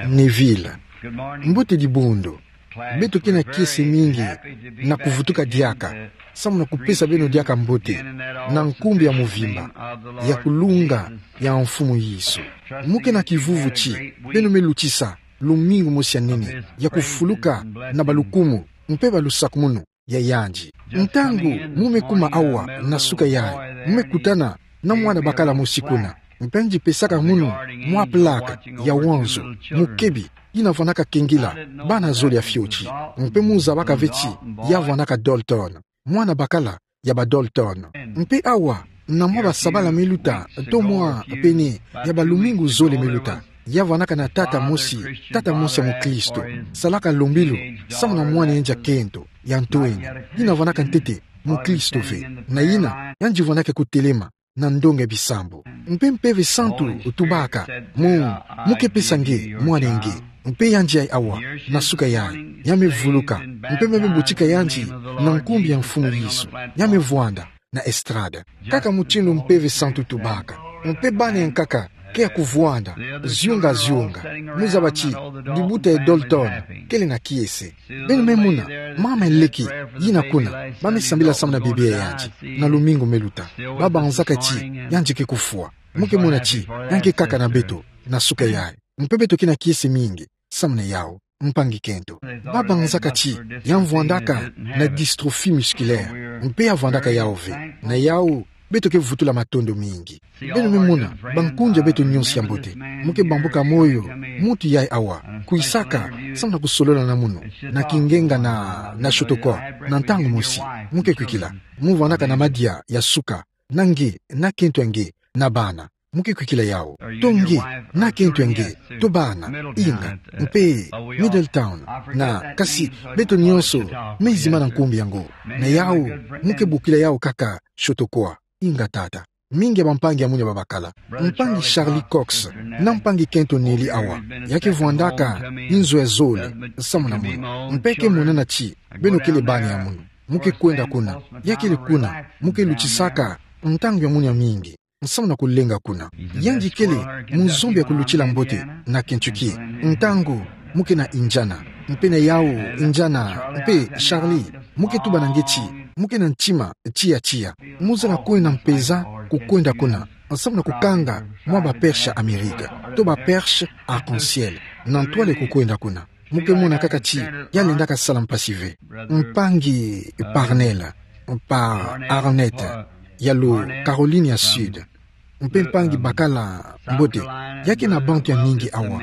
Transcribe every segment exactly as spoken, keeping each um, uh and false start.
Neville. Mbote dibundu. Beto ke na kiese mingi na kuvutuka diaka, samu na kupesa beno diaka mbote, na nkumbu ya mvimba ya kulunga ya Mfumu Yesu. Mu ke na kivuvu ti beno me lutisa lumingu mosi ya nene ya kufuluka na balukumu mpe balusakumunu ya yandi. Ntangu mu me kuma awa na suka yayi, mu me kutana na mwana bakala mosi kuna, mpe yandi pesaka munu mwa plaque ya wanzu, mukebi, yina vwandaka kengila bana zole ya fioti. Mpe mu zabaka ve ti ya vwandaka Dalton, mwana bakala ya ba Dalton. Mpe awa, na mwa basabala me luta, to mwa pene ya balumingu zole me luta, ya vwandaka na tata mosi, tata mosi ya mukristo, salaka lombilu samu na mwana yandi ya kento ya ntwenya, yina vwandaka ntete mukristo ve, na yina yandi vwandaka kutelema na ndonga ya bisambu. Mpe Mpeve Santu tubaka, mu, mu ke pesa nge mwana nge. Mpe yandi yayi awa na suka yayi, ya me vuluka, mpe me me butika yandi na nkumbu ya Mfumu Yesu, ya me vwanda na estrade. Kaka mutindu Mpeve Santu tubaka. Mpe bana ya nkaka ke ya kuvwanda, zionga zionga. Mu zaba ti libuta ya Dalton kele na kiese. Beno me mona mama ya leke yina kuna, ba me sambila samu na bebe ya yandi, na lumingu me luta. Ba banzaka ti yandi ke kufwa. Mu ke mona ti ya nge kaka na beto na suka yayi. Mpe beto ke na kiese mingi samu na yawu, mpangi kento. Ba banzaka ti ya vwandaka na dystrophie musculaire, mpe ya vwandaka yawu ve. Na yawu, beto ke vutula matondo mingi. Beno me mona, bankunzi ya beto nyonso ya mbote, mu ke bambuka moyo muntu yayi awa, kwisaka samu na kusolola na munu na kingenga na, na Chautauqua, na ntangu mosi. Mu ke kwikila, mu vwandaka na madia ya suka, na nge, na kento ya nge, na bana. Mu ke kwikila yawu. To nge, na kento ya nge, to bana, inga, mpe Middletown, na, kasi, beto nyonso me zimana nkumbu yango. Na yawu, mu ke bokila yawu kaka Chautauqua, inga tata. Mingi ya bampangi ya munu ya babakala. Mpangi Charlie Cox, na mpangi kento Nellie awa, ya ke vwandaka inzo ya zole samu na munu. Mpe ke monana ti beno kele bana ya munu. Mu ke kwenda kuna, ya kele kuna, mu ke lutisaka ntangu ya munu ya mingi samu na kulenga kuna. Yandi kele muzombi ya kulutila mbote na Kentucky. Ntangu mu ke na Indiana, mpe na yawu Indiana, mpe Charlie, mu ke tuba na nge ti mu ke na ntima tiya tiya. Mu zana kwenda mpeza kukwenda kuna samu na kukanga mwa ba perche ya Amerika, to ba perche arc-en-ciel, na ntwala kukwenda kuna. Mu ke mona kaka ti ya lendaka sala mpasi ve. Mpangi Parnell, Parnell Arnett, ya lo Caroline ya Sud, mpe mpangi bakala mbote, ya ke na bantu ya mingi awa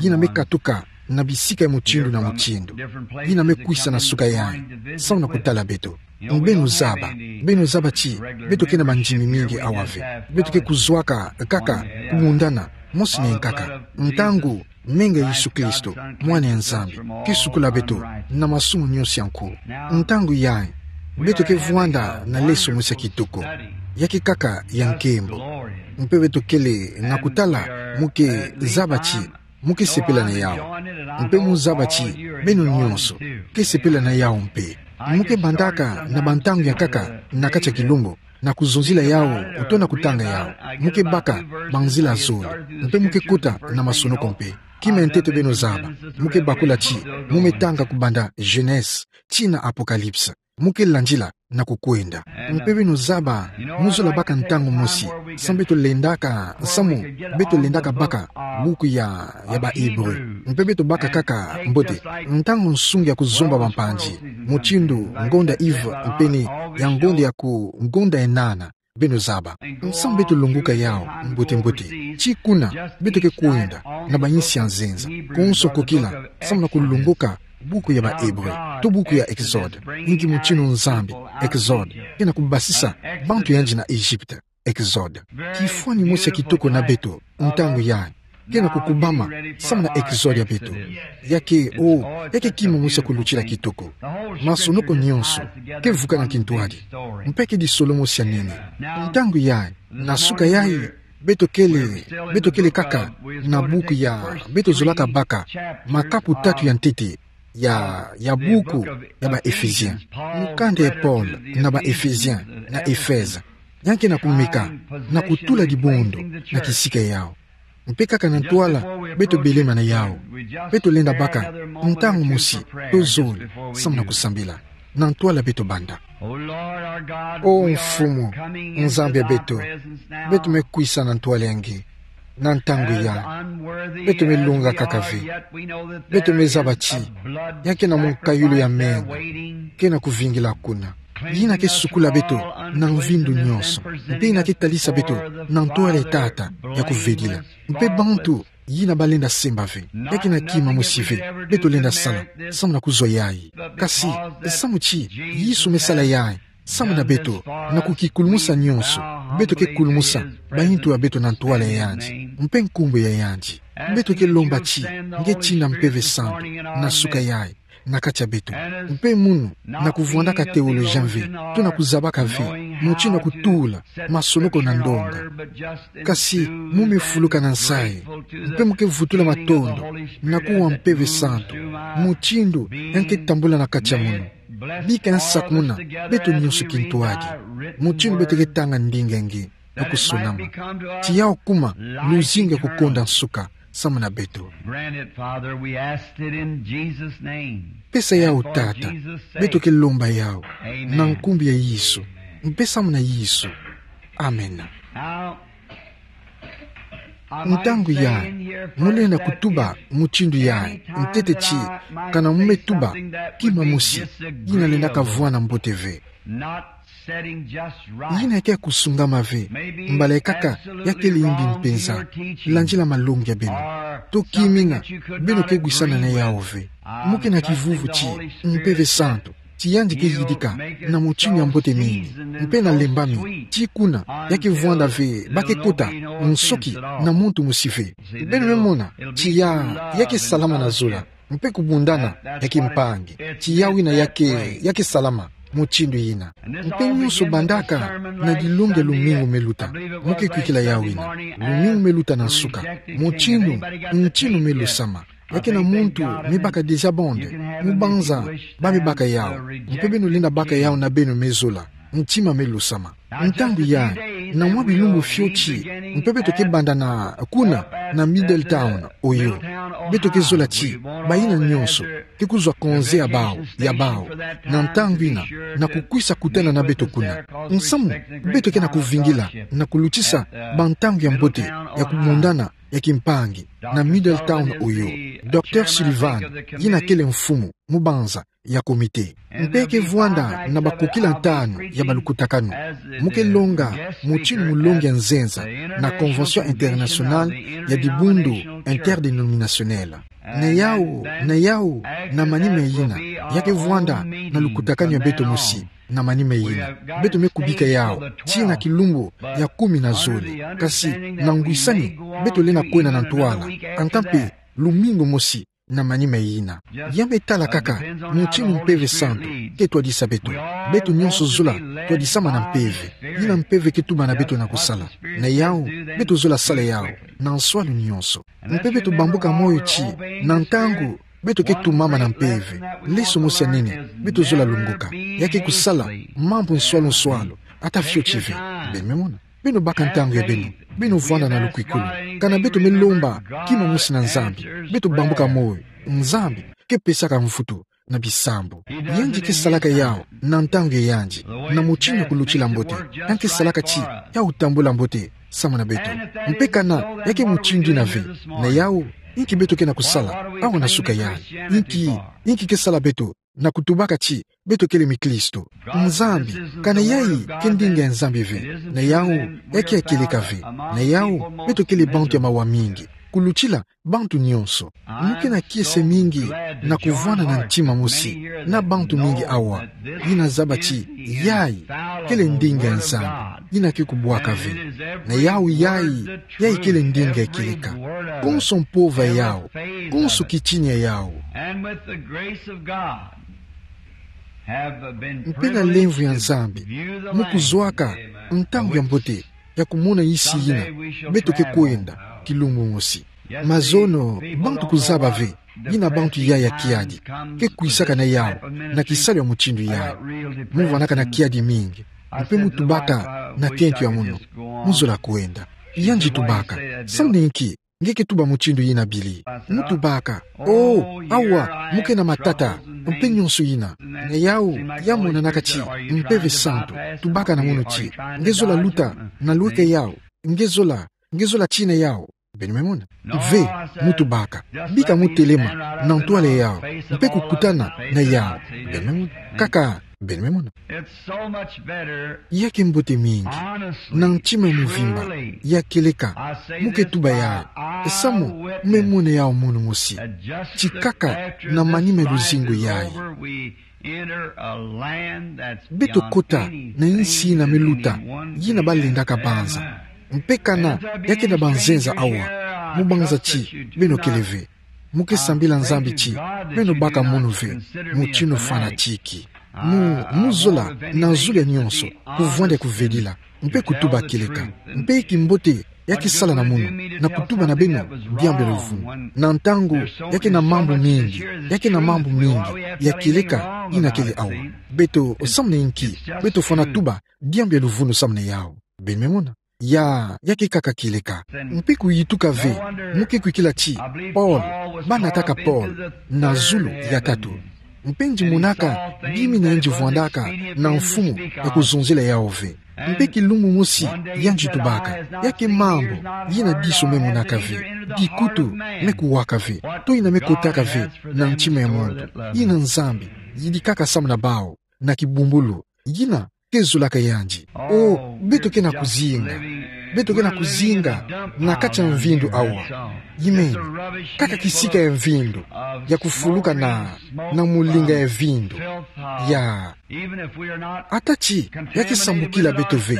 yina me katuka na bisika ya mutindu na mutindu, yina me kwisa na suka yayi samu na kutala beto. Beno zaba, beno zaba ti beto ke na bandimi mingi awa ve. Beto ke kuzwaka kaka kumundana mosi na ya nkaka, ntangu menga Yesu Kristo, Mwana ya Nzambi, ke sukula beto na masumu nyonso ya nko. Ntangu yayi, beto ke vwanda na leso mosi ya kitoko, ya ke kaka ya nkembo. Mpe beto kele na kutala, mu ke zaba ti mu ke sepela na yawu. Mpe mu zaba ti beno nyonso ke sepela na yawu mpe. Mu ke bandaka na bantangu ya nkaka na kati ya kilumbu na kuzonzila yawu to na kutanga yawu. Mu ke baka banzila zole, mpe mu ke kota na masonoko mpe. Kima ya ntete beno zaba, mu ke bakula ti mu me tanga kubanda Genèse tii na Apocalypse. Mu ke landila na kukwenda. Mpe beno zaba, mu zola baka ntangu mosi samu beto lendaka, samu beto lendaka baka buku ya, ya ba Hébreux. Mpe beto baka kaka mbote ntangu nsungi ya kuzomba bampanzi, mutindu ngonda Yves, mpene ya ngonda ya ku, ngonda ya nana. Beno zaba, samu beto longoka yawu mbote mbote. Tii kuna beto ke kwenda na bayinsi ya nzenza, konso kokila, samu na kulongoka buku ya ba Hébreux, to buku ya Exode. Inki mutindu Nzambi, Exode, ke na kubasisa bantu yandi na Egypte, Exode. Kifwani mosi ya kitoko na beto ntangu yayi ke na kukubama samu na Exode ya beto. Ya ke, o, ya ke kima mosi ya kulutila kitoko. Masonoko nyonso ke vukana kintwadi, mpe ke disolo mosi ya nene. Ntangu yayi, na suka yayi, beto kele, beto kele kaka na buku ya, beto zolaka baka makapu tatu ya ntete ya, ya buku ya ba Ephésiens. Mukanda ya Paul na ba Ephésiens na Éphèses, ya ke na kumeka na kutula dibundu na kisika yawu. Mpe kaka na ntwala beto belema na yawu, beto lenda baka ntangu mosi tozolo samu na kusambila na ntwala beto banda. O Mfumu, Nzambi ya beto, beto mekwisa na ntwala ya nge na ntangu ya, beto melunga kaka ve. Beto mezaba ti ya kena mwa nkayulu ya menga kena kuvingila kuna. Yina ke sukula beto na mvindu nyonso, mpe yina ke talisa beto na ntwala ya tata ya kuvedila. Mpe bantu yina balenda semba ve, ya kena kima mosi ve beto lenda sala samu na kuzwa yayi. Kasi samu ti Yesu mesala yayi samu na beto, na kukikulumusa nyonso beto ke kulumusa bayintu ya beto na ntwala ya yandi mpe nkumbu ya yandi. Beto ke lomba ti nge tinda Mpeve Santu na suka yayi na kati ya beto. Mpe munu na kuvwandaka théologien ve, to na kuzabaka ve mutindu ya kutula masonoko na ndonga, kasi mu mefuluka na nsayi, mpe mu ke vutula matondo na kuwa Mpeve Santu mutindu ya nge ke tambula na kati ya munu. Bika nsakumuna beto nyonso kintwadi mutindu beto ke tanga ndinga ya nge na kusunama. Ti yawu kuma luzingu ya kukonda nsuka samu na beto. Grant it, Father. We ask it in Jesus' name. Pesa yawu, Tata. Beto ke lomba yawu na nkumbu ya Yesu mpe samu na Yesu. Amena. Now, ntangu yayi mu lenda kutuba mutindu yayi, ntete ti kana mu me tuba kima mosi yina lenda kavwanda mbote ve. Yina ke kusungama ve, mbala kaka ya kele yimbi mpenza, landila malongi ya beno, to kimina beno ke gwisana na yawu ve. Mu ke na kivuvu ti Mpeve Santu, ti yandi ke yidika na mutindu ya mbote mingi, mpe na lembami ti kuna ya ke vwanda ve ba ke kota nsoki na muntu mosi ve. Beno me mona ti ya, ya ke salama na zola, mpe kubundana ya kimpangi. Ti yawu yina ya ke, ya ke salama mutindu yina. Mpe nyonso bandaka na dilongi ya lumingu me luta. Mu ke kwikila yawu yina, lumingu me luta na nsuka, mutindu ntinu me lusama. Ya kena muntu me baka déjà bande, mu banza ba me baka yawu, mpe beno lenda baka yawu na beno me zola, ntima me lusama. Ntangu yayi, na mwa bilumbu fioti, mpe beto ke bandana kuna na Middletown, Ohio. Beto ke zola ti bayina nyonso ke kuzwa konze ya bawu, ya bawu, na ntangu yina, na kukwisa kutana na beto kuna. Nsamu beto ke na kuvingila na kulutisa bantangu ya mbote ya kubundana ya kimpangi na Middletown, Ohio. Docteur Sullivan, yina kele mfumu, mu banza ya comité, mpe ke vwanda na bakukila ntanu ya balukutakanu. Mu ke longa mutindu mulongi ya nzenza na Convention Internationale ya Dibundu Interdénominationnel. Na yawu, na yawu, na manima yina, ya ke vwanda na lukutakanu ya beto mosi. Na manima yina, beto me kubika yawu tii na kilumbu ya kumi na zole. Kasi na ngwisani, beto lenda kwenda na ntwala, anta mpe lumingu mosi na manima yina. Ya me tala kaka mutindu Mpeve Santu ke twadisa beto. Beto nyonso zola twadisama na mpeve. Yina mpeve ke tuba na beto na kusala. Na yawu, beto zola sala yawu na nswalu nyonso. Mpe beto bambuka moyo ti, na ntangu beto ke tumama na mpeve, leso mosi ya nene beto zola lunguka, ya ke kusala mambu nswalu nswalu, ata fioti ve. Beno me mona. Beno baka ntangu ya beno, beno vwanda na lukwikulu. Kana beto me lomba kima mosi na Nzambi, beto bambuka moyo, Nzambi ke pesaka mvutu na bisambu. Yandi ke salaka yawu na ntangu ya yandi, na mutindu ya kulutila mbote. Yandi ke salaka ti yawu tambula mbote samu na beto. Mpe kana ya ke mutindu yina ve, na yawu, inki beto ke na kusala awa na suka yayi? Inki, inki ke sala beto na kutubaka ti beto kele miklisto? Nzambi, kana yayi ke ndinga ya Nzambi ve, na yawu, ya ke ya kieleka ve. Na yawu, beto kele bantu ya mawa mingi kulutila bantu nyonso. Mu ke na kiese mingi na kuvwanda na ntima mosi na bantu mingi awa, yina zaba ti yayi kele ndinga ya Nzambi, yina ke kubwaka ve. Na yawu yayi, yayi kele ndinga ya kieleka. Konso mpova yawu, konso kitini ya yawu. Mpe na lemvo ya Nzambi, mu kuzwaka ntangu ya mbote ya kumona insi yina beto ke kwenda kilumbu mosi. Mazono, bantu kuzaba ve yina bantu yayi ya kiadi ke kwisaka na yawu na kisalu ya mutindu yayi. Mu vwandaka na kiadi mingi, mpe mu tubaka na kento ya munu, mu zola kwenda. Yandi tubaka: Samu na inki nge ke tuba mutindu yina bili. Mu tubaka: O, awa, mu ke na matata, mpe nionso yina. Na yawu, ya monanaka ti mpeve santu, tubaka na mono ti: Nge zola luta na lueke yawu, nge zola, nge zola tina yawu. Beno me mona? Ve, mu tubaka. Bika mu telema na ntwala yawu, mpe kukutana na yawu. Beno me mona? Kaka, beno me mona? It's so much better, ya ke mbote mingi, honestly, na ntima mvimba, truly, ya kieleka, mu ke tuba yayi. Samu, me mona yawu mono mosi. Tikaka na manima luzingu yayi, beto kota na insi yina me luta, yina balendaka banza. Mpe kana ya ke na banzenza awa, mu banza ti beno kele ve. Mu ke sambila Nzambi ti beno baka mono ve, mutindu fanatique. Mu, mu zola na zulu ya nionso kuvwanda kuvedila, mpe kutuba kieleka. Mpe kimbote ya ke sala na mono, na kutuba na beno diambu ya luvunu. Na ntangu ya ke na mambu mingi, ya ke na mambu mingi ya kieleka yina kele awa. Beto, samu na inki beto fwana tuba diambu ya luvunu samu na yawu? Beno me mona? Ya, ya ke kaka kieleka. Mpe kuyituka ve, mu ke kwikila ti Paul, ba nataka Paul na zulu ya tatu. Mpe nge monaka bima yina nge vwandaka na mfumu ya kuzonzela yawu ve. Mpe kilumbu mosi ya nge tubaka, ya ke mambu yina diso me monaka ve, dikutu me kuwaka ve, to yina me kotaka ve na ntima ya muntu, yina Nzambi yidikaka samu na bawu na kibumbulu, yina ke zolaka ya nge. O, beto ke na kuzinga. Beto ke na kuzinga na kati ya mvindu awa. Imeni, kaka kisika ya mvindu ya kufuluka na, na mulinga ya mvindu. Ya. Ata ti ya ke sambukila beto ve,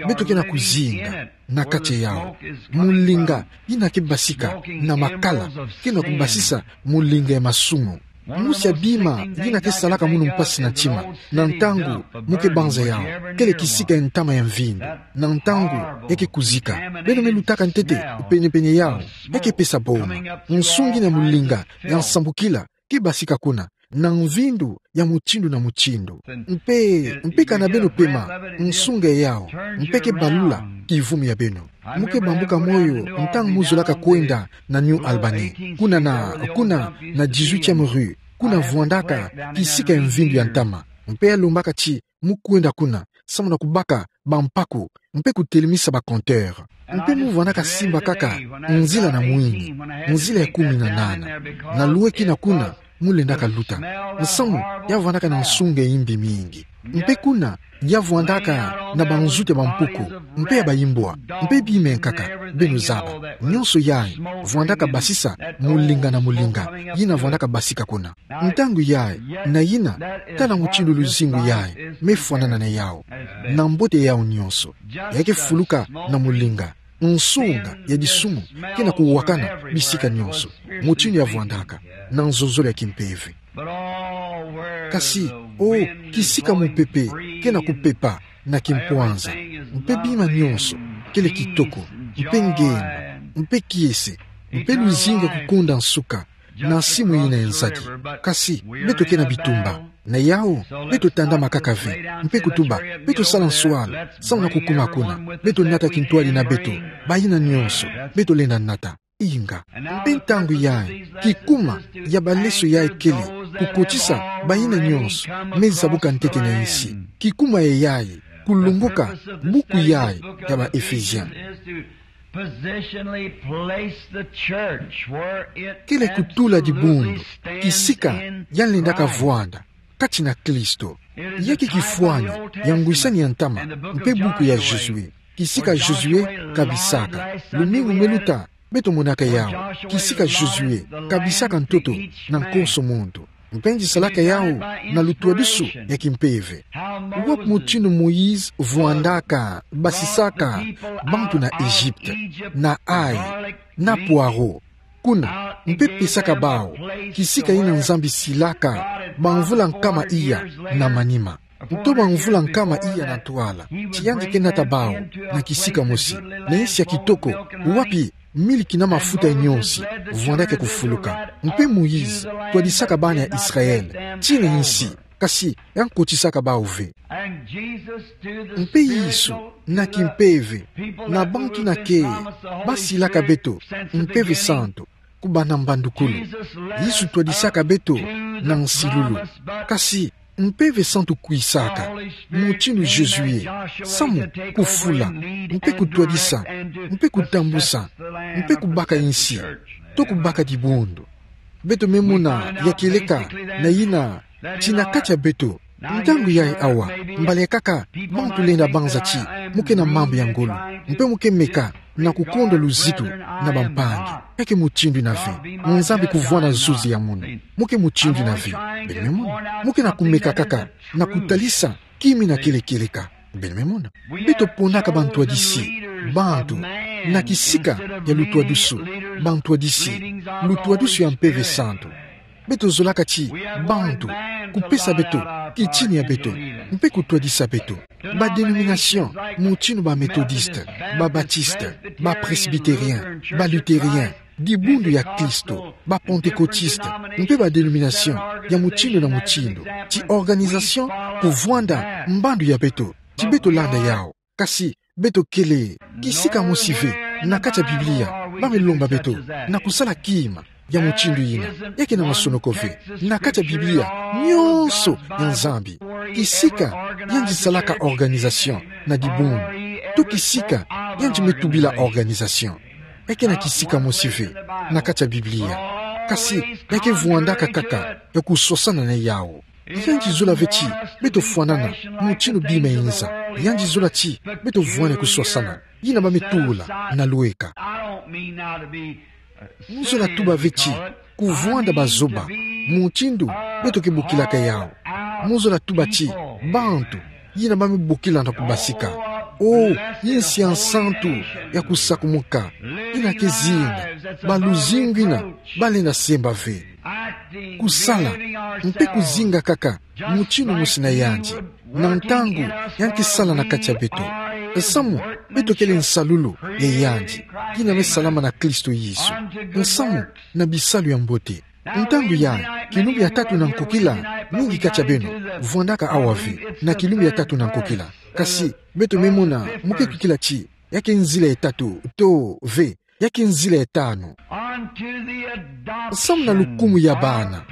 beto ke na kuzinga na kati ya yawu. Mulinga yina ke basika na makala ke na kubasisa mulinga ya masumu. Mosi ya bima yina ke salaka mono mpasi na ntima, na ntangu mu ke banza yawu, kele kisika ya ntama ya mvindu. Na ntangu ya ke kuzika, beno me lutaka ntete penepene yawu, ya ke pesa boma. Nsungi na mulinga ya nsambukila ke basika kuna, na mvindu ya mutindu na mutindu. Mpe, mpe kana beno pema nsunga yawu, mpe ke balula kivumu ya beno. Mu ke bambuka moyo ntangu mu zolaka kwenda na New Albany. Kuna na, kuna na dix-huitième rue, kuna vwandaka kisika ya mvindu ya ntama. Mpe ya lombaka ti mu kwenda kuna, samu na kubaka bampaku, mpe kutelemisa ba compteur. Mpe mu vwandaka simba kaka nzila na mwini, nzila ya kumi na nana. Na lueki na kuna mu lendaka luta. Nsamu, ya vwandaka na nsunga ya imbi mingi. Mpe kuna, ya vwandaka na banzutu ya bampuku, mpe ya baimbwa, mpe bima ya nkaka, beno zaba. Nionso yayi vwandaka basisa mulinga na mulinga yina vwandaka basika kuna. Ntangu yayi, na yina, tala mutindu luzingu yayi me fwanana na yawu. Na mbote yawu nionso, ya ke fuluka na mulinga, nsunga ya disumu ke na kuwakana bisika nionso, mutindu ya vwandaka na nzozolo ya kimpeve. Kasi, o, kisika mupepe ke na kupepa na kimpwanza, mpe bima nionso kele kitoko, mpe ngemba, mpe kiese, mpe luzingu ya kukonda nsuka na nsimu yina ya nzadi. Kasi, beto ke na bitumba. Na yawu, beto tandama kaka ve, mpe kutuba, beto sala nswala, samu na kukuma kuna, beto nata kintwadi na beto, bayina nionso beto lenda nata. Inga. Mpe ntangu yayi, kikuma ya baleso yayi kele kukotisa bayina nionso me zabuka ntete na insi. Kikuma ya yayi, kulunguka buku yayi ya ba Ephésiens. Positionally place the church where it kele kutula dibundu, absolutely stands kisika in ya lendaka Christ. Vwanda kati na Kristo. Ya ke kifwani ya ngwisani ya ntama, mpe buku ya Josué. Kisika Josué kabisaka. Lumingu me luta, beto monaka yawu. Kisika Josué kabisaka ntoto na nkonso muntu. Mpe nge salaka yawu na lutwadusu ya kimpeve. Wapi mutindu Moïse vwandaka basisaka bantu na Egypte na ail, na poireau, kuna, mpe pesaka bawu kisika yina Nzambi silaka bamvula nkama iya na manima, nto bamvula nkama iya na ntwala, ti yandi ke nata bawu na kisika mosi, na insi ya kitoko, wapi miliki na mafuta ya nionsi vwandaka kufuluka. Mpe Moïse twadisaka bana ya Israël tina insi kasi ya nkotisaka bawu ve. Mpe Yesu, na kimpeve, na bantu nakee, basilaka beto Mpeve Santu, kubâ na mbandukulu. Yesu twadisaka beto na nsilulu. Kasi Mpeve Santu kwisaka, mutindu Jésus ye, samu kufula, mpe kutwadisa, mpe kutambusa, mpe kubaka insi, to kubaka dibundu. Beto me mona ya kieleka na yina ti na kati ya beto. Ntangu yayi awa, mbala kaka bantu lenda banza ti mu ke na mambu ya ngolo, mpe mu ke meka na kukondwa luzitu na bampangi. Ya ke mutindu yina ve. Nzambi kuvwanda zuzi ya munu. Mu ke mutindu yina ve. Beno me mona. Mu ke na kumeka kaka na kutalisa kima ina kele kieleka. Beno me mona. Beto ponaka bantwadisi, bantu, na kisika ya lutwadusu, bantwadisi, lutwadusu ya Mpeve Santu. Beto zolaka ti bantu kupesa beto kitini ya beto, mpe kutwadisa beto. Ba dénomination, mutindu ba Methodiste, ba Baptiste, ba Presbytérien, ba Luthérien, dibundu ya Kristo, ba Pentecôtiste, mpe ba dénomination ya mutindu na mutindu, ti organisation kuvwanda mbandu ya beto, ti beto landa yawu. Kasi beto kele kisika mosi ve na kati ya Biblia ba me lomba beto na kusala kima ya mutindu yina. Ya ke na masonoko ve. Na kati ya Biblia, nyonso ya Nzambi, kisika yandi salaka organisation na dibundu, to kisika yandi me tubila organisation. Ya ke na kisika mosi ve na kati ya Biblia. Kasi ya ke vwandaka kaka ya kuswasana na yawu. Yandi zola ve ti beto fwanana mutindu bima inza. Yandi zola ti beto vwanda kuswasana. Yina ba me tula na lweka. Mu zola tuba ve ti kuvwanda bazoba, mutindu beto ke bokilaka yawu. Mu zola tuba ti bantu yina ba me bokila na kubasika. O, insi ya nsantu ya kusakumuka, ina ke zinga, ba luzingu ina ba lenda semba ve. Kusala, mpe kuzinga kaka mutindu mosi na yandi, na ntangu yandi ke sala na kati ya beto. Samu beto kele nsalulu ya yandi, yina me salama na Kristo Yesu, samu na bisalu ya mbote. Ntangu yayi, kilumbu ya tatu na nkokila, mingi kati ya beno vwandaka awa ve na kilumbu ya tatu na nkokila. Kasi beto me mona mu ke kwikila ti ya ke nzila ya tatu, to ve, ya ke nzila ya tanu. Samu na lukumu ya bana,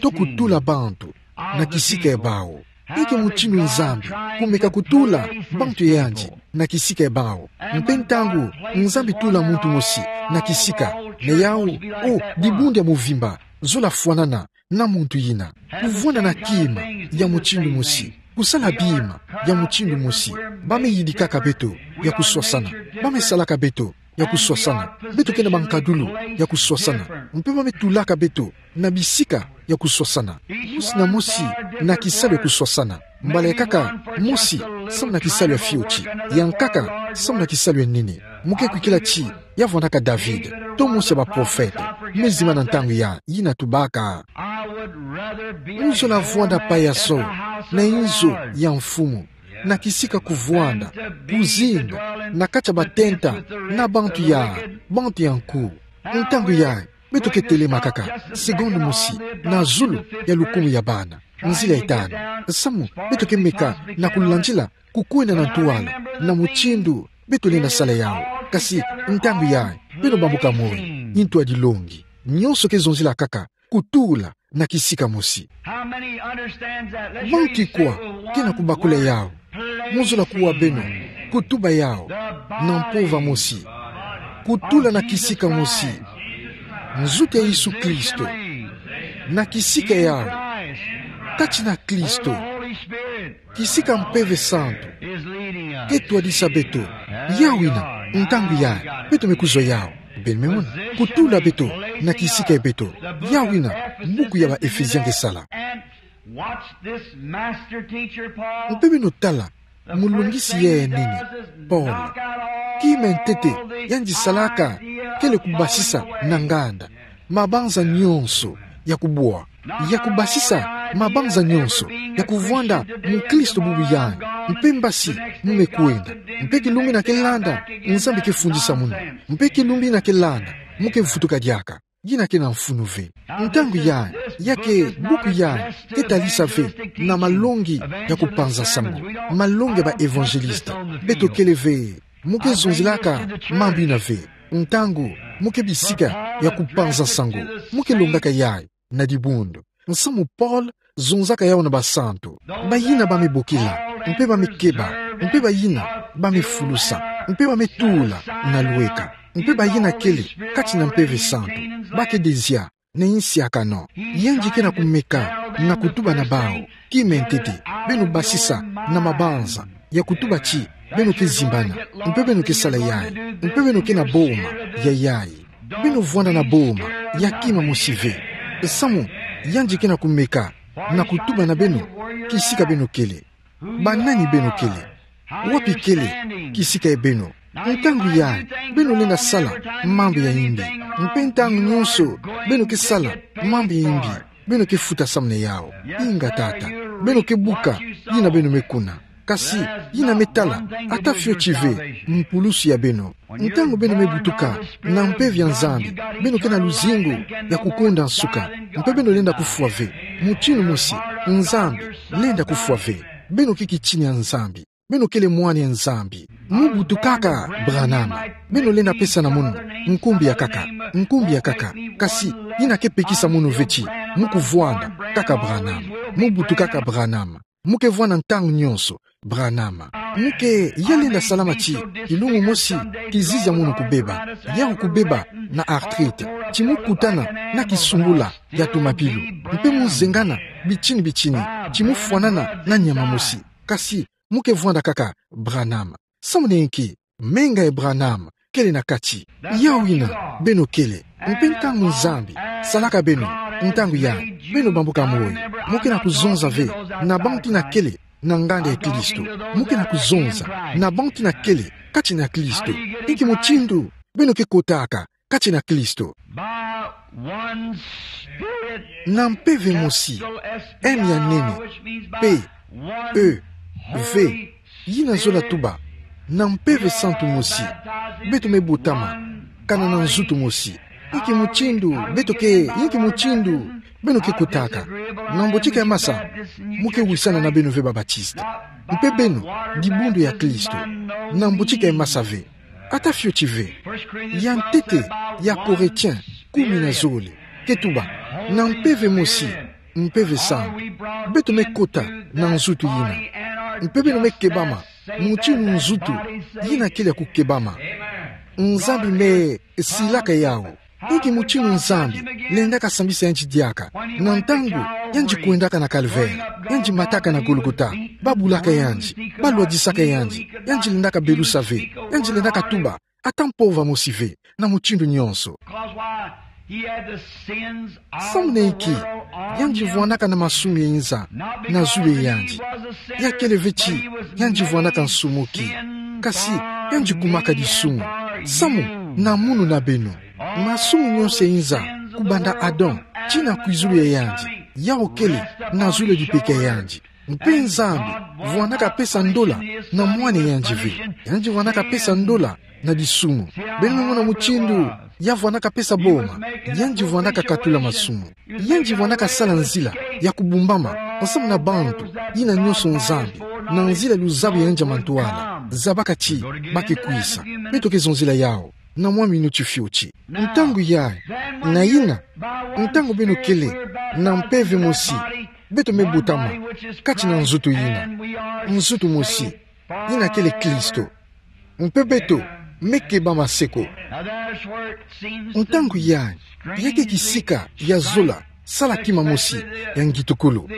to kutula bantu na kisika ya bawu. Ya ke mutindu Nzambi kumeka kutula bantu ya yandi na kisika ya bawu. Mpe ntangu Nzambi tula muntu mosi na kisika, na yawu, o, dibundu ya muvimba zola fwanana na muntu yina. Kuvwanda na kima ya mutindu mosi, kusala bima ya mutindu mosi. Ba me yidikaka beto ya kuswasana. Ba me salaka beto ya kuswasana. Beto ke na bankadulu ya kuswasana. Mpe ba me tulaka beto na bisika ya kuswasana. Mosi na mosi na kisalu ya kuswasana. Mbala kaka mosi samu na kisalu ya fioti, ya nkaka samu na kisalu ya nene. Mu ke kwikila ti ya vwandaka David, to mosi ya baprofete, me zimbana ntangu ya yina tubaka: Mu zola vwanda payaso na inzo ya Mfumu, na kisika kuvwanda, kuzinga na kati ya batenta na bantu ya, bantu ya nku. Ntangu yayi, beto ke telema kaka segonde mosi na zulu ya lukumu ya bana, nzila ya tanu. Samu beto ke meka na kulandila kukwenda na ntwala na mutindu beto lenda sala yawu. Kasi ntangu yayi, beno bambuka moi, ntwadi longi. Nyonso ke zonzila kaka kutula na kisika mosi. Bantu ikwa ke na kubakula yawu? Mu zola kuwa beno, kutuba yawu na mpova mosi. Kutula na kisika mosi. Nzutu ya Yesu Kristo. Na kisika yawu. Kati na Kristo. Kisika Mpeve Santu ke twadisa beto. Yawu ina, ntangu yayi, beto me kuzwa yawu. Beno me mona, kutula beto na kisika ya beto. Yawu ina buku ya ba Ephésiens ke sala. Mpe beno tala mulungisi ya nene, Paul. Kima ya ntete yandi salaka kele kubasisa na nganda mabanza nyonso ya kubwa, ya kubasisa mabanza nyonso ya kuvwanda mukristo bubu yandi, mpe mbasi mu me kwenda. Mpe kilumbu ina ke landa, Nzambi ke fundisa munu. Mpe kilumbu ina ke landa, mu ke vutuka diaka. yina ke na mfunu ve. Ntangu yayi, ya ke buku yayi ke talisa ve na malongi ya kupanza sango, malongi ya ba évangéliste. Beto kele ve, mo ke zonzelaka mambu yina ve. Ntangu mo ke bisika ya kupanza sango, mo ke longaka yayi na dibundu. Nsamu Paul zonzaka yawu na basantu, bayina ba me bokila, mpe ba me keba, mpe bayina ba me fulusa, mpe ba me tula na lweka, mpe bayina kele kati na Mpeve Santu, ba ke dezia na insiakano. Yandi ke na kumeka na kutuba na bawu: Kima ya ntete, beno basisa na mabanza ya kutuba ti beno ke zimbana, mpe beno ke sala yayi, mpe beno ke na boma ya yayi. Beno vwanda na boma ya kima mosi ve. Nsamu yandi ke na kumeka na kutuba na beno kisika beno kele. Banani beno kele? Wapi kele kisika ya beno? Ntangu yayi, beno lenda sala mambu ya imbi. Mpe ntangu nyonso beno ke sala mambu ya imbi, beno ke futa samu na yawu. Inga tata, beno ke buka yina beno me kuna. Kasi yina me tala, ata fioti ve mpulusu ya beno. Ntangu beno me butuka na mpeve ya Nzambi, beno ke na luzingu ya kukonda nsuka. Mpe beno lenda kufwa ve. Mutindu mosi, Nzambi lenda kufwa ve. Beno ke kitini ya Nzambi. Beno kele mwana ya Nzambi. Mo butukaka Branham, beno lenda pesa na mono nkumbu ya nkaka, nkumbu ya nkaka. Kasi yina ke pekisa mono ve ti mo kuvwanda kaka Branham. Mo butukaka Branham. Mo ke vwanda ntangu nyonso Branham. Mo ke ya lenda salama ti kilungu mosi kizizi ya mono kubeba, yawu kubeba na arthrite, ti mo kutana na kisungula ya tumapilu, mpe mo zengana bitini bitini, ti mo fwanana na nyama mosi. Kasi mo ke vwanda kaka Branham. Samu na inki? Menga ya Branham kele na kati. Yawu yina beno kele. Mpe ntangu Nzambi salaka beno, ntangu yayi beno bambuka moyo. Mo ke na kuzonza ve na bantu yina kele na nganda ya Kristo. Mo ke na kuzonza na bantu yina kele kati na Kristo. Inki mutindu beno ke kotaka kati na Kristo? By one Spirit, na mpeve mosi, capital S P I, M ya nene, which means by P, one E, V, Holy yina zola Spirit, tuba, na Mpeve Santu mosi, beto me botama, kana na nzutu mosi. Inki mutindu beto ke, inki mutindu beno ke kotaka? Na mbotika ya masa, mo ke wisana na beno ve ba Baptiste. Mpe beno, dibundu ya Kristo, na mbotika ya masa ve. Ata fioti ve. Ya ntete ya Korintien kumi na zole ke tuba, na mpeve mosi, Mpeve Santu, beto me kota na nzutu yina. Mpe beno me kebama mutindu nzutu yina kele ya kukebama. Nzambi me silaka yawu. Inki mutindu Nzambi lendaka sambisa yandi diaka? Na ntangu yandi kwendaka na Calvaire, yandi mataka na Golgotha, ba bulaka yandi, ba lwadisaka yandi, yandi lendaka belusa ve, yandi lendaka tuba ata mpova mosi ve, na mutindu nyonso. Samu na inki? Yandi vwandaka na masumu ya inza na zulu ya yandi. Ya kele ve ti yandi vwandaka nsumuki, kasi yandi kumaka disumu samu na munu na beno. Masumu nyonso ya inza, kubanda Adam tii na kwizulu ya yandi, yawu kele na zulu ya dipeke ya yandi. Mpe Nzambi vwandaka pesa ndola na mwana ya yandi ve. Yandi vwandaka pesa ndola na disumu. Beno me mona mutindu ya vwandaka pesa boma. Yandi vwandaka katula masumu. Yandi vwandaka sala nzila ya kubumbama nsamu na bantu yina nyonso Nzambi, na nzila ya luzabu ya yandi ya mantwala, zabaka ti ba ke kwisa. Beto ke zonzila yawu na mwa minuti fioti. Ntangu yayi, na yina, ntangu beno kele na mpeve mosi, beto me botama kati na nzutu yina, nzutu mosi, yina kele Kristo. Mpe beto me kebama seko. Ntangu yayi, ya ke kisika ya zola sala kima mosi ya ngitukulu.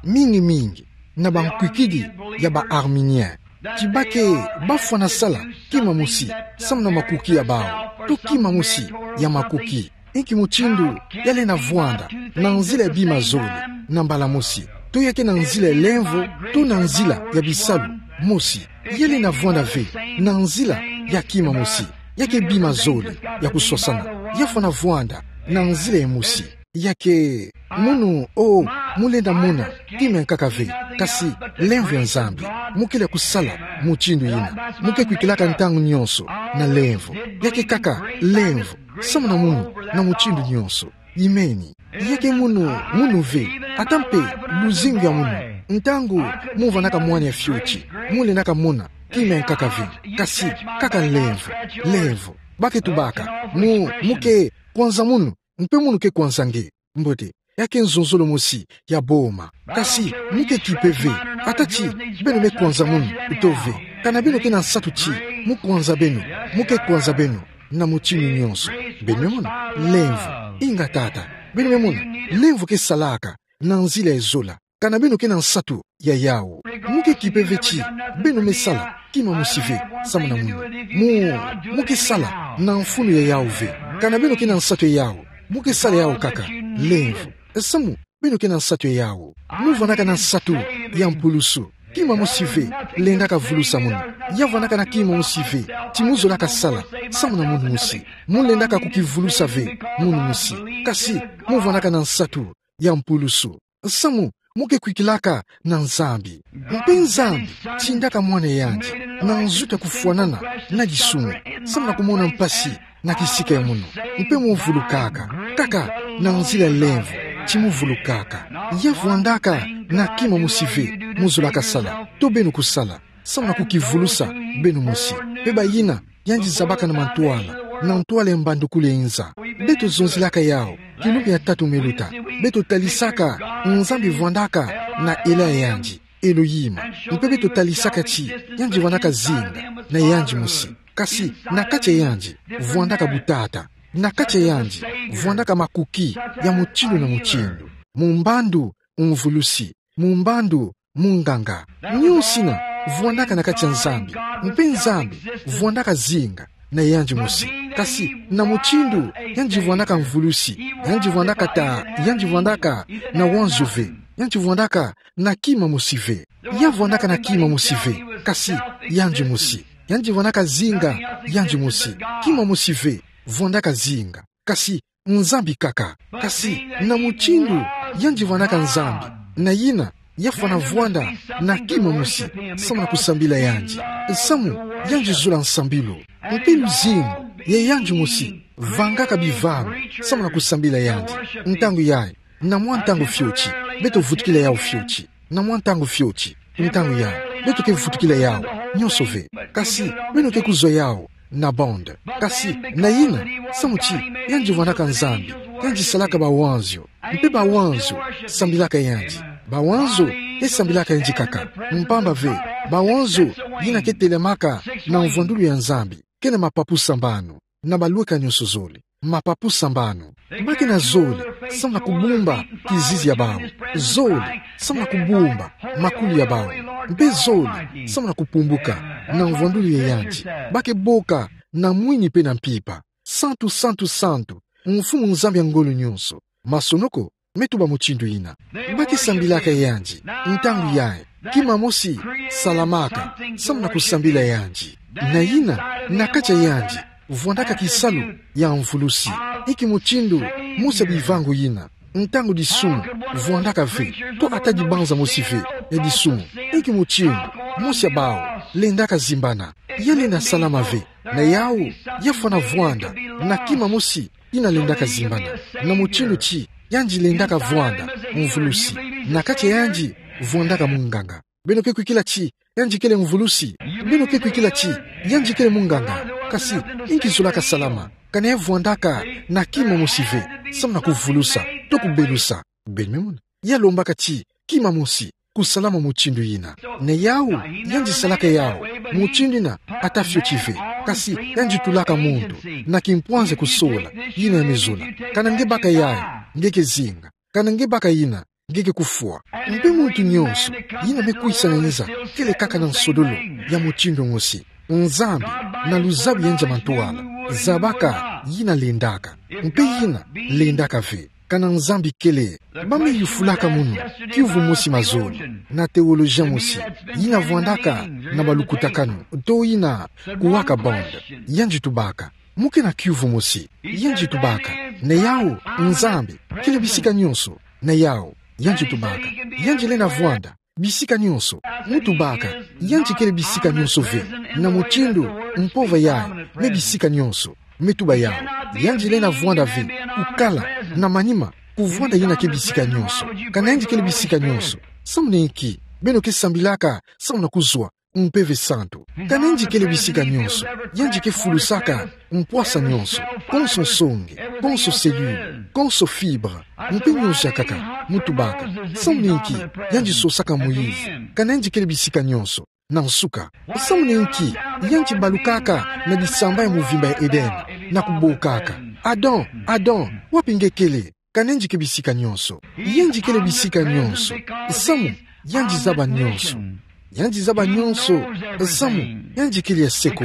Mingi mingi na bankwikidi ya ba Arminien, ti ba ke bafwana sala kima mosi samu na makoki ya bawu, to kima mosi ya makoki. Inki mutindu ya lenda vwanda? Na nzila ya bima zole na mbala mosi, to ya ke na nzila ya lemvo, to na nzila ya bisalu mosi. Ya lenda vwanda ve na nzila ya kima mosi, ya ke bima zole ya kuswasana. Ya fwana vwanda na nzila ya mosi. Ya ke, mono, o, mo lenda mona kima ya nkaka ve, kasi lemvo ya Nzambi. Mo kele ya kusala mutindu yina. Mo ke kwikilaka ntangu nyonso na lemvo. Ya ke kaka lemvo Samu na munu, na mutindu nyonso. Imeni. Ya ke munu, munu ve. Ata mpe, luzingu ya munu. Ntangu, mu vanaka mwane ya fioti. Mu lendaka mona, kima nkaka ve. Kasi, kaka lemvo. Lemvo. Ba ke tubaka. Mu, mu ke kwanza munu. Mpe munu ke kwanza nge. Mbote. Ya ke nzonzolo mosi ya boma. Kasi, mu ke kipe ve. Ata ti, beno me kwanza munu, uto ve. Kana beno ke na nsatu ti, mu kwanza beno, mu ke kwanza beno, na mutindu nyonso. Beno me mona, lemvo, inga tata. Beno me mona, lemvo ke salaka, na nzila ya zola. Kana beno ke na nsatu ya yawu. Mu ke kipe ve ti, beno me sala, kima mosi ve, samu na munu. Mu, mu ke sala, na mfunu ya yawu ve. Kana beno ke na nsatu ya yawu, mu ke sala yawu kaka, lemvo. Samu, beno ke na nsatu ya yawu. Mu vanaka na nsatu ya mpulusu. Kima mosi ve, lendaka vulusa munu. Ya vanaka na kima mosi ve, ti mu zolaka sala, samu na munu mosi. Mu lendaka kukivulusa ve, munu mosi. Kasi, mu vanaka na nsatu ya mpulusu. Samu, mu ke kwikilaka na Nzambi. Mpe Nzambi, tindaka mwana yandi, na nzutu ya kufwanana, na disumu. Samu na kumona mpasi, na kisika ya munu. Mpe mu vulukaka. Kaka, na nzila lemvo, ti mu vulukaka. Ya vwandaka, na kima mosi ve, mu zolaka sala. To beno kusala. Samu na kukivulusa, beno mosi. Mpe bayina, yandi zabaka na mantwala. Na ntwala ya mbandukulu ya inza. Beto zonzilaka yawu. Kilumbu ya tatu me luta. Beto talisaka, Nzambi vwandaka, na ela ya yandi. Elohim. Mpe beto talisaka ti, yandi vwandaka zinga, na yandi mosi. Kasi, na kati ya yandi, vwandaka butata. Na kati ya yandi, vwandaka makuki, ya mutindu na mutindu. Mu mbandu, mvulusi. Mu mbandu, munganga. Nyonsina, vwandaka na kati ya Nzambi. Mpe Nzambi, vwandaka zinga, na yandi mosi. Kasi, na mutindu, yandi vwandaka mvulusi. Yandi vwandaka ta, yandi vwandaka, na wanzo ve. Yandi vwandaka, na kima mosi ve. Ya vwandaka na kima mosi ve, kasi, yandi mosi. Yandi vwandaka zinga, yandi mosi. Kima mosi ve, vwandaka zinga. Kasi, Nzambi kaka. Kasi, na mutindu, yandi vwandaka Nzambi. Na yina, ya fwana vwanda, na kima mosi, samu na kusambila yandi. Samu, yandi zola nsambilu. Mpe luzingu, ya yandi mosi, vangaka bivanga, samu na kusambila yandi. Ntangu yayi, na mwa ntangu fioti, beto vutukila yawu fioti. Na mwa ntangu fioti, ntangu yayi, beto ke vutukila yawu, nyonso ve. Kasi, beno ke kuzwa yawu, na bande. Kasi, na yina, samu ti, yandi vwandaka Nzambi, yandi salaka bawanzio. Mpe bawanzio, sambilaka yandi. Bawanzio, ke sambilaka yandi kaka. Mpamba ve, bawanzio, yina ke telamaka, na mvwandulu ya Nzambi. Ke na mapapu sambanu. Na balweka nyonso zole. Mapapu sambanu. Ba ke na zole, samu na kubumba, kizizi ya bawu. Zole, samu na kubumba, makulu ya bawu. Mpe zole, samu na kupumbuka, na mvwandulu ya yandi. Ba ke boka, na mwini mpe na mpimpa. Santu, santu, santu. Mfumu Nzambi ya ngolo nyonso. Masonoko, me tuba mutindu yina. Ba ke sambilaka yandi, ntangu yayi, kima mosi, salamaka, samu na kusambila yandi. Na yina, na kati ya yandi, vwandaka kisalu, ya mvulusi. Inki mutindu, mosi ya bivangu yina. Ntangu disumu, vwandaka ve, to ata dibanza mosi ve, ya disumu. Inki mutindu, mosi ya bawu, lendaka zimbana. Ya lenda salama ve, na yawu, ya fwana vwanda, na kima mosi, yina lendaka zimbana. Na mutindu ti, yandi lendaka vwanda, mvulusi. Na kati ya yandi, vwandaka munganga. Beno ke kwikila ti, yandi kele mvulusi. Beno ke kwikila ti, yandi kele munganga. Kasi, inki zolaka salama. Kana ya vwandaka, na kima mosi ve, samu na kuvulusa, to kubelusa. Beno me mona. Ya lombaka ti, kima mosi, kusalama mutindu yina. Na yawu, yandi salaka yawu, mutindu yina, ata fioti ve. Kasi, yandi tulaka muntu, na kimpwanza kusola, yina ya me zola. Kana nge baka yayi, nge ke zinga. Kana nge baka yina, nge ke kufwa. Mpe muntu nyonso, yina me kwisa na inza, kele kaka na nsodolo, ya mutindu mosi. Nzambi, na luzabu ya nza mantwala, zabaka, yina lendaka. Mpe yina, lendaka ve. Kana Nzambi kele, ba me yufulaka munu, kiuvu mosi mazono, na teolojien mosi, yina vwandaka, na balukutakanu, to yina, kuwaka bande, yandi tubaka, mu ke na kiuvu mosi, yandi tubaka, na yawu, Nzambi, kele bisika nyonso, na yawu, yandi tubaka, yandi lenda vwanda, bisika nyonso, mu tubaka, yandi kele bisika nyonso ve, na mutindu, mpova yayi, me bisika nyonso. me tuba yawu. Yandi lenda vwanda ve kukala na manima, kuvwanda yina ke bisika nionso. Kana yandi kele bisika nionso, samu na inki? Beno ke sambilaka samu na kuzwa Mpeve Santu. Kana yandi kele bisika nionso, yandi ke fulusaka mpwasa nionso, konso nsonge, konso cellule, konso fibre, mpe nionso ya nkaka, mu tubaka. Samu na inki yandi sosaka moyizi? Kana yandi kele bisika nionso, na nsuka, samu na inki yandi balukaka na disamba ya muvimba ya Eden, na kubokaka: Adam, Adam, wapi nge kele? Kana yandi ke bisika nionso, yandi kele bisika nionso. Samu yandi zaba nionso. Yandi zaba nionso, samu yandi kele ya seko.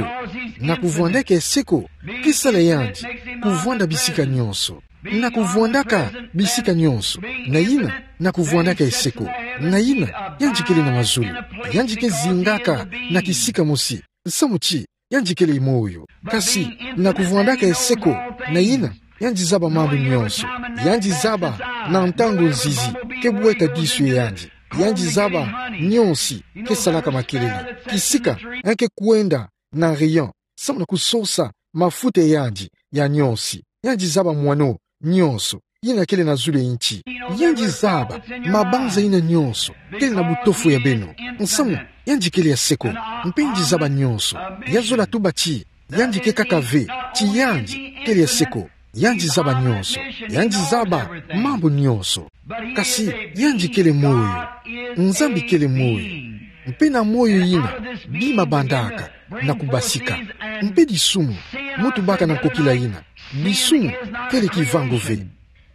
Na kuvwandaka ya seko, ke sala yandi kuvwanda bisika nionso. Na kuvwandaka bisika nionso, na yina, na kuvwandaka ya seko, na yina, yandi kele na mazulu. Yandi ke zingaka na kisika mosi, samu ti yandi kele moyo. Kasi na kuvwandaka ya seko, na yina, yandi zaba mambu nionso. Yandi zaba na ntangu nzizi ke bweka disu ya yandi. Yandi zaba nionso ke salaka makelele. Kisika yandi ke kwenda na rayon, samu na kusosa mafuta ya yandi ya nionso. Yandi zaba mwano nionso yina kele na zulu ya nti. Yandi zaba mabanza yina nionso kele na butofu ya beno, samu yandi kele ya seko. Mpe yandi zaba nionso. Ya zola tuba ti yandi ke kaka ve, ti yandi kele ya seko. Yandi zaba nionso. Yandi zaba mambu nionso. Kasi yandi kele moyo. Nzambi kele moyo. Mpe na moyo yina bima bandaka na kubasika. Mpe disumu, mu tubaka na nkokila yina, disumu kele kivangu ve.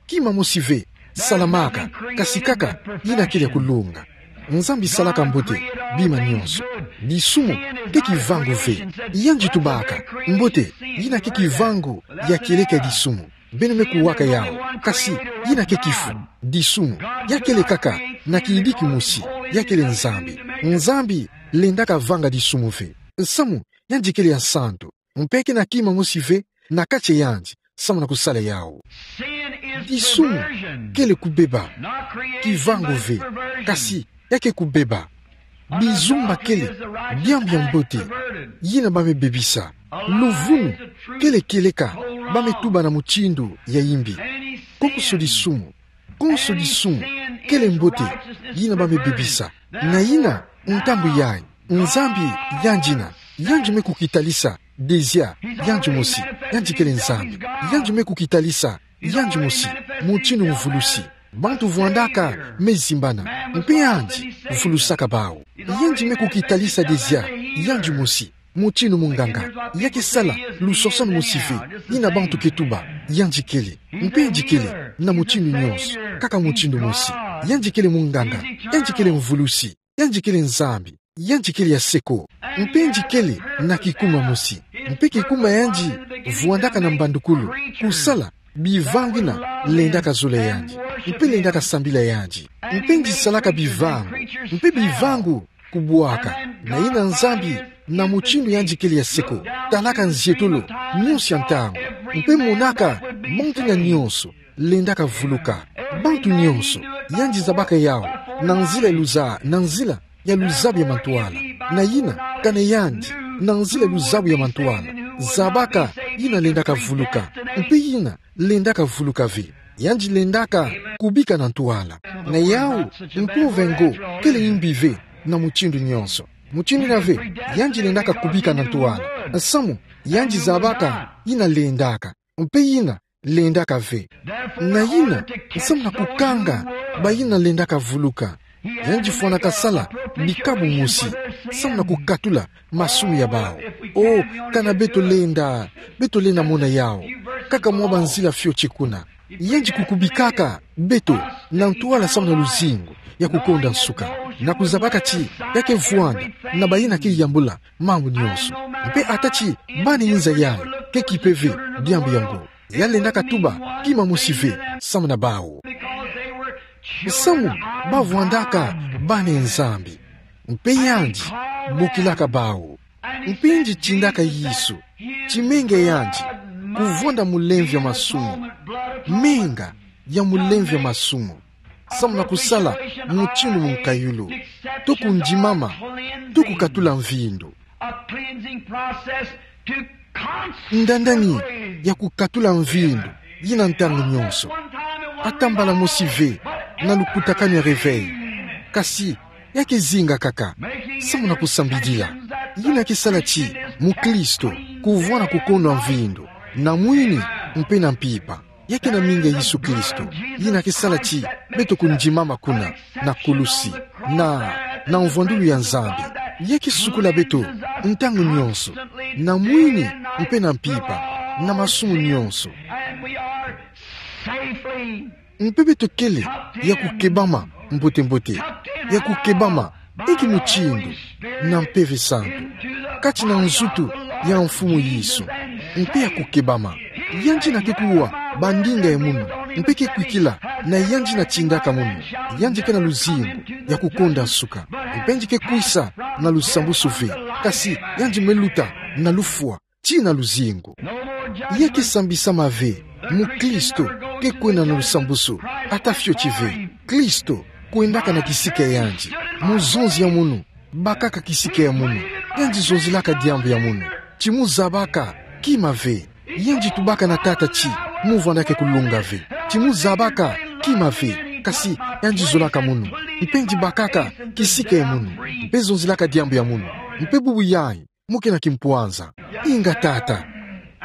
Kima mosi ve salamaka, kasi kaka yina kele ya kulunga. Nzambi salaka mbote bima nionso. Disumu ke kivangu ve. Yandi tubaka mbote yina ke kivangu ya kieleka ya disumu. Beno me kuwaka yawu, kasi yina ke kifu. Disumu, ya kele kaka na kiyidiki mosi, ya kele Nzambi. Nzambi lendaka vanga disumu ve, samu yandi kele ya santu. Mpe ke na kima mosi ve na kati ya yandi samu na kusala yawu. Disumu kele kubeba, kivangu ve, kasi ya ke kubeba. Bizumba kele diambu ya mbote yina ba me bebisa. Luvunu kele kieleka ba me tuba na mutindu ya imbi. Konso disumu, konso disumu kele mbote yina ba me bebisa. Na yina, ntangu yayi, Nzambi yandi na, yandi me kukitalisa dezia yandi mosi. Yandi kele Nzambi. Yandi me kukitalisa yandi mosi mutindu mvulusi. Bantu vwandaka me zimbana, mpe yandi vulusaka bawu. Yandi me kukitalisa dezia yandi mosi mutindu munganga. Ya ke sala lusosanu mosi ve yina bantu ke tuba yandi kele. Mpe yandi kele na mutindu nionso kaka mutindu mosi. Yandi kele munganga. Yandi kele mvulusi. Yandi kele Nzambi. Yandi kele ya seko. Mpe yandi kele na kikuma mosi. Mpe kikuma yandi vwandaka na mbandukulu kusala bivangu yina lendaka zola yandi, mpe lendaka sambila yandi. Mpe yandi salaka bivangu, mpe bivangu kubwaka. Na yina Nzambi, na mutindu yandi kele ya seko, talaka nzietolo nionso ya ntangu, mpe monaka bantu yina nionso lendaka vuluka. Bantu nionso, yandi zabaka yawu na nzila ya luza-, na nzila ya luzabu ya mantwala. Na yina, kana yandi, na nzila ya luzabu ya mantwala, zabaka yina lendaka vuluka, mpe yina lendaka vuluka ve. Yandi lendaka kubika na ntwala. Na yawu, mpove ngo kele imbi ve na mutindu nionso. Mutindu yina ve, yandi lendaka kubika na ntwala, samu yandi zabaka yina lendaka, mpe yina lendaka ve. Na yina, samu na kukanga bayina lendaka vuluka, yandi fwanaka sala bikabu mosi samu na kukatula masumu ya bawu. O, kana beto lenda, beto lenda mona yawu kaka mwa banzila fioti kuna. Yandi kukubikaka beto na ntwala samu na luzingu ya kukonda nsuka, na kuzabaka ti ya ke vwanda na bayina ke yambula mambu nionso. Mpe ata ti bana inza yayi ke kipe ve diambu yango, ya lendaka tuba kima mosi ve samu na bawu. Samu ba vwandaka bana ya Nzambi, mpe yandi bokilaka bawu. Mpe yandi tindaka Yesu, timenga yandi, kuvwanda mulemvo ya masumu, menga ya mulemvo ya masumu, samu na kusala mutindu munkayulu, to kundimama, to kukatula mvindo. A cleansing process to Ndandani ya kukatula mvindu yina ntangu nyonso. Ata mbala mosi ve na lukutakanu ya réveil. Kasi, ya ke zinga kaka, samu na kusambidila. Yina ke sala ti mukristo kuvwanda kukondwa mvindu na mwini mpe na mpimpa. Ya ke na mingi ya Yesu Kristo, yina ke sala ti beto kundimama kuna na kulusi, na, na mvwandulu ya Nzambi. Ya ke sukula beto ntangu nyonso, na mwini mpe na mpimpa, na masumu nyonso. Mpe beto kele ya kukebama mbote-mbote, ya kukebama inki mutindu na Mpeve Santu, kati na nzutu ya Mfumu Yesu, mpe ya kukebama. Yandi na ke kuwa bandinga ya munu, mpe ke kwikila na yandi na tindaka munu. Yandi ke na luzingu ya kukonda nsuka, mpe yandi ke kwisa na lusambusu ve, kasi yandi me luta na lufwa tii na luzingu. Ya ke sambisama ve. Mukristo ke kwenda na lusambusu ata fioti ve. Kristo kwendaka na kisika ya yandi, mu zonzi ya munu, bakaka kisika ya munu. Yandi zonzilaka diambu ya munu. Ti mu zabaka kima ve. Yandi tubaka na Tata ti mu vwandaka kulonga ve. Ti mu zabaka kima ve. Kasi yandi zolaka munu, mpe yandi bakaka kisika ya munu, mpe zonzilaka diambu ya munu. Mpe bubu yayi mu ke na kimpwanza. Inga Tata.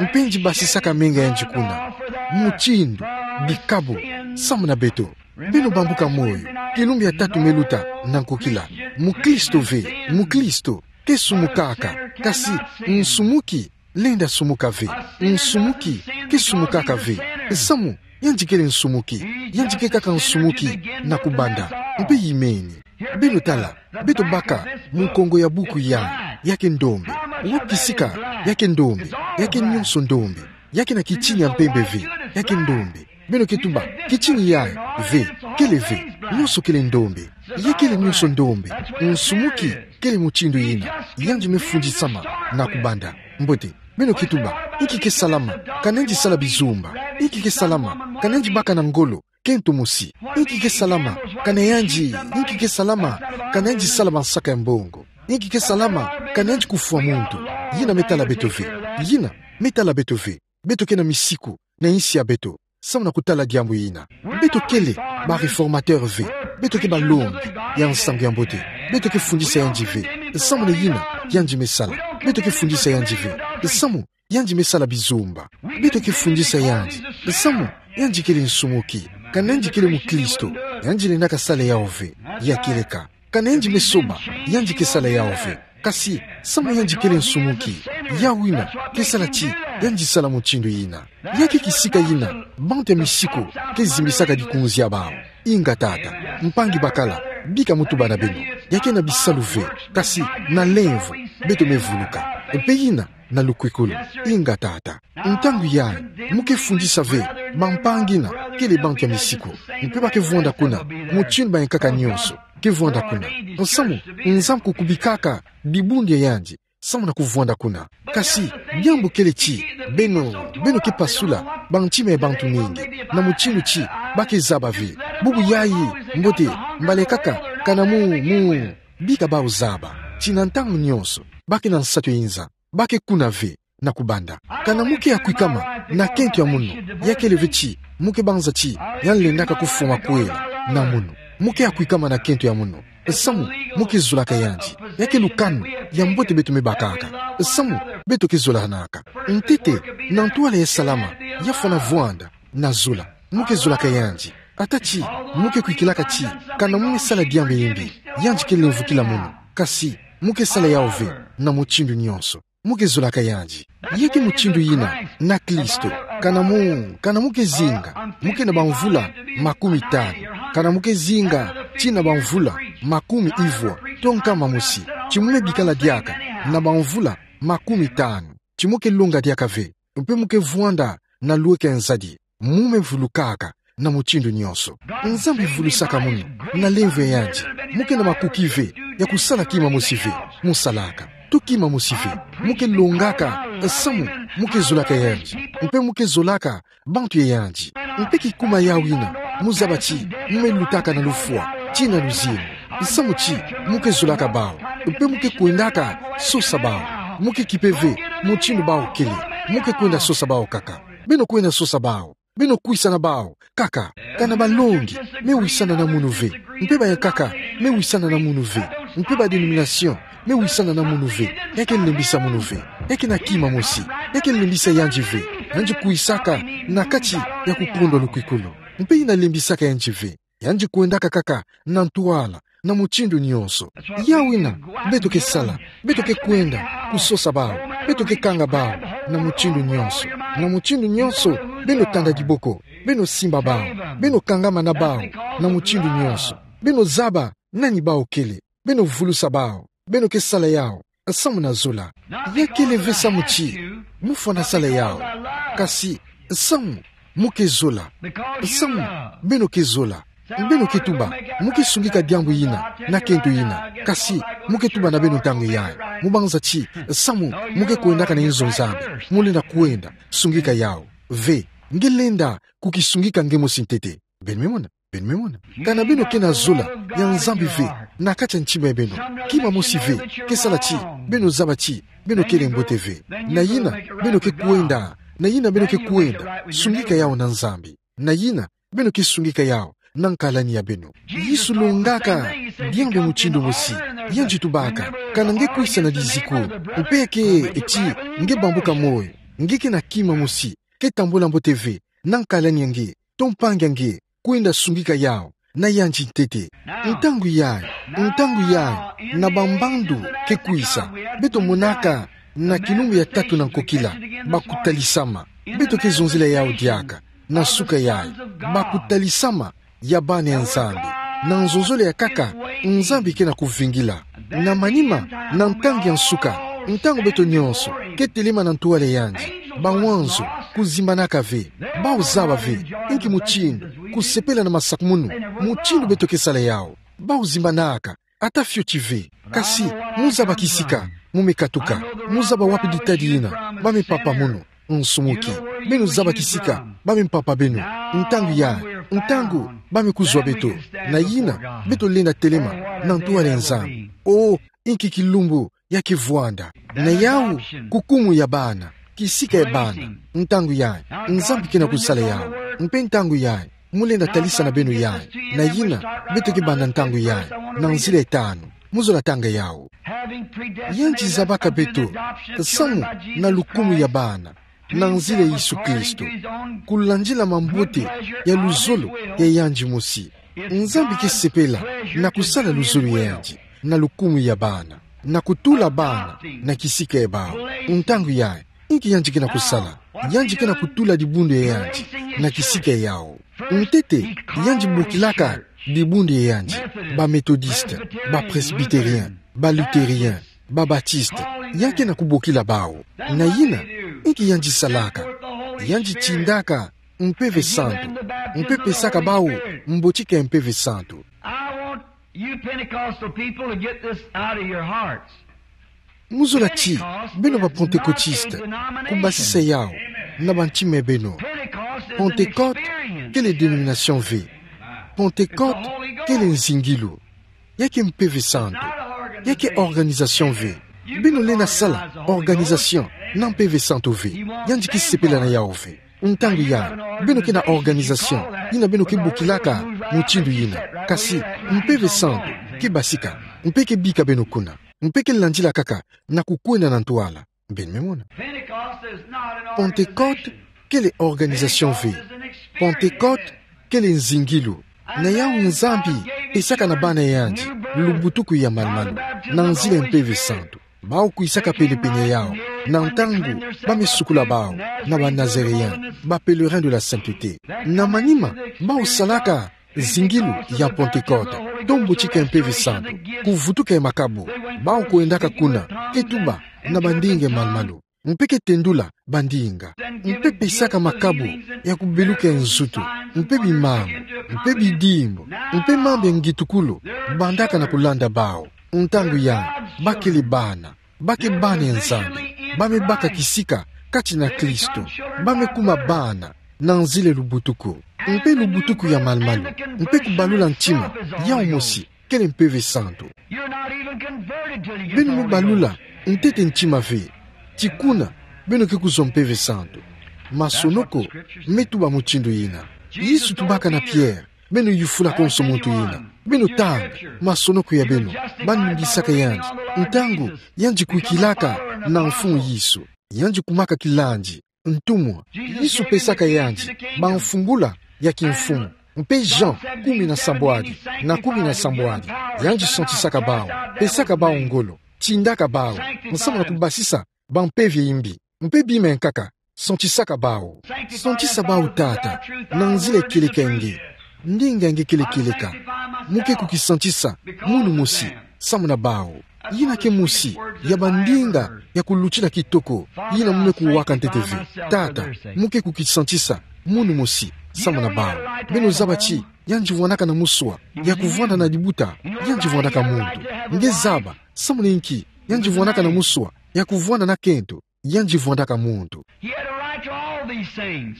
Mpe yandi basisaka menga yandi kuna, mutindu, bikabu, samu na beto. Beno bambuka moyo, kilumbu ya tatu me luta na nkokila. Mukristo ve, mukristo ke sumukaka, kasi nsumuki lenda sumuka ve. Nsumuki ke sumukaka ve. Samu yandi kele nsumuki, yandi ke kaka nsumuki na kubanda. Mpe yimeni. Beno tala, beto baka mu nkongo ya buku yayi, ya ke ndombe. Wapi kisika ya ke ndombe? Ya ke nyonso ndombe. Ya ke na kitini ya mpembe ve, ya ke ndombe. Beno ke tuba, kitini yayi ve, kele ve, nyonso kele ndombe. Ya kele nyonso ndombe. Nsumuki kele mutindu yina. Yandi me fundisama na kubanda. Mbote, beno ke tuba, inki ke salama, kana yandi sala bizumba? Inki ke salama, kana yandi baka na ngolo, kento mosi? Inki ke salama, kana yandi, inki ke salama, kana yandi sala bansaka ya mbongo? Inki ke salama, kana yandi kufwa muntu? Yina me tala beto ve. Yina me tala beto ve. Beto ke na misiku na insi ya beto samu na kutala diambu yina. Beto kele ba réformateur ve. Beto ke balongi ya nsangu ya mbote. Beto ke fundisa yandi ve samu na yina yandi me sala. Beto ke fundisa yandi ve samu yandi me sala bizumba. Beto ke fundisa yandi samu yandi kele nsumuki. Kana yandi kele mukristo, yandi lendaka sala yawu ve. Ya kieleka. Kana yandi me soba, yandi ke sala yawu ve. Kasi samu yandi kele nsumuki, yawu yina ke sala ti yandi sala mutindu yina. Ya ke kisika yina bantu ya misiku ke zimbisaka dikunzi ya bawu. Inga Tata, mpangi bakala, bika mu tuba na beno. Ya ke na bisalu ve, kasi na lemvo beto me vuluka. Mpe yina na lukwikulu. Inga Tata. Ntangu yayi, mu ke fundisa ve bampangi yina kele bantu ya misiku, mpe ba ke vwanda kuna, mutindu bayankaka nyonso ke vwanda kuna. Samu Nzambi kukubikaka dibundu ya yandi samu na kuvwanda kuna. Kasi diambu kele ti beno, beno ke pasula bantima ya bantu mingi na mutindu ti ba ke zaba ve. Bubu yayi, mbote, mbala kaka kana mu, mu bika bawu zaba ti na ntangu nyonso ba ke na nsatu ya inza, ba ke kuna ve na kubanda. Kana mu ke ya kwikama na kento ya munu, ya kele ve ti mu ke banza ti yandi lendaka kufwa makwela na munu. Mu ke ya kwikama na kento ya munu samu mu ke zolaka yandi. Ya ke lukanu ya mbote beto me bakaka samu beto ke zolanaka. Ntete, na ntwala ya salama, ya fwana vwanda na zola, mu ke zolaka yandi. Ata ti mu ke kwikilaka ti kana mu me sala diambu ya yimbi, yandi ke lemvokila munu. Kasi mu ke sala yawu ve na mutindu nyonso. Mu ke zolaka yandi. Ya ke mutindu yina na Kristo. Kana mu, kana mu ke zinga, mu ke na bamvula makumi tanu. Kana mu ke zinga tii na bamvula makumi ivwa to nkama mosi, ti mu me bikala diaka na bamvula makumi tanu, ti mu ke longa diaka ve, mpe mu ke vwanda na lweka ya nzadi, mu me vulukaka na mutindu nyonso. Nzambi vulusaka munu na lemvo ya yandi. Mu ke na makuki ve ya kusala kima mosi ve mu salaka, to kima mosi ve. Mu ke longaka samu mu ke zolaka yandi, mpe mu ke zolaka bantu ya yandi. Mpe kikuma yawu yina, mu zaba ti mu me lutaka na lufwa tii na luzingu samu ti mu ke zolaka bawu, mpe mu ke kwendaka sosa bawu. Mu ke kipe ve Mutindu bau kele, mo ke kwenda sosa bau kaka. Beno kwenda sosa bau. Beno kwisa na bau kaka. Ka na balongi me wisana na munu ve. Mpe bayankaka me wisana na munu ve. Mpe ba dénomination me wisana na munu ve. Ya ke lembisa munu ve. Ya kena kima mosi. Ya ke lembisa yandi ve. Yandi kwisaka na kati ya kukondwa lukwikulu. Mpe yina lembisaka yandi ve. Yandi kwendaka kaka na ntwala, na mutindu nyonso. Yawu yina beto ke sala, beto ke kwenda kusosa bau, beto ke kanga bau na mutindu nyonso. Na mutindu nyonso, beno tanda diboko, beno simba bau, beno kangama na bau na mutindu nyonso. Beno zaba nani bau kele, beno vulusa bau. Beno ke sala yawu samu na zola. Ya kele ve samu ti mo fwana sala yawu, kasi samu mo ke zola. Samu beno ke zola, beno ke tuba mo ke sungika diambu yina na kento yina, kasi mo ke tuba na beno ntangu yayi. Mo banza ti samu mo ke kwendaka na inzo Nzambi, mo lenda kwenda sungika yawu ve. Nge lenda kukisungika nge mosi ntete. Beno me mona? Beno me mona? Ka na beno ke na zola ya Nzambi ve na kati ya ntima ya beno, kima mosi ve ke sala ti beno zaba ti beno kele mbote ve. Na yina beno ke kwenda, na yina beno ke kwenda sungika yawu na Nzambi. Na yina beno ke sungika yawu na nkalani ya beno. Yesu longaka diambu mutindu mosi. Yandi tubaka: Ka na nge kwisa na liziku, mpe ke ti nge bambuka moyo, nge ke na kima mosi ke tambula mbote ve na nkalani ya nge to mpangi ya nge, kwenda sungika yawu na yandi ntete. Ntangu yayi, ntangu yayi, na bambandu ke kwisa, beto monaka na kilumbu ya tatu na nkokila bakutalisama. Beto ke zonzela yawu diaka na suka yayi. Bakutalisama ya bana ya Nzambi. Na nzonzolo ya nkaka, Nzambi ke na kuvingila. Na manima, na ntangu ya nsuka, ntangu beto nyonso ke telema na ntwala ya yandi, bawanzo kuzimbanaka ve. Bau zaba ve inki mutindu kusepela na masakumunu, mutindu beto ke sala yawu. Bau zimbanaka, ata fioti ve. Kasi mo zaba kisika mo me katuka. Mo zaba wapi ditadi yina ba me papa munu. Nsumuki. Beno zaba kisika ba me mpapa beno. Ntangu yayi, ntangu ba me kuzwa beto, na yina beto lenda telema na ntwala ya Nzambi. Oh, inki kilumbu ya ke vwanda! Na yawu kukumu ya bana, kisika ya bana. Ntangu yayi, Nzambi ke na kusala yawu. Mpe ntangu yayi, mo lenda talisa na beno yayi. Na yina beto ke banda ntangu yayi na nzila ya tanu. Mo zola tanga yawu. Yandi zabaka beto samu na lukumu ya bana na nzila ya Yesu Kristo, kulandila mambote ya luzolo ya yandi mosi. Nzambi ke sepela na kusala luzolo ya yandi na lukumu ya bana, na kutula bana na kisika ya bau. Ntangu yayi, inki yandi ke na kusala? Yandi ke na kutula dibundu ya yandi na kisika ya yawu. Ntete, yandi bokilaka dibundu ya yandi: ba Methodiste, ba Presbytérien, ba Luthérien, ba Baptiste. Yandi ke na kubokila bau. Na yina, inki yandi salaka? Yandi tindaka Mpeve Santu, mpe pesaka bau mbotika ya Mpeve Santu. I want you Pentecostal people to get this out of your hearts. Mo zola ti beno ba Pentecôtiste kubasisa yawu na bantima ya beno. Pentecôte kele dénomination ve. Pentecôte kele nzingilu. Ya ke Mpeve Santu. Ya ke organisation ve. Beno lenda sala organisation na Mpeve Santu ve. Yandi ke sepela na yawu ve. Ntangu yayi, beno ke na organisation yina beno ke bokilaka mutindu yina. Kasi Mpeve Santu ke basika, mpe ke bika beno kuna, mpe ke landila kaka na kukwenda na ntwala. Beno me mona? Pentecôte kele organisation ve. Pentecôte kele nzingilu. Na yawu Nzambi pesaka na bana ya yandi lubutuku ya malu-malu na nzila ya Mpeve Santu. Bau kwisaka penepene yawu na ntangu ba me sukula bau na ba Nazaréens, ba Pèlerins de la Sainteté. Na manima, bau salaka zingilu ya Pentecôte, to mbotika ya Mpeve Santu, kuvutuka ya makabu. Bau kwendaka kuna, ke tuba na ba ndinga ya malu-malu, mpe ke tendula ba ndinga, mpe pesaka makabu ya kubeluka nzutu, mpe bimangu, mpe bidimbu, mpe mambu ya ngitukulu, bandaka na kulanda bau. Ntangu yayi, ba kele bana, ba ke bana ya Nzambi, ba me baka kisika kati na Kristo, ba me kuma bana na nzila ya lubutuku, mpe lubutuku ya malu-malu, mpe kubalula ntima, yawu mosi kele Mpeve Santu. Beno me balula ntete ntima ve. Ti kuna beno ke kuzwa Mpeve Santu. Masonoko me tuba mutindu yina. Yesu tubaka na Pierre: Beno yufula konso muntu yina. Beno tanga masonoko ya beno. Banungisaka yandi ntangu yandi kwikilaka na Mfumu Yesu. Yandi kumaka kilandi ntumwa. Yesu pesaka yandi bamfungula ya kimfumu. Mpe Jean kumi na sambwadi na kumi na sambwadi, yandi santisaka bawu, pesaka bawu ngolo, tindaka bawu, nsamu na kubasisa bampeve imbi. Mpe bima ya nkaka, santisaka bawu. Santisa bawu, Tata, na nzila ya kieleka ya nge. Ndinga ya nge kele kieleka. Mu ke kukisantisa munu mosi samu na bawu. Yina ke mosi ya bandinga ya kulutila kitoko yina mu me kuwaka ntete ve. Tata, mu ke kukisantisa munu mosi samu na bawu. Beno zaba ti yandi vwandaka na muswa ya kuvwanda na libuta, yandi vwandaka muntu. Nge zaba samu na inki yandi vwandaka na muswa ya kuvwanda na kento, yandi vwandaka muntu. He had a right to all these things.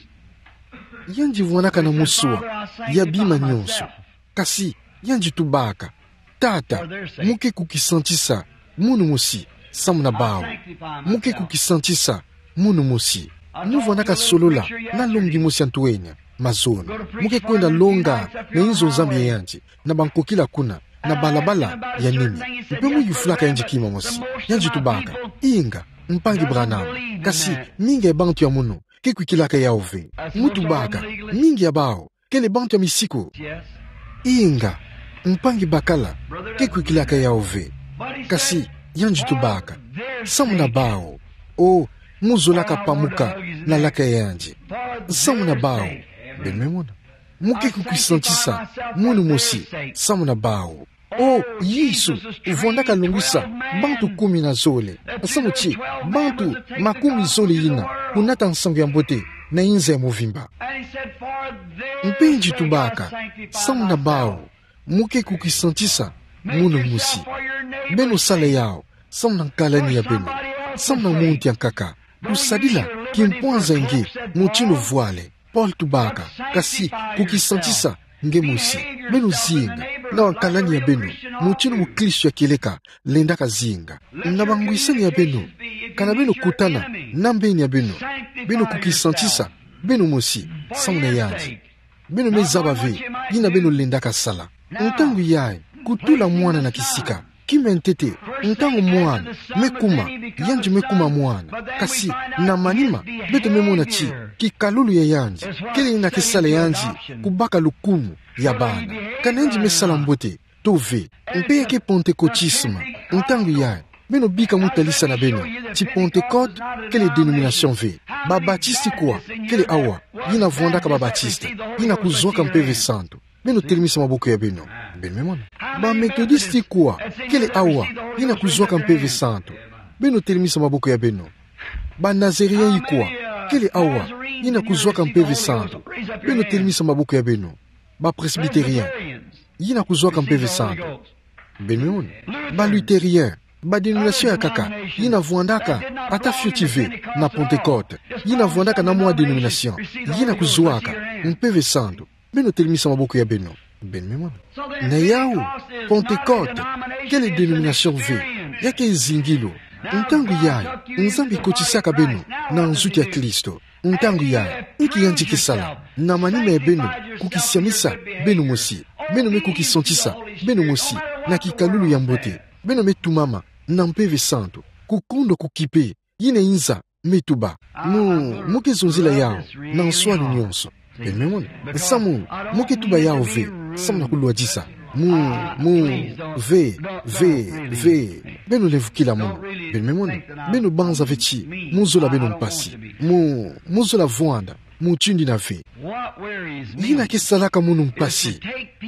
Yandi vwandaka na muswa ya bima nyonso. Kasi yandi tubaka: Tata, mu ke kukisantisa munu mosi samu na bawu. Mu ke kukisantisa munu mosi. Mu vwandaka solola na longi mosi ya ntwenya, mazono. Mu ke kwenda longa na inzo Nzambi ya yandi, na bankokila kuna na balabala ya nini. Mpe mu yufulaka yandi kima mosi. Yandi tubaka: Inga, mpangi Branham, kasi mingi ya bantu ya munu ke kwikilaka yawu ve. Mu tubaka: Mingi ya bawu kele bantu ya misiku. Inga, mpangi bakala, ke kwikilaka yawu ve. Kasi yandi tubaka: Samu na bawu. O, mu zolaka pamuka na laka ya yandi. Samu na bawu. Beno me mona. Mu ke kukisantisa munu mosi samu na bawu. O, Yesu vwandaka longisa bantu kumi na zole. Samu ti bantu makumi zole yina kunata nsangu ya mbote na inza ya mvimba. Mpe yandi tubaka: Samu na bawu mu ke kukisantisa munu mosi. Beno sala yawu samu na nkalani ya beno, samu na muntu ya nkaka. Kusadila kimpwanza ya nge mutindu vwale. Paul tubaka: Kasi kukisantisa nge mosi. Beno zinga na wankalani ya beno mutindu mukristo ya kieleka lendaka zinga. Na bangwisani ya beno, kana beno kutana na mbeni ya beno, beno kukisantisa beno mosi samu na yandi. Beno me zaba ve yina beno lendaka sala. Ntangu yayi, kutula mwana na kisika. Kima ya ntete, ntangu mwana me kuma, yandi me kuma mwana. Kasi na manima, beto me mona ti kikalulu ya yandi kele yina ke sala yandi kubaka lukumu ya bana. Kana yandi me sala mbote to ve. Mpe ya ke pantekotisme. Ntangu yayi, beno bika mutalisa na beno ti Pantekote kele dénomination ve. Babatiste kwa kele awa yina vwandaka babatiste, yina kuzwaka Mpeve Santu? Beno telemisa maboko ya beno. Beno me mona. Bametodiste kwa kele awa yina kuzwaka Mpeve Santu? Beno telemisa maboko ya beno. Banazarien kwa kele awa yina kuzwaka Mpeve Santu? Beno telemisa maboko ya beno. Bapresbiterien yina kuzwaka Mpeve Santu? Beno me mona. Balutherien, badénomination ya nkaka yina vwandaka ata fioti ve na Pantekote, yina vwandaka na mwa dénomination, yina kuzwaka Mpeve Santu? Beno telemisa maboko ya beno. Beno me mona. Na yawu, Pantekote kele dénomination ve, ya ke zingilu. Ntangu yayi, Nzambi kotisaka beno na nzutu ya Kristo. Ntangu yayi, inki yandi ke sala? Na manima ya beno kukisiamisa beno mosi, beno me kukisantisa beno mosi na kikalulu ya mbote. Beno me tumama na Mpeve Santu, kukundwa kukipe yina inza me tuba. Mu, mu ke zonzila yawu na nswani nyonso. Beno me mona. Samu mu ke tuba yawu ve samu na kulwadisa. Mu, mu, ve, ve, ve. Beno lemvukila munu. Beno me mona. Beno banza ve ti mu zola beno mpasi. Mu, mu zola vwanda mutindu yina ve. Yina ke salaka munu mpasi,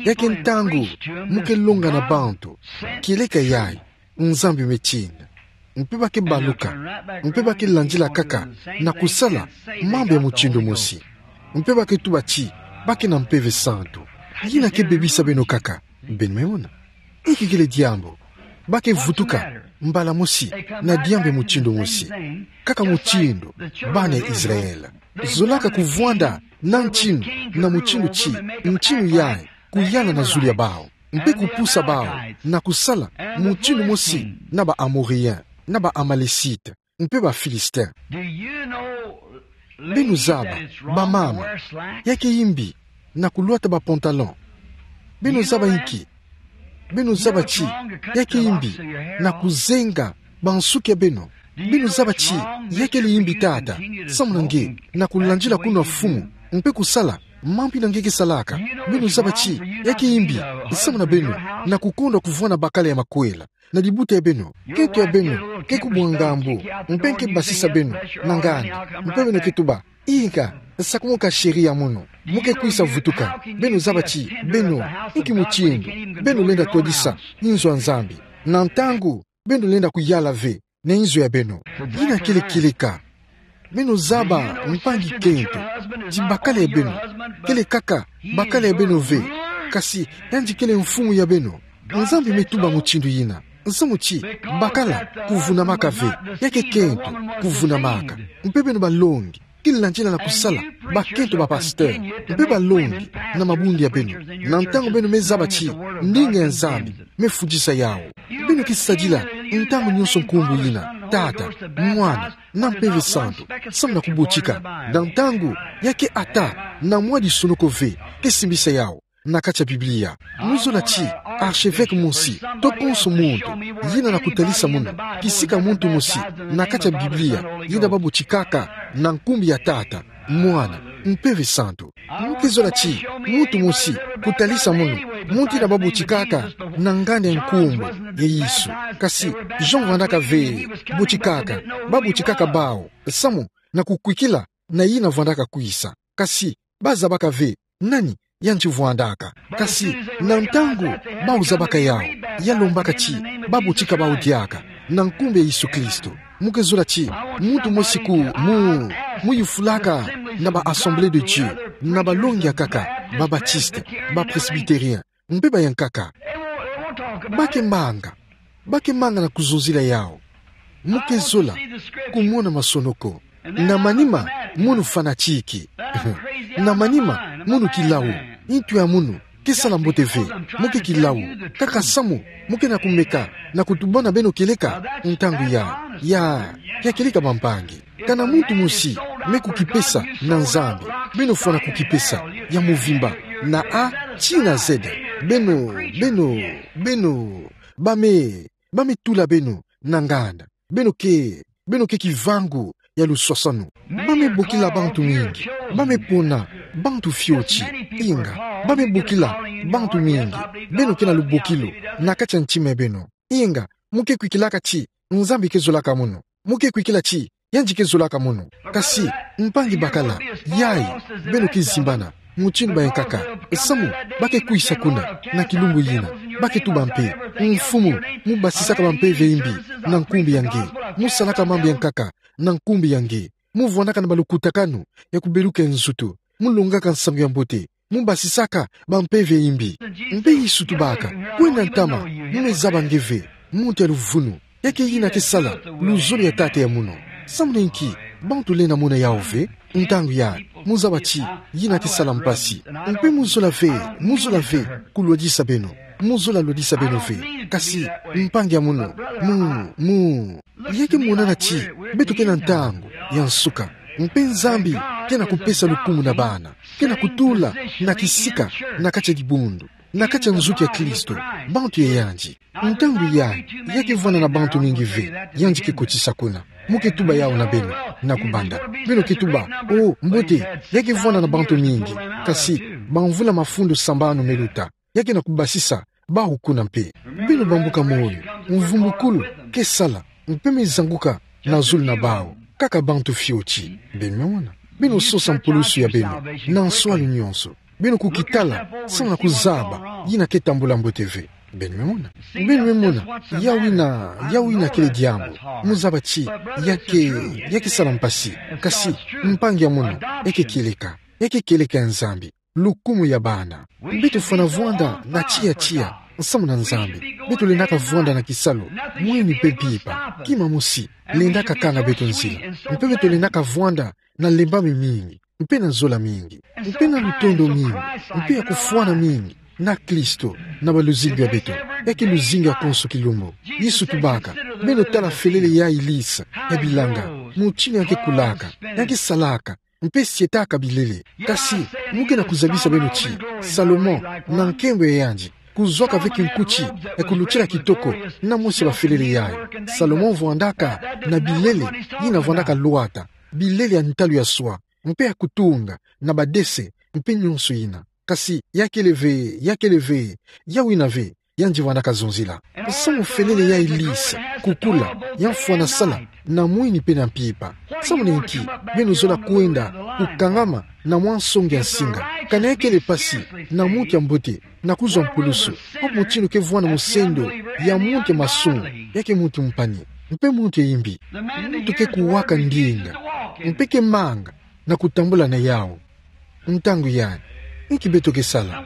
ya ke ntangu mu ke longa na bantu kieleka yayi Nzambi me tina. Mpe ba ke baluka, mpe ba ke landila kaka na kusala mambu ya mutindu mosi. Mpe ba ke tuba ti ba ke na Mpeve Santu. Yina ke bebisa beno kaka. Beno me mona. Inki kele diambu? Ba ke vutuka mbala mosi na diambu ya mutindu mosi, kaka mutindu bana ya Israël. Zolaka kuvwanda na ntinu na mutindu ti ntinu yayi kuyala na zulu ya bawu, mpe kupusa bawu na kusala mutindu mosi na ba Amorien, na ba Amalécite, mpe ba Philistin. Beno zaba, bamama, ya ke imbi na kulwata ba pantalon? Beno zaba inki? Beno zaba ti ya ke imbi na kuzenga ba nsuki ya beno? Beno zaba ti ya kele imbi tata, samu na nge, na kulandila kuna fumu, mpe kusala mambu ina nge ke salaka? Beno zaba ti ya ke imbi, samu na beno, na kukondwa kuvwanda bakala ya makwela na libuta ya beno? Kento ya beno ke kubwa ngambu, mpe nge ke basisa beno na nganda, mpe beno ke tuba: Inga, sakumuna ka chéri ya mono, mo ke kwisa vutuka. Beno zaba ti beno, inki mutindu beno lenda twadisa inzo ya Nzambi, na ntangu beno lenda kuyala ve na inzo ya beno? Ina kele kieleka. Beno zaba, mpangi kento, ti bakala ya beno kele kaka bakala ya beno ve, kasi yandi kele mfumu ya beno. Nzambi me tuba mutindu ina, samu ti bakala kuvunamaka ve, ya ke kento kuvunamaka. Mpe beno balongi ke landila na kusala bakento ba pasteur, mpe balongi na mabundu ya beno. Na ntangu beno me zaba ti ndinga ya Nzambi me fudisa yawu, beno ke sadila ntangu nyonso nkumbu ina, Tata, Mwana, na Mpeve Santu, samu na kubotika. Na ntangu ya ke ata na mwa lisonoko ve ke simbisa yawu na kati ya Biblia. Muzola ti archevêque mosi, to konso muntu, yina na kutalisa mono kisika muntu mosi na kati ya Biblia yina babotikaka na nkumbu ya Tata, Mwana, Mpeve Santu. Mo ke zola ti muntu mosi kutalisa mono muntu yina babotikaka na nganda ya nkumbu ya Yesu. Kasi Jean vwandaka ve botikaka, babotikaka bawu samu na kukwikila na yina vwandaka kwisa. Kasi bazabaka ve nani yandi vwandaka. Kasi na ntangu bawu zabaka yawu, ya lombaka ti babotika bawu diaka na nkumbu ya Yesu Kristo. Mo ke zola ti muntu mosi ku mu, mu yufulaka na ba Assemblée de Dieu, na balongi ya nkaka, ba Baptiste, ba Presbytérien, mpe bayankaka. Ba ke manga, ba ke manga na kuzonzila yawu. Mo ke zola kumona masonoko. Na manima mono fanatique. Na manima mono kilawu. Ntu ya mono ke sala mbote ve. Mo ke kilawu. Kaka samu mo ke na kumeka na kutubana beno kieleka ntangu ya, ya, ya kieleka bampangi. Kana muntu mosi me kukipesa na Nzambi, beno fwana kukipesa ya muvimba, na A tii na Z. Beno, beno, beno, ba me, ba me tula beno na nganda. Beno ke, beno ke kivangu ya luswaswanu. Ba me bokila bantu mingi. Ba me pona bantu fioti. Inga, ba me bokila bantu mingi. Beno ke na lubokilu na kati ya ntima ya beno. Inga, mo ke kwikilaka ti Nzambi ke zolaka mono. Mo ke kwikila ti yandi ke zolaka mono. Kasi mpangi bakala, yayi, beno ke zimbana mutindu bayankaka. Samu ba ke kwisa kuna na kilumbu yina, ba ke tuba mpe: Mfumu, mo basisaka bampeve ya imbi na nkumbu ya nge. Mo salaka mambu ya nkaka na nkumbu ya nge. Mo vwandaka na balukutakanu ya kubeluka nzutu. Mo longaka nsangu ya mbote. Mo basisaka bampeve ya imbi. Mpe Yesu tubaka: Kwenda ntama, mo me zaba nge ve muntu ya luvunu, ya ke yina ke sala luzolo ya tata ya mono. Samu na inki bantu lenda mona yawu ve? Ntangu yayi mo zaba ti yina ke sala mpasi. Mpe mo zola ve, mo zola ve kulwadisa beno. Mo zola lwadisa beno ve. Kasi mpangi ya mono, mo, mo, ya ke monana ti beto ke na ntangu ya nsuka. Mpe Nzambi ke na kupesa lukumu na bana, ke na kutula na kisika na kati ya dibundu, na kati ya nzuki ya Kristo, bantu ya yandi. Ntangu yayi, ya ke vwanda na bantu mingi ve yandi ke kotisa kuna. Mo ke tuba yawu na beno na kubanda. Beno ke tuba: Oh, mbote, ya ke vwanda na bantu mingi. Kasi bamvula mafundu sambanu me luta, ya ke na kubasisa bawu kuna mpe. Beno bambuka moyo, mvumbukulu ke sala, mpe me zanguka na zulu na bawu, kaka bantu fioti. Beno me mona? Beno sosa mpulusu ya beno na nswalu nyonso. Beno kukitala samu na kuzaba yina ke tambula mbote ve. Beno me mona? Beno me mona? Yawu yina, yawu yina kele diambu. Mo zaba ti ya ke, ya ke sala mpasi. Kasi mpangi ya mono, ya ke kieleka. Ya ke kieleka ya Nzambi. Lukumu ya bana. Beto fwana vwanda na tiya tiya samu na Nzambi. Beto lendaka vwanda na kisalu, mwini mpe mpimpa. Kima mosi lendaka kanga beto nzila. Mpe beto lendaka vwanda na lembami mingi, mpe na zola mingi, mpe na lutondo mingi, mpe ya kufwana mingi na Kristo na baluzingu ya beto. Ya ke luzingu ya konso kilumbu. Yesu tubaka: Beno tala felele yayi lisa ya bilanga, mutindu ya ke kulaka, ya ke salaka, mpe sietaka bilele. Kasi, mo ke na kuzabisa beno ti, Salomon, na nkembo ya yandi, kuzwaka ve kinkuti ya kulutila kitoko, na mwese bafelele yayi. Salomon vwandaka na bilele yina vwandaka lwata, bilele ya ntalu ya swa, mpe ya kutunga, na badese, mpe nyonso yina. Kasi, ya kele ve, ya kele ve, ya wina ve, yandi vwandaka zonzila. Samu felele yayi lisa, kukula, ya mfwana sala, na mwini mpe na mpimpa. Samu na inki beno zola kwenda kukangama na mwa nsongi ya nsinga? Kana ya kele mpasi na muntu ya mbote na kuzwa mpulusu, o mutindu ke vwanda musendo ya muntu ya masumu, ya ke muntu mpani, mpe muntu ya imbi, muntu ke kuwaka ndinga, mpe ke manga na kutambula na yawu. Ntangu yayi, inki beto ke sala?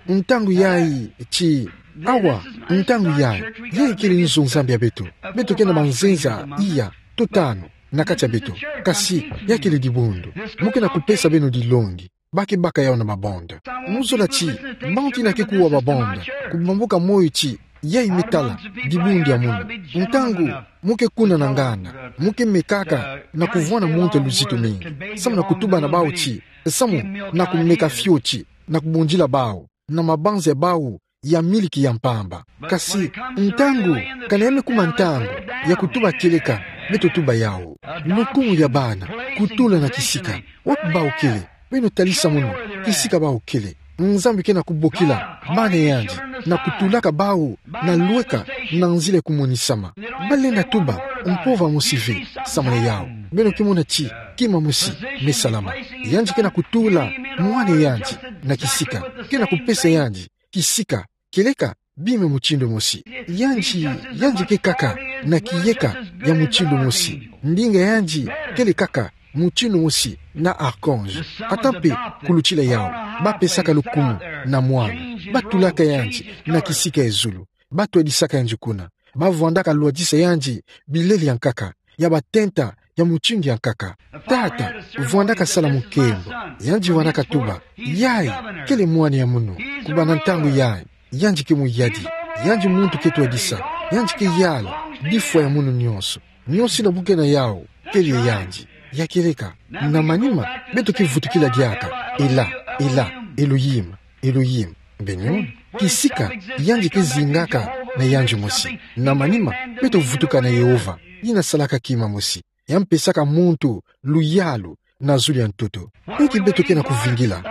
Ntangu yayi, ti, awa, ntangu yayi, yayi kele nzo Nzambi ya beto. Beto ke na manzenza iya to tanu na kati ya beto. Kasi, ya kele dibundu. Mo ke na kupesa beno dilongi. Ba ke baka yawu na mabonda. Mo zola ti, bantu yina ke kuwa mabonda, kubambuka moyo ti, yayi me tala dibundu ya munu. Ntangu mo ke kuna na ngana, mo ke mekaka na kuvwanda muntu ya luzitu mingi. Samu na kutuba na bawu ti, samu na kumeka fioti, na kubundila bawu na mabanza ya bawu ya miliki ya mpamba. Kasi, ntangu, kana ya me kuma ntangu ya kutuba kieleka, beto tuba yawu. Lukumu ya bana, kutula na kisika. Wapi bawu kele? Beno talisa munu, kisika bawu kele. Nzambi ke na kubokila bana yandi, na kutulaka bawu na lweka na nzila ya kumonisama. Ba lenda tuba mpova mosi ve, samu na yawu. Beno ke mona ti, kima mosi me salama. Yandi ke na kutula mwana yandi na kisika. Ke na kupesa yandi kisika kieleka bima mutindu mosi. Yandi, yandi ke kaka na kiyeka ya mutindu mosi. Ndinga yandi kele kaka mutindu mosi na archange. Ata mpe kulutila yawu, ba pesaka lukumu na mwana. Ba tulaka yandi na kisika ya zulu. Ba twadisaka yandi kuna. Ba vwandaka lwadisa yandi bilele ya nkaka, ya batenta ya mutindu ya nkaka. Tata vwandaka sala mu nkembo. Yandi vwandaka tuba, yayi kele mwana ya munu. Kubanda ntangu yayi, yandi ke muyadi. Yandi muntu ke twadisa. Yandi ke yala bifwa ya munu nyonso. Nyonso yina bu ke na yawu kele ya yandi. Ya kieleka. Na manima, beto ke vutukila diaka: Ela, Ela, Elohim, Elohim. Beno, kisika yandi ke zingaka na yandi mosi. Na manima, beto vutuka na Yehova, yina salaka kima mosi, ya mpesaka muntu luyalu na zulu ya ntoto. Inki beto ke na kuvingila?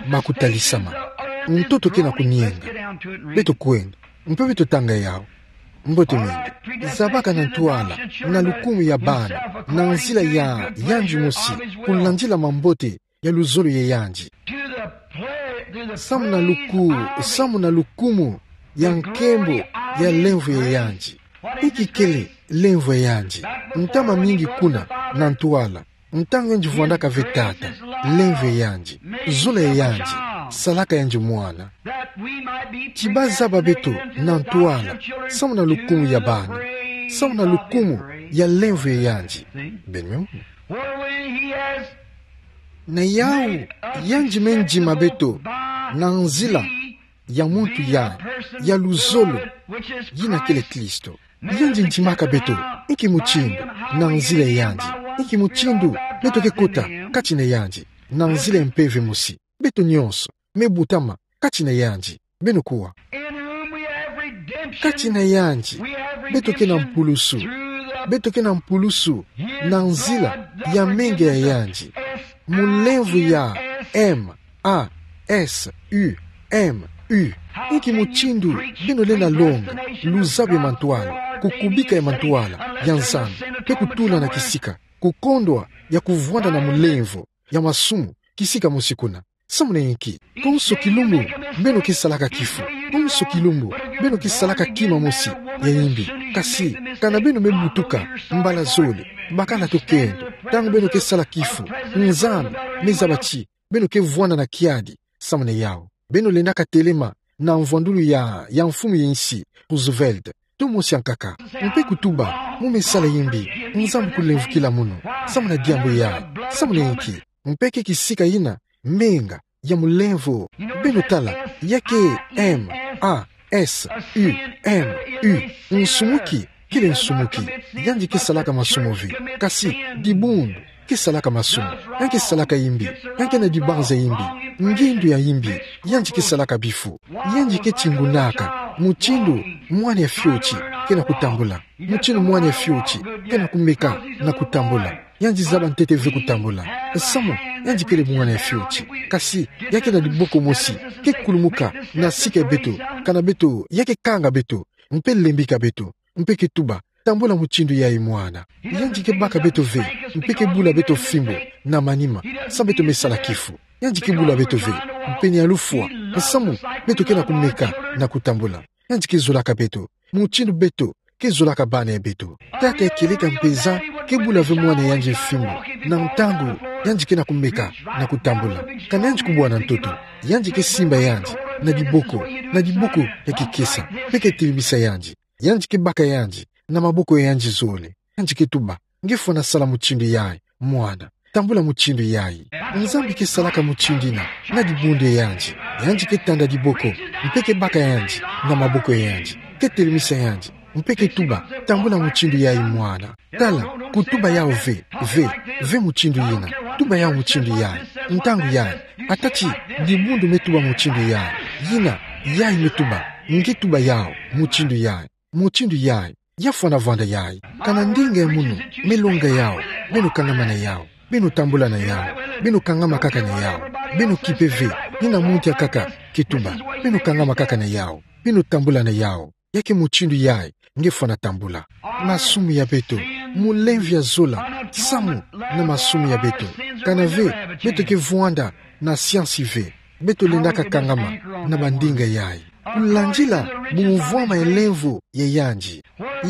Makutalisama. Ntoto ke na kunienga. Beto kwenda, mpe beto tanga yawu. Mbote mingi. Zabaka na ntwala, na lukumu ya bana, na nzila ya yandi mosi, kulandila mambote ya luzolo ya yandi. Samu na luku, samu na lukumu ya nkembo ya lemvo ya yandi. Inki kele lemvo ya yandi? Ntama mingi kuna na ntwala, ntangu yandi vwandaka ve tata, lemvo ya yandi, zola ya yandi, salaka yandi mwana. Ti ba zaba beto na ntwala, samu na lukumu ya bana, samu na lukumu ya lemvo ya yandi. Beno. Na yawu, yandi me ndima beto na nzila ya muntu ya, ya luzolo, yina kele Kristo. Yandi ndimaka beto, inki mutindu, na nzila ya yandi. Inki mutindu beto ke kota kati na yandi, na nzila ya mpeve mosi. Beto nyonso me butama kati na yandi. Beno kuwa. Kati na yandi, beto ke na mpulusu. Beto ke na mpulusu na nzila ya menga ya yandi. Mu lemvo ya M A S U M U. Inki mutindu beno lenda longa luzabu ya mantwala, kukubika ya mantwala ya Nzambi, mpe kutula na kisika, kukondwa ya kuvwanda na mulemvo ya masumu, kisika mosi kuna. Samu na inki? Konso kilumbu beno ke salaka kifu. Konso kilumbu beno ke salaka kima mosi ya imbi. Kasi, kana beno me butuka mbala zole, bakala tokendo, ntangu beno ke sala kifu, Nzambi me zaba ti beno ke vwanda na kiadi samu na yawu. Beno lendaka telema na mvwandulu ya, ya mfumu ya insi, Roosevelt, to mosi ya nkaka, mpe kutuba: Mo me sala imbi, Nzambi kulemvukila munu. Samu na diambu yayi, samu na inki? Mpe ke kisika yina menga ya mulemvo. Beno tala, ya ke M A S U M U. Nsumuki kele nsumuki. Yandi ke salaka masumu ve. Kasi, dibundu ke salaka masumu. Yandi ke salaka imbi. Yandi ke na dibanza imbi. Ngindu ya imbi. Yandi ke salaka bifu. Yandi ke tingunaka mutindu mwana ya fioti ke na kutambula. Mutindu mwana ya fioti ke na kumeka na kutambula. Yandi zaba ntete ve kutambula. Samu yandi kele mwana ya fioti. Kasi, ya ke na diboko mosi ke kulumuka na sika ya beto, kana beto, ya ke kanga beto, mpe lembika beto, mpe ke tuba: Tambula mutindu yayi, mwana. Yandi ke baka beto ve, mpe ke bula beto fimbo na manima, samu beto me sala kifu. Yandi ke bula beto ve, mpe ni alufwa, samu beto ke na kumeka na kutambula. Yandi ke zolaka beto mutindu beto ke zolaka bana ya beto. Tata ya kieleka mpeza ke bula ve mwana ya yandi fimbo, na ntangu yandi ke na kumeka na kutambula. Kana yandi kubwana ntoto, yandi ke simba yandi na diboko, na diboko ya kikesa, mpe ke telemisa yandi. Yandi ke baka yandi na maboko ya yandi zole. Yandi ke tuba: Nge fwana sala mutindu yayi, mwana. Tambula mutindu yayi. Nzambi ke salaka mutindu yina na dibundu ya yandi. Yandi ke tanda diboko, mpe ke baka yandi na maboko ya yandi, ke telemisa yandi, mpe ke tuba: Tambula mutindu yayi, mwana. Tala, kutuba yawu ve, ve, ve mutindu yina. Tuba yawu mutindu yayi, ntangu yayi. Ata ti dibundu me tuba mutindu yayi, yina, yayi me tuba: Nge tuba yawu mutindu yayi, mutindu yayi. Ya fwana vwanda yayi. Kana ndinga ya munu me longa yawu, beno kangama na yawu, beno tambula na yawu, beno kangama kaka na yawu, beno kipe ve, ni na muntu ya kaka ke tuba, beno kangama kaka na yawu, beno tambula na yawu. Ya ke mutindu yayi nge fwana tambula. Masumu ya beto, mulemvo ya zola samu na masumu ya beto. Kana ve beto ke vwanda na siansi ve, beto lendaka kangama na bandinga yayi. Kulandila bumvwama ya lemvo ya yandi.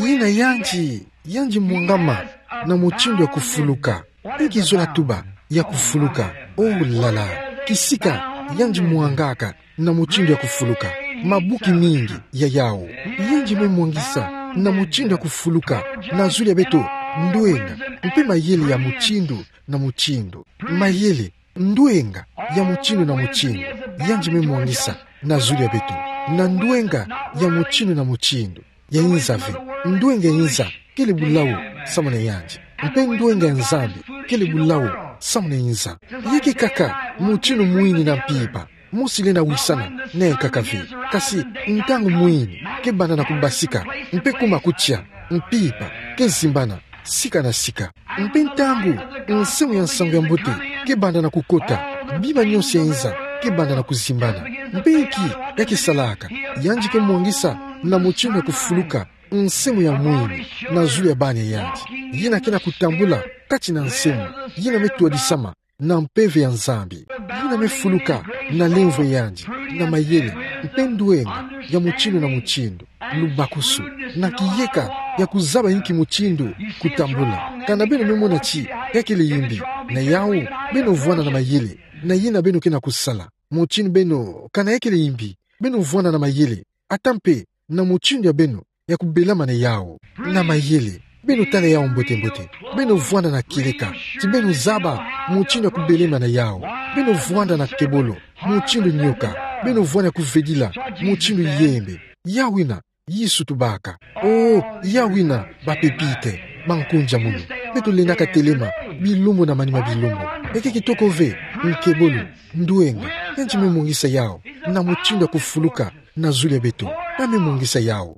Yina yandi, yandi mwangama na mutindu ya kufuluka. Inki zola tuba ya kufuluka? Oh là là. Kisika yandi mwangaka na mutindu ya kufuluka. Mabuki mingi ya yawu yandi me mwangisa na mutindu ya kufuluka na zulu ya beto. Ndwenga mpe mayele ya mutindu na mutindu. Mayele, ndwenga ya mutindu na mutindu, yandi me mwangisa na zulu ya beto. Na ndwenga ya mutindu na mutindu ya inza ve. Ndwenga ya inza kele bulawu samu na yandi, mpe ndwenga ya Nzambi kele bulawu samu na inza. Ya ke kaka mutindu mwini na mpimpa, mosi lenda wisana na yankaka ve. Kasi ntangu mwini ke banda na kubasika mpe kuma kutia, mpimpa ke zimbana sika na sika. Mpe ntangu nsemo ya nsangu ya mbote ke banda na kukota, bima nyonso ya inza ke banda na kuzimbana. Mpe inki ya ke salaka? Yandi ke mwangisa na mutindu ya kufuluka nsemo ya mwini na zulu ya bana ya yandi, yina ke na kutambula kati na nsemo yina me twadisama na mpeve ya Nzambi, yina me fuluka na lemvo ya yandi, na mayele, mpe ndwenga ya mutindu na mutindu. Lubakusu na kiyeka ya kuzaba inki mutindu kutambula. Kana beno me mona ti ya kele yimbi, na yawu beno vwanda na mayele na yina beno ke na kusala. Mutindu beno, kana ya kele yimbi, beno vwanda na mayele, ata mpe na mutindu ya beno ya kubelama na yawu. Na mayele, beno tala yawu mbote-mbote. Beno vwanda na kieleka ti beno zaba mutindu ya kubelema na yawu. Beno vwanda na kebolo mutindu nioka. Beno vwanda ya kuvedila mutindu yembe. Yawu yina Yesu tubaka. Oh, yawu yina bapepite, bankunzi ya munu. Beto lendaka telema bilumbu na manima bilumbu. Ya ke kitoko ve, nkebolo, ndwenga, yandi me mwangisa yawu na mutindu ya kufuluka na zulu ya beto. Ya me mwangisa yawu.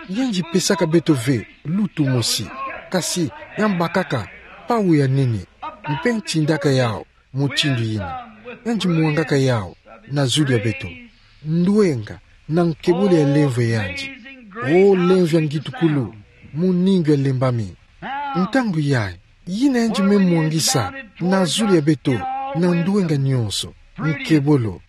Yandi pesaka beto ve lutu mosi, kasi yandi bakaka pawu ya nene, mpe ntindaka yawu mutindu yina. Yandi mwangaka yawu na zulu ya beto. Ndwenga na nkebolo ya lemvo ya yandi. Oh, lemvo ya ngitukulu, muningu ya lembami. Ntangu yayi, yina yandi me mwangisa na zulu ya beto, na ndwenga nyonso, nkebolo.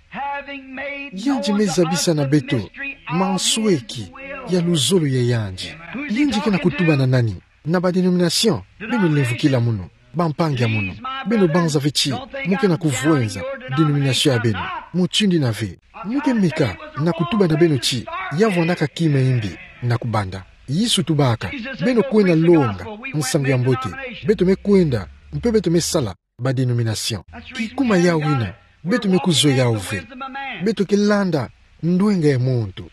Yandi me zabisa na beto mansweki ya luzolo ya yandi. Yandi ke na kutuba na nani? Na ba dénomination. Beno lemvokila munu, bampangi ya munu. Beno banza ve ti mu ke na kuvwenza dénomination ya beno. Mutindu yina ve. Mu ke meka na kutuba na beno ti ya vwandaka kima yimbi na kubanda. Yesu tubaka: Beno kwenda longa nsangu ya mbote. Beto me kwenda, mpe beto me sala ba dénomination. Kikuma yawu yina, beto me kuzwe yawu ve. Beto ke landa ndwenga ya muntu.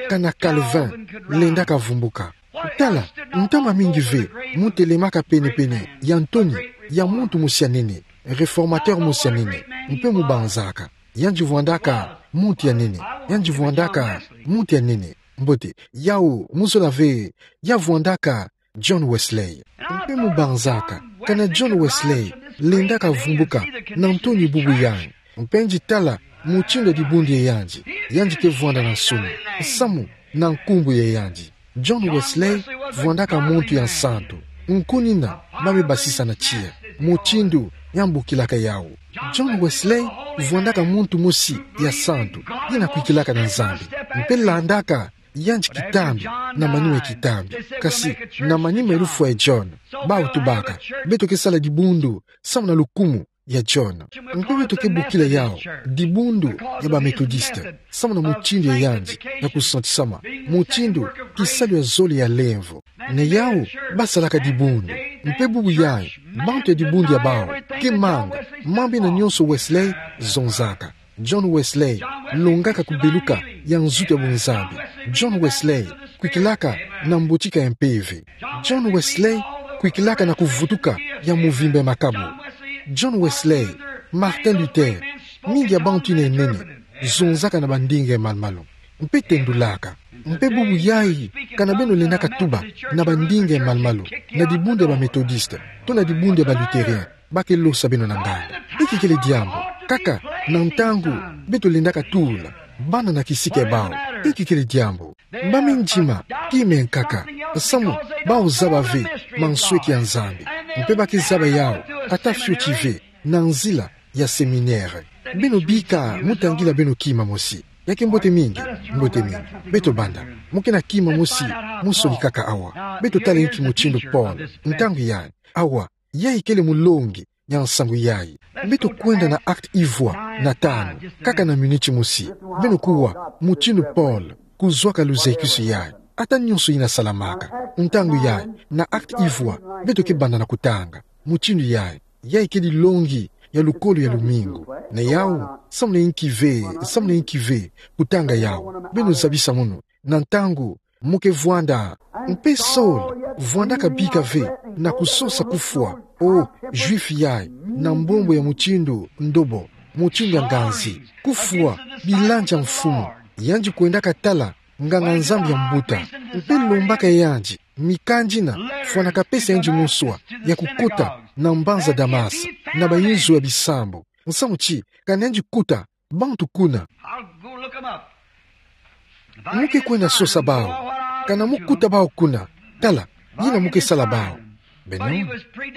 Kana Calvin lendaka vumbuka. Tala, ntama mingi ve mu telemaka pene-pene ya ntonyi ya muntu mosi ya nene, réformateur mosi ya nene, mpe mubanzaka. Yandi vwandaka muntu ya nene. Yandi vwandaka muntu ya nene. Mbote, yawu mu zola ve, ya vwandaka John Wesley. Mpe mubanzaka, kana John Wesley lendaka vumbuka na ntonyi bubu yayi. Mpe nge tala mutindu ya dibundu ya yandi, yandi ke vwanda na nsoni, samu na nkumbu ya yandi. John Wesley vwandaka muntu ya nsantu. Nkunina ba me basisa na tiya mutindu ya mbukilaka yawu. John Wesley vwandaka muntu mosi ya nsantu, yina kwikilaka na Nzambi. Mpe landaka yandi kitambi, na manima ya kitambi. Kasi, na manima ya lufwa ya John, bawu tubaka, beto ke sala dibundu samu na lukumu ya John. Mpe beto ke bokila yawu dibundu ya ba Methodiste, samu na mutindu ya yandi ya kusantisama, mutindu kisalu ya zole ya lemvo. Na yawu ba salaka dibundu. Mpe bubu yayi, bantu ya dibundu ya bawu ke manga mambu yina nyonso Wesley zonzaka. John Wesley longaka kubeluka ya nzutu ya bunzambi. John Wesley kwikilaka na mbotika ya mpeve. John Wesley kwikilaka na kuvutuka ya muvimba ya makabu. John Wesley, Martin Luther, mingi ya bantu yina ya nene zonzaka na bandinga ya malu-malu. Mpe tendulaka. Mpe bubu yayi, kana beno lendaka tuba na bandinga ya malu-malu, na dibundu ya ba Methodiste, to na dibundu ya ba Lutherien, ba ke losa beno na nganda. Inki kele diambu? Kaka na ntangu beto lendaka tula bana na kisika ya bawu, inki kele diambu? Ba me ndima kima ya nkaka, samu bawu zaba ve mansweki ya Nzambi. Mpe ba ke zaba yawu ata fioti ve na nzila ya seminere. Beno bika mu tangila beno kima mosi. Ya ke mbote mingi, mbote mingi. Beto banda. Mu ke na kima mosi mu solikaka awa. Beto tala inki mutindu Paul, ntangu yayi. Awa, yayi kele mulongi ya nsangu yayi. Beto kwenda na acte ivwa na tanu, kaka na miniti mosi. Beno kuwa mutindu Paul kuzwaka luzekisi yayi. Ata nyonso yina salamaka ntangu yayi, na acte ivwa, beto ke banda na kutanga mutindu yayi. Yayi kele longi ya lukolo ya lumingu. Na yawu, samu na inki ve, samu na inki ve kutanga yawu? Beno zabisa munu, na ntangu mu ke vwanda. Mpe Saul vwandaka bika ve na kusosa kufwa, o Juif yayi, na mbombo ya mutindu ndobo, mutindu ya nganzi. Kufwa, bilanza mfumu. Yandi kwendaka tala nganga-Nzambi ya mbuta, mpe lombaka yandi mikanda yina fwanaka pesa yandi moswa ya kukota na mbanza Damas, na bayinzo ya bisambu. Nsamu ti, kana yandi kuta bantu kuna. I'll go look 'em up. Mu ke kwenda sosa bawu. Kana mu kuta bawu kuna, tala yina mu ke sala bawu. Beno,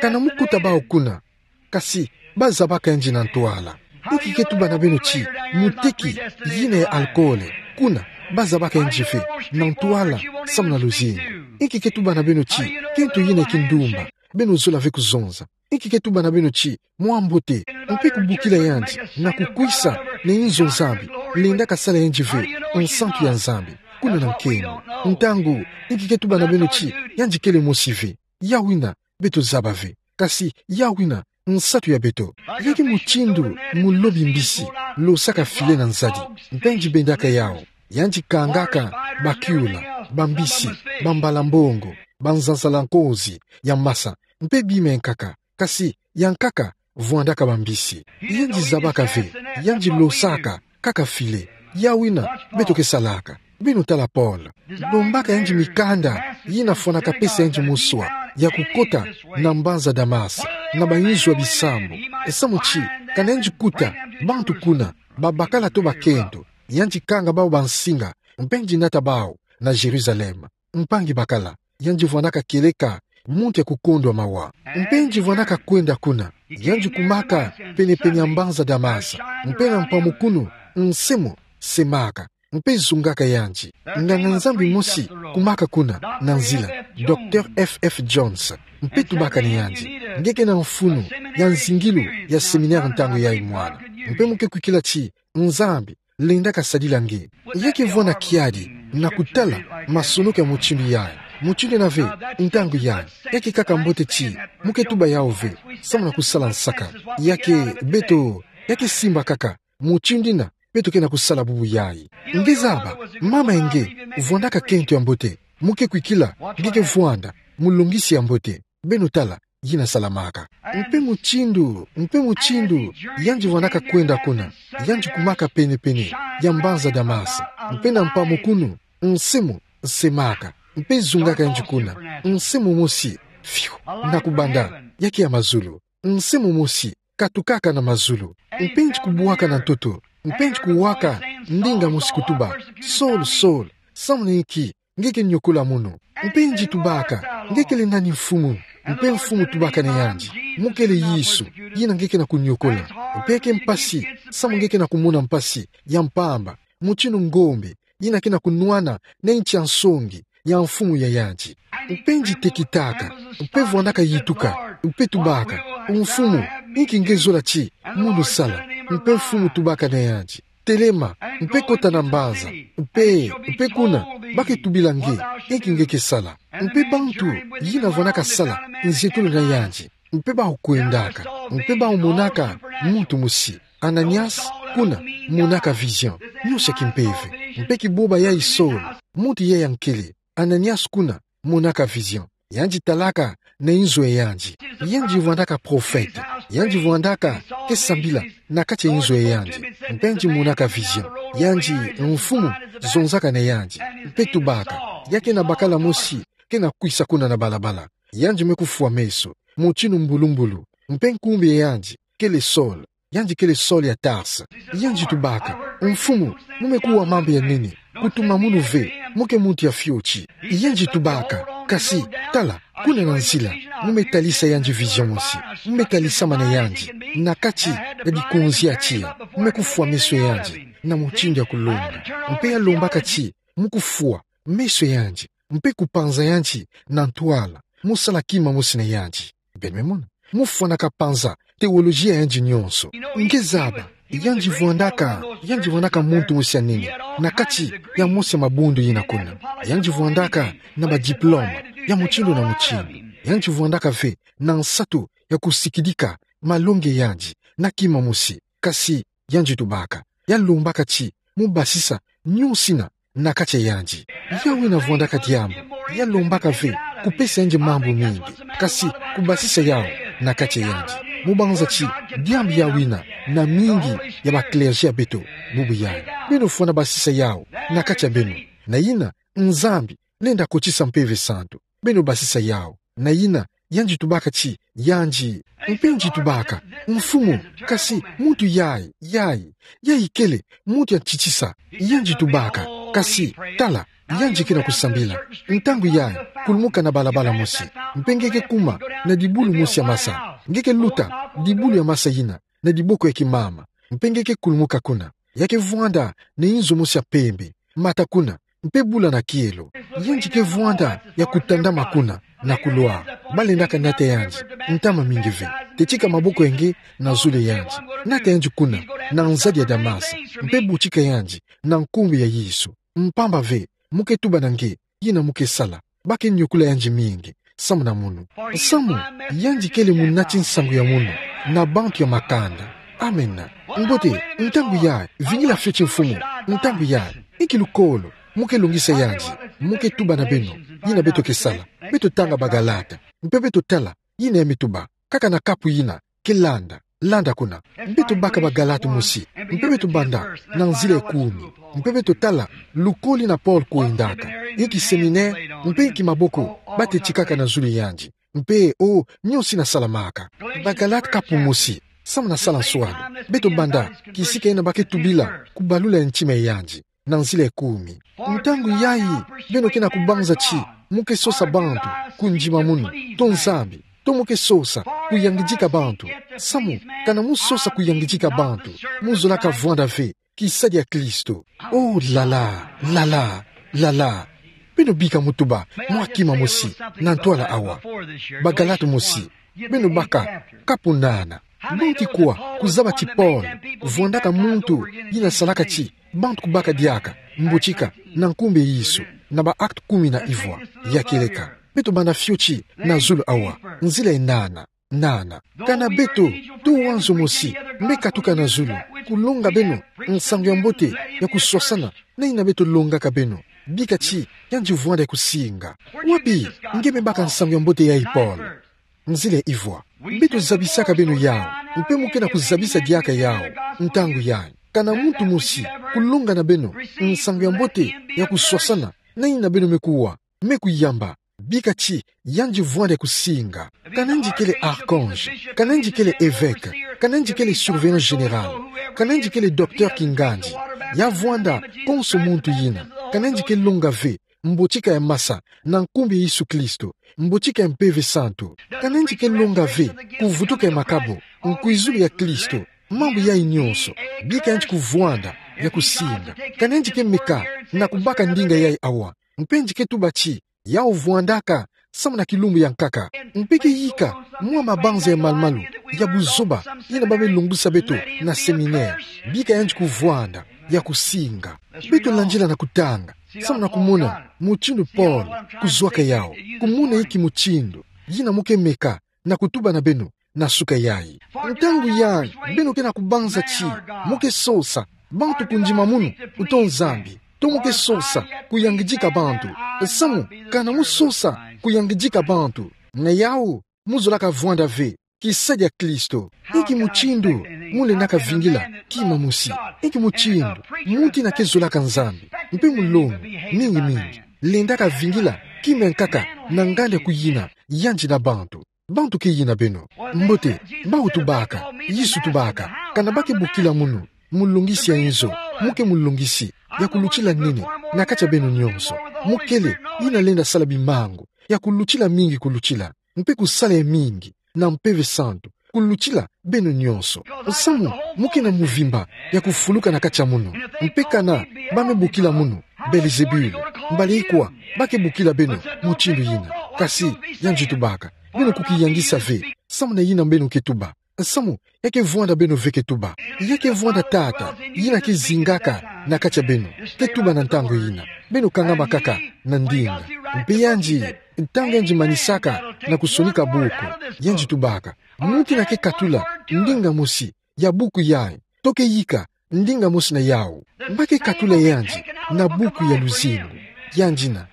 kana mu kuta bawu kuna, kasi ba zabaka yandi na ntwala. Inki ke tuba na beno ti muteki yina ya alcool kuna, ba zabaka yandi ve na ntwala samu na luzingu? Inki ke tuba na beno ti kento yina ya kindumba, beno zola ve kuzonza? Inki ke tuba na beno ti mwa mbote, mpe kubokila yandi na kukwisa na inzo Nzambi, lendaka sala yandi ve nsantu ya Nzambi kuna na nkembo? Ntangu, inki ke tuba na beno ti yandi kele mosi ve? Yawu yina beto zaba ve. Kasi yawu yina nsatu ya beto. Ya ke mutindu mulobi mbisi losaka filet na nzadi, mpe yandi bendaka yawu. Yandi kangaka bakiula, bambisi, bambala-mbongo, banzanzala-nkozi ya masa, mpe bima ya nkaka. Kasi ya nkaka vwandaka bambisi. Yandi zabaka ve, yandi losaka kaka filet. Yawu yina beto ke salaka. Beno tala Paul, lombaka yandi mikanda yina fwanaka pesa yandi moswa ya kukota na mbanza Damas, na bayinzo ya bisambu. Nsamu ti, kana yandi kuta bantu kuna, babakala to bakento, yandi kanga bawu bansinga, mpe yandi nata bawu na Jérusalem. Mpangi bakala, yandi vwandaka kieleka muntu ya kukondwa mawa. Mpe yandi vwandaka kwenda kuna, yandi kumaka pene-pene ya mbanza Damas, mpe na mpamukunu, nse mo semaka, mpe zungaka yandi. Nganga-Nzambi mosi kumaka kuna na nzila, Docteur F F Jones, mpe tubaka na yandi: Nge ke na mfunu ya nzingilu ya séminaire ntangu yayi, mwana? Mpe mu ke kwikila ti Nzambi lendaka sadila nge. Ya ke vwanda kiadi na kutala masonoko ya mutindu yayi. Mutindu yina ve, ntangu yayi, ya ke kaka mbote ti mu ke tuba yawu ve samu na kusala nsaka. Ya ke beto, ya ke simba kaka mutindu yina beto ke na kusala bubu yayi. Nge zaba, mama nge, vwandaka kento ya mbote, mu ke kwikila nge ke vwanda mulongisi ya mbote. Beno tala, yina salamaka. Mpe mutindu, mpe mutindu, yandi vwandaka kwenda kuna, yandi kumaka pene-pene ya mbanza Damas, mpe na mpamu kunu, nsimu nsemaka, mpe zungaka yandi kuna, nsimu mosi, fiu, na kubanda, ya ke ya mazulu, nsimu mosi katukaka na mazulu, mpe yandi kubwaka na ntoto, mpe yandi kuwaka ndinga mosi kutuba: Saul, Saul, samuna inki nge ke niokola munu? Mpe yandi tubaka: Nge kele nani, Mfumu? Mpe Mfumu tubaka na yandi: Mu kele Yesu, yina nge ke na kuniokola. Mpe ke mpasi, samu nge ke na kumona mpasi ya mpamba, mutindu ngombe yina ke na kunwana na inti ya nsongi ya mfumu ya yandi. Mpe yandi tekitaka, mpe vwandaka yituka, mpe tubaka: Mfumu, inki nge zola ti mu nusala? Mpe Mfumu tubaka na yandi: Telema, mpe kota na mbanza, mpe, mpe kuna, ba ke tubila nge inki nge ke sala. Mpe bantu yina vwandaka sala nzietolo na yandi, mpe bawu kwendaka, mpe bawu monaka muntu mosi, Ananias, kuna, monaka vision, nyoso ya kimpeve. Mpe kiboba yayi Saul, muntu yayi ya nkele, Ananias, kuna, monaka vision. Yandi talaka na inzo ya yandi. Yandi vwandaka prophète. Yandi vwandaka ke sambila na kati ya inzo ya yandi. Mpe yandi monaka vision. Yandi, Mfumu zonzaka na yandi, mpe tubaka: Ya ke na bakala mosi ke na kwisa kuna na balabala. Yandi me kufwa meso, mutindu mbulu-mbulu. Mpe nkumbu ya yandi kele Saul. Yandi kele Saul ya Tarse. Yandi tubaka: Mfumu, mu me kuwa mambu ya nene, kutuma munu ve, mu ke muntu ya fioti. Yandi tubaka: Kasi, tala, kuna na nzila, mu me talisa yandi vision mosi. Mu me talisama na yandi na kati ya dikonzi ya tiya. Mu me kufwa meso ya yandi na mutindu ya kulonga. Mpe ya lombaka ti mu kufwa meso ya yandi, mpe kupanza yandi na ntwala, mu sala kima mosi na yandi. Beno me mona? Mu fwanaka panza théologie ya yandi nyonso. Nge zaba, yandi vwandaka, yandi vwandaka muntu mosi ya nene na kati ya mosi ya mabundu yina kuna. Yandi vwandaka na ba diplôme ya mutindu na mutindu. Yandi vwandaka ve na nsatu ya kusikidika malongi ya yandi na kima mosi. Kasi yandi tubaka, ya lombaka ti mu basisa nyonsina na kati ya yandi. Ya wina vwandaka diambu, ya lombaka ve kupesa yandi mambu mingi, kasi kubasisa yawu na kati ya yandi. Mu banza ti diambu ya wina na mingi ya ba clergé ya beto bubu yayi. Beno fwana basisa yawu na kati ya beno. Na yina Nzambi lenda kotisa Mpeve Santu. Beno basisa yawu. Na yina yandi tubaka ti yandi. Mpe yandi tubaka: Mfumu, kasi muntu yayi, yayi, yayi kele muntu ya ntitisa. Yandi tubaka: Kasi tala, yandi ke na kusambila. Ntangu yayi, kulumuka na balabala mosi, mpe nge ke kuma na dibulu mosi ya masa. Nge ke luta dibulu ya masa yina na diboko ya kimama, mpe nge ke kulumuka kuna. Ya ke vwanda na inzo mosi ya pembe, mata kuna, mpe bula na kielo. Yandi ke vwanda ya kutandama kuna na kulwa. Ba lendaka nata yandi ntama mingi ve. Tetika maboko ya nge na zulu ya yandi. Nata yandi kuna na nzadi ya Damas, mpe butika yandi na nkumbu ya Yesu. Mpamba ve, mu ke tuba na nge yina mu ke sala. Ba ke niokula yandi mingi samu na munu. Samu yandi kele munati nsangu ya munu na bantu ya makanda. Amena. Mbote, ntangu yayi, vingila fioti Mfumu. Ntangu yayi, inki lukolo mu ke longisa yandi? Mu ke tuba na beno yina beto ke sala. Beto tanga Bagalate, mpe beto tala yina ya me tuba. Kaka na kapu yina ke landa, landa kuna. Beto baka Bagalate mosi, mpe beto banda na nzila ya kumi, mpe beto tala lukolo yina Paul kwendaka, inki séminaire, mpe inki maboko ba tetikaka na zulu ya yandi. Mpe, o, nyonsina salamaka. Bagalate kapu mosi, samu na sala nswani. Beto banda kisika yina ba ke tubila kubalula ntima ya yandi na nzila ya kumi. Ntangu yayi, beno ke na kubanza ti mu ke sosa bantu kundima munu, to Nzambi, to mu ke sosa kuyangidika bantu. Samu, kana mu sosa kuyangidika bantu, mu zolaka vwanda ve kisadi ya Kristo. O, lala, lala, lala. Beno bika mu tuba mwa kima mosi na ntwala awa. Bagalate mosi, beno baka kapu nana. Banki kwa kuzaba ti Paul vwandaka muntu yina salaka ti bantu kubaka diaka mbotika na nkumbu ya Yesu, na ba Actes kumi na ivwa? Ya kieleka. Beto banda fioti na zulu awa, nzila ya nana. nana. Kana beto, to wanzo mosi, me katuka na zulu, kulonga beno nsangu ya mbote ya kuswasana na ina beto longaka beno. Bika ti yandi vwanda ya kusinga. Wapi nge me baka nsangu ya mbote yayi, Paul? Nzila ivwa. Beto zabisaka beno yawu, mpe mo ke na kuzabisa diaka yawu ntangu yayi. Kana muntu mosi kulonga na beno nsangu ya mbote ya kuswasana na ina beno me kuwa, me kuyamba, bika ti yandi vwanda ya kusinga. Kana yandi kele archange, kana yandi kele évêque, kana yandi kele surveillant général, kana yandi kele docteur kingandi, ya vwanda konso muntu yina. Kana yandi ke longa ve mbotika ya masa na nkumbu ya Yesu Kristo, mbotika ya Mpeve Santu. Kana yandi ke longa ve kuvutuka ya makabu, nkwizulu ya Kristo, mambu yayi nyonso, bika yandi kuvwanda ya kusinga. Kana yandi ke meka na kubaka ndinga yayi awa, mpe yandi ke tuba ti yawu vwandaka samu na kilumbu ya nkaka, mpe ke yika mwa mabanza ya malumalu ya buzoba yina ba me longisa beto na séminaire, bika yandi kuvwanda ya kusinga. Beto landila na kutanga samu na kumona mutindu Paul kuzwaka yawu, kumona inki mutindu yina mo ke meka na kutuba na beno na suka yayi. Ntangu yayi beno ke na kubanza ti mo ke sosa bantu kundima munu uto Nzambi, to mo ke sosa kuyangidika bantu. Samu kana mo sosa kuyangidika bantu, na yawu mo zolaka vwanda ve kisadia Kristo. Inki mutindu mo lendaka vingila kima mosi? Inki mutindu muntu yina ke zolaka Nzambi, mpe mulongi mingi mingi, lendaka vingila kima ya nkaka na nganda kuyina yandi na bantu? Bantu ke yina beno? Mbote, bawu tubaka, Yesu tubaka, kana ba ke bokila munu mulongisi ya inzo, mo ke mulongisi ya kulutila nene na kati ya beno nyonso. Mo kele yina lenda sala bimangu ya kulutila mingi kulutila, mpe kusala ya mingi na Mpeve Santu kulutila beno nyonso. Samu mo ke na muvimba ya kufuluka na kati ya munu. Mpe kana ba me bokila munu Belzebule, mbala ikwa ba ke bokila beno mutindu yina? Kasi yandi tubaka, beno kukiyangisa ve samu na yina beno ke tuba. Samu ya ke vwanda beno ve ke tuba. Ya ke vwanda Tata yina ke zingaka na kati ya beno, ke tuba na ntangu yina. Beno kangama kaka na ndinga. Mpe yandi, ntangu yandi manisaka na kusonika buku, yandi tubaka, muntu yina ke katula ndinga mosi ya buku yayi, to ke yika ndinga mosi na yawu, ba ke katula yandi na buku ya luzingu. Yandi yina,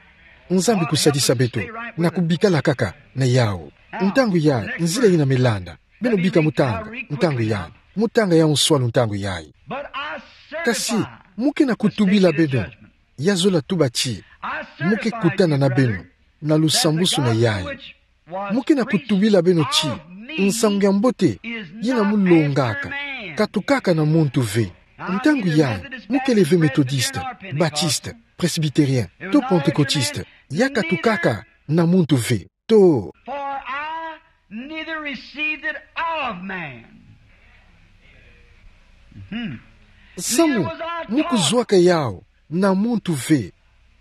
Nzambi kusadisa beto na kubikala kaka na yawu. Ntangu yayi, nzila yina me landa. Beno bika mo tanga ntangu yayi. Mo tanga yawu nswalu ntangu yayi. Kasi mo ke na kutubila beno, ya zola tuba ti mo ke kutana na beno na lusambusu na yayi. Mo ke na kutubila beno ti nsangu ya mbote yina mo longaka katukaka na muntu ve. Ntangu yayi mo kele ve Methodiste, Baptiste, Presbytérien, to Pentecôtiste, ya katukaka na muntu ve. To. For I neither received it of man. Mhm. Samu mo kuzwaka yawu na muntu ve,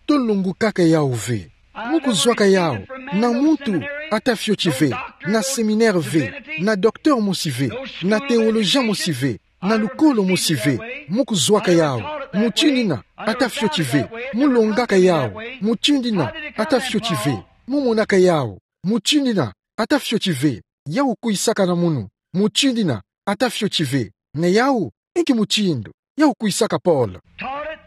to longukaka yawu ve. Mo kuzwaka yawu na muntu ata fioti ve, na séminaire ve, na docteur mosi ve, na théologien mosi ve, na lukolo mosi ve. Mo kuzwaka yawu mutindu yina ata fioti ve. Mo longaka yawu mutindu yina ata fioti ve. Mo monaka yawu mutindu yina ata fioti ve. Yawu kwisaka na munu mutindu yina ata fioti ve. Na yawu, inki mutindu yawu kwisaka, Paul? Taught it,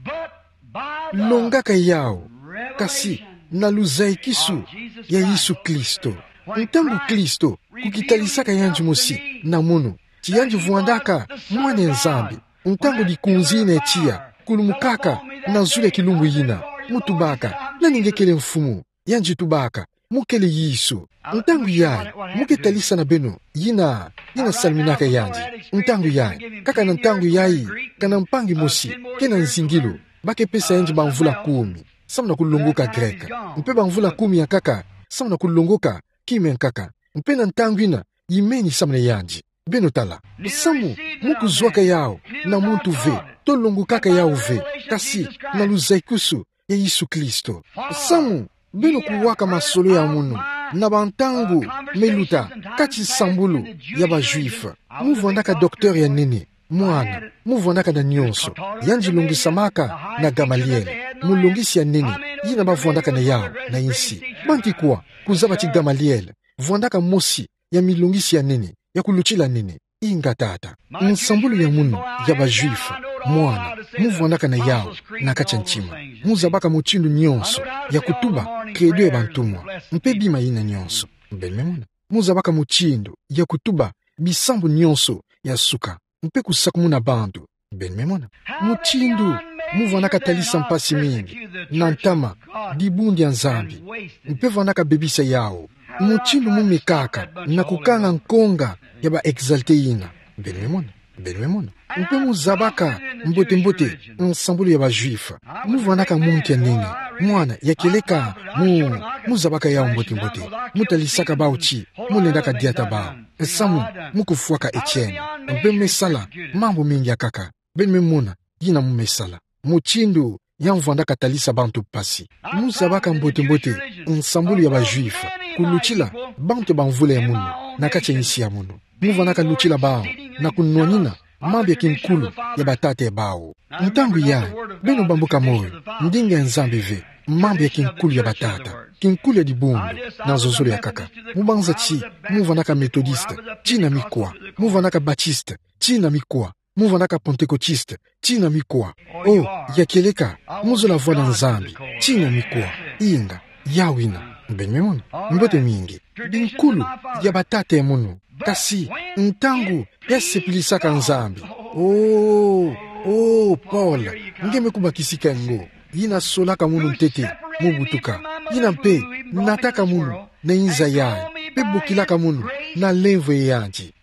but by the longaka yawu, kasi revelation na luzaikisu of Jesus ya Yesu Christ. Kristo. When Ntangu Christ Kristo kukitalisaka yandi mosi na munu, ti yandi vwandaka Mwana ya Nzambi, ntangu likunzi yina ya tiya kulumukaka na zulu ya kilumbu yina, mo tubaka: Nani nge kele, Mfumu? Yandi tubaka: Mo kele Yesu. Ntangu yayi mo ke talisa na beno yina, yina saluminaka yandi. Ntangu yayi, kaka na ntangu yayi, kana mpangi mosi ke na nzingilu, ba ke pesa yandi bamvula kumi samu na kulongoka grec, mpe bamvula kumi ya nkaka samu na kulongoka kima ya nkaka. Mpe na ntangu yina yimeni samu na yandi. Beno tala. Samu mo kuzwaka yawu na muntu ve, to longukaka yawu ve, kasi na luzaikisu ya Yesu Kristo. Samu beno kuwaka masolo ya munu na bantangu me luta kati nsambulu ya ba Juifs. Mo vwandaka docteur ya nene, mwana, mo vwandaka na nyonso. Yandi longisamaka na Gamaliel, mulongisi ya nene yina ba vwandaka na yawu na insi. Banti kwa kuzaba ti Gamaliel vwandaka mosi ya milongisi ya nene, ya kulutila nene. Inga tata. Nsambulu ya munu, ya ba Juifs, mwana, mu vwandaka na yawu, na kati ya ntima. Mu zabaka mutindu nyonso, ya kutuba, credo ya bantumwa. Mpe bima yina nyonso. Beno me mona. Mu zabaka mutindu, ya kutuba, bisambu nyonso, ya suka. Mpe kusakumuna bantu. Beno me mona. Mutindu, mu vwandaka talisa mpasi mingi, na ntama, dibundu ya Nzambi. Mpe vwandaka bebisa yawu. Mutindu mu mikaka, na kukanga nkonga, ya ba exaltés yina. Beno me mona. Beno me mona. Mpe mu zabaka, mbote mbote, nsambulu ya ba Juifs. Mu vwandaka muntu ya nene. Mwana, ya kieleka, mu, mu zabaka yawu mbote mbote. Mu talisaka bawu ti, mu lendaka diata bawu. Samu, mu kufwaka Etienne. Mpe me sala, mambu mingi akaka. Beno me mona, yina mu me sala. Mutindu, ya mu vwandaka talisa bantu mpasi. Mu zabaka mbote mbote, nsambulu ya ba Juifs. Kulutila, bantu ya ba mvula ya munu, na kati ya insi ya munu. Mu vwandaka lutila bawu, na kunwanina, mambu ya kinkulu, ya batata ya bawu. Ntangu yayi, beno bambuka moyo, ndinga ya Nzambi ve, mambu ya kinkulu ya batata, kinkulu ya dibundu, na nzonzolo ya kaka. Mu banza ti, mu vwandaka Methodiste, tina mikwa, mu vwandaka Baptiste, tina mikwa, mu vwandaka Pentecôtiste, tina mikwa. Oh, ya kieleka, mu zola vwanda Nzambi, tina mikwa, inga, yawu yina, beno me mona, mbote mingi. Binkulu, ya batata ya munu. Kasi, ntangu, ya sepilisaka Nzambi. Oh, oh, Paul, nge me kubakisika ngo. Yina solaka munu ntete, mu butuka. Yina mpe, nataka munu, na inza yayi. Mpe bokilaka munu, na lemvo ya yandi.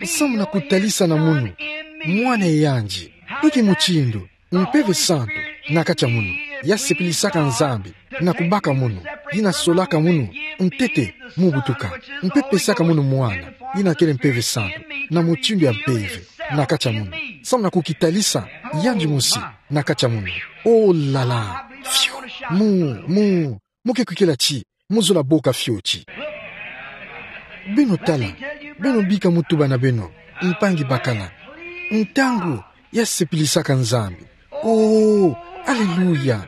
Samu na kutalisa na munu, mwana ya yandi. Inki mutindu, Mpeve Santu, na kati ya munu, ya sepilisaka Nzambi, na kubaka munu, yina solaka munu, ntete, mu butuka, mpe pesaka munu mwana, yina kele Mpeve Santu, na mutindu ya mpeve, na kati ya munu, samu na kukitalisa, yandi mosi, na kati ya munu. Oh là là, fiu, mu, mu, mu ke kwikila ti, mu zola boka fioti. Beno tala, beno bika mu tuba na beno, mpangi bakala. Ntangu, ya sepilisaka Nzambi. Oh, aleluya.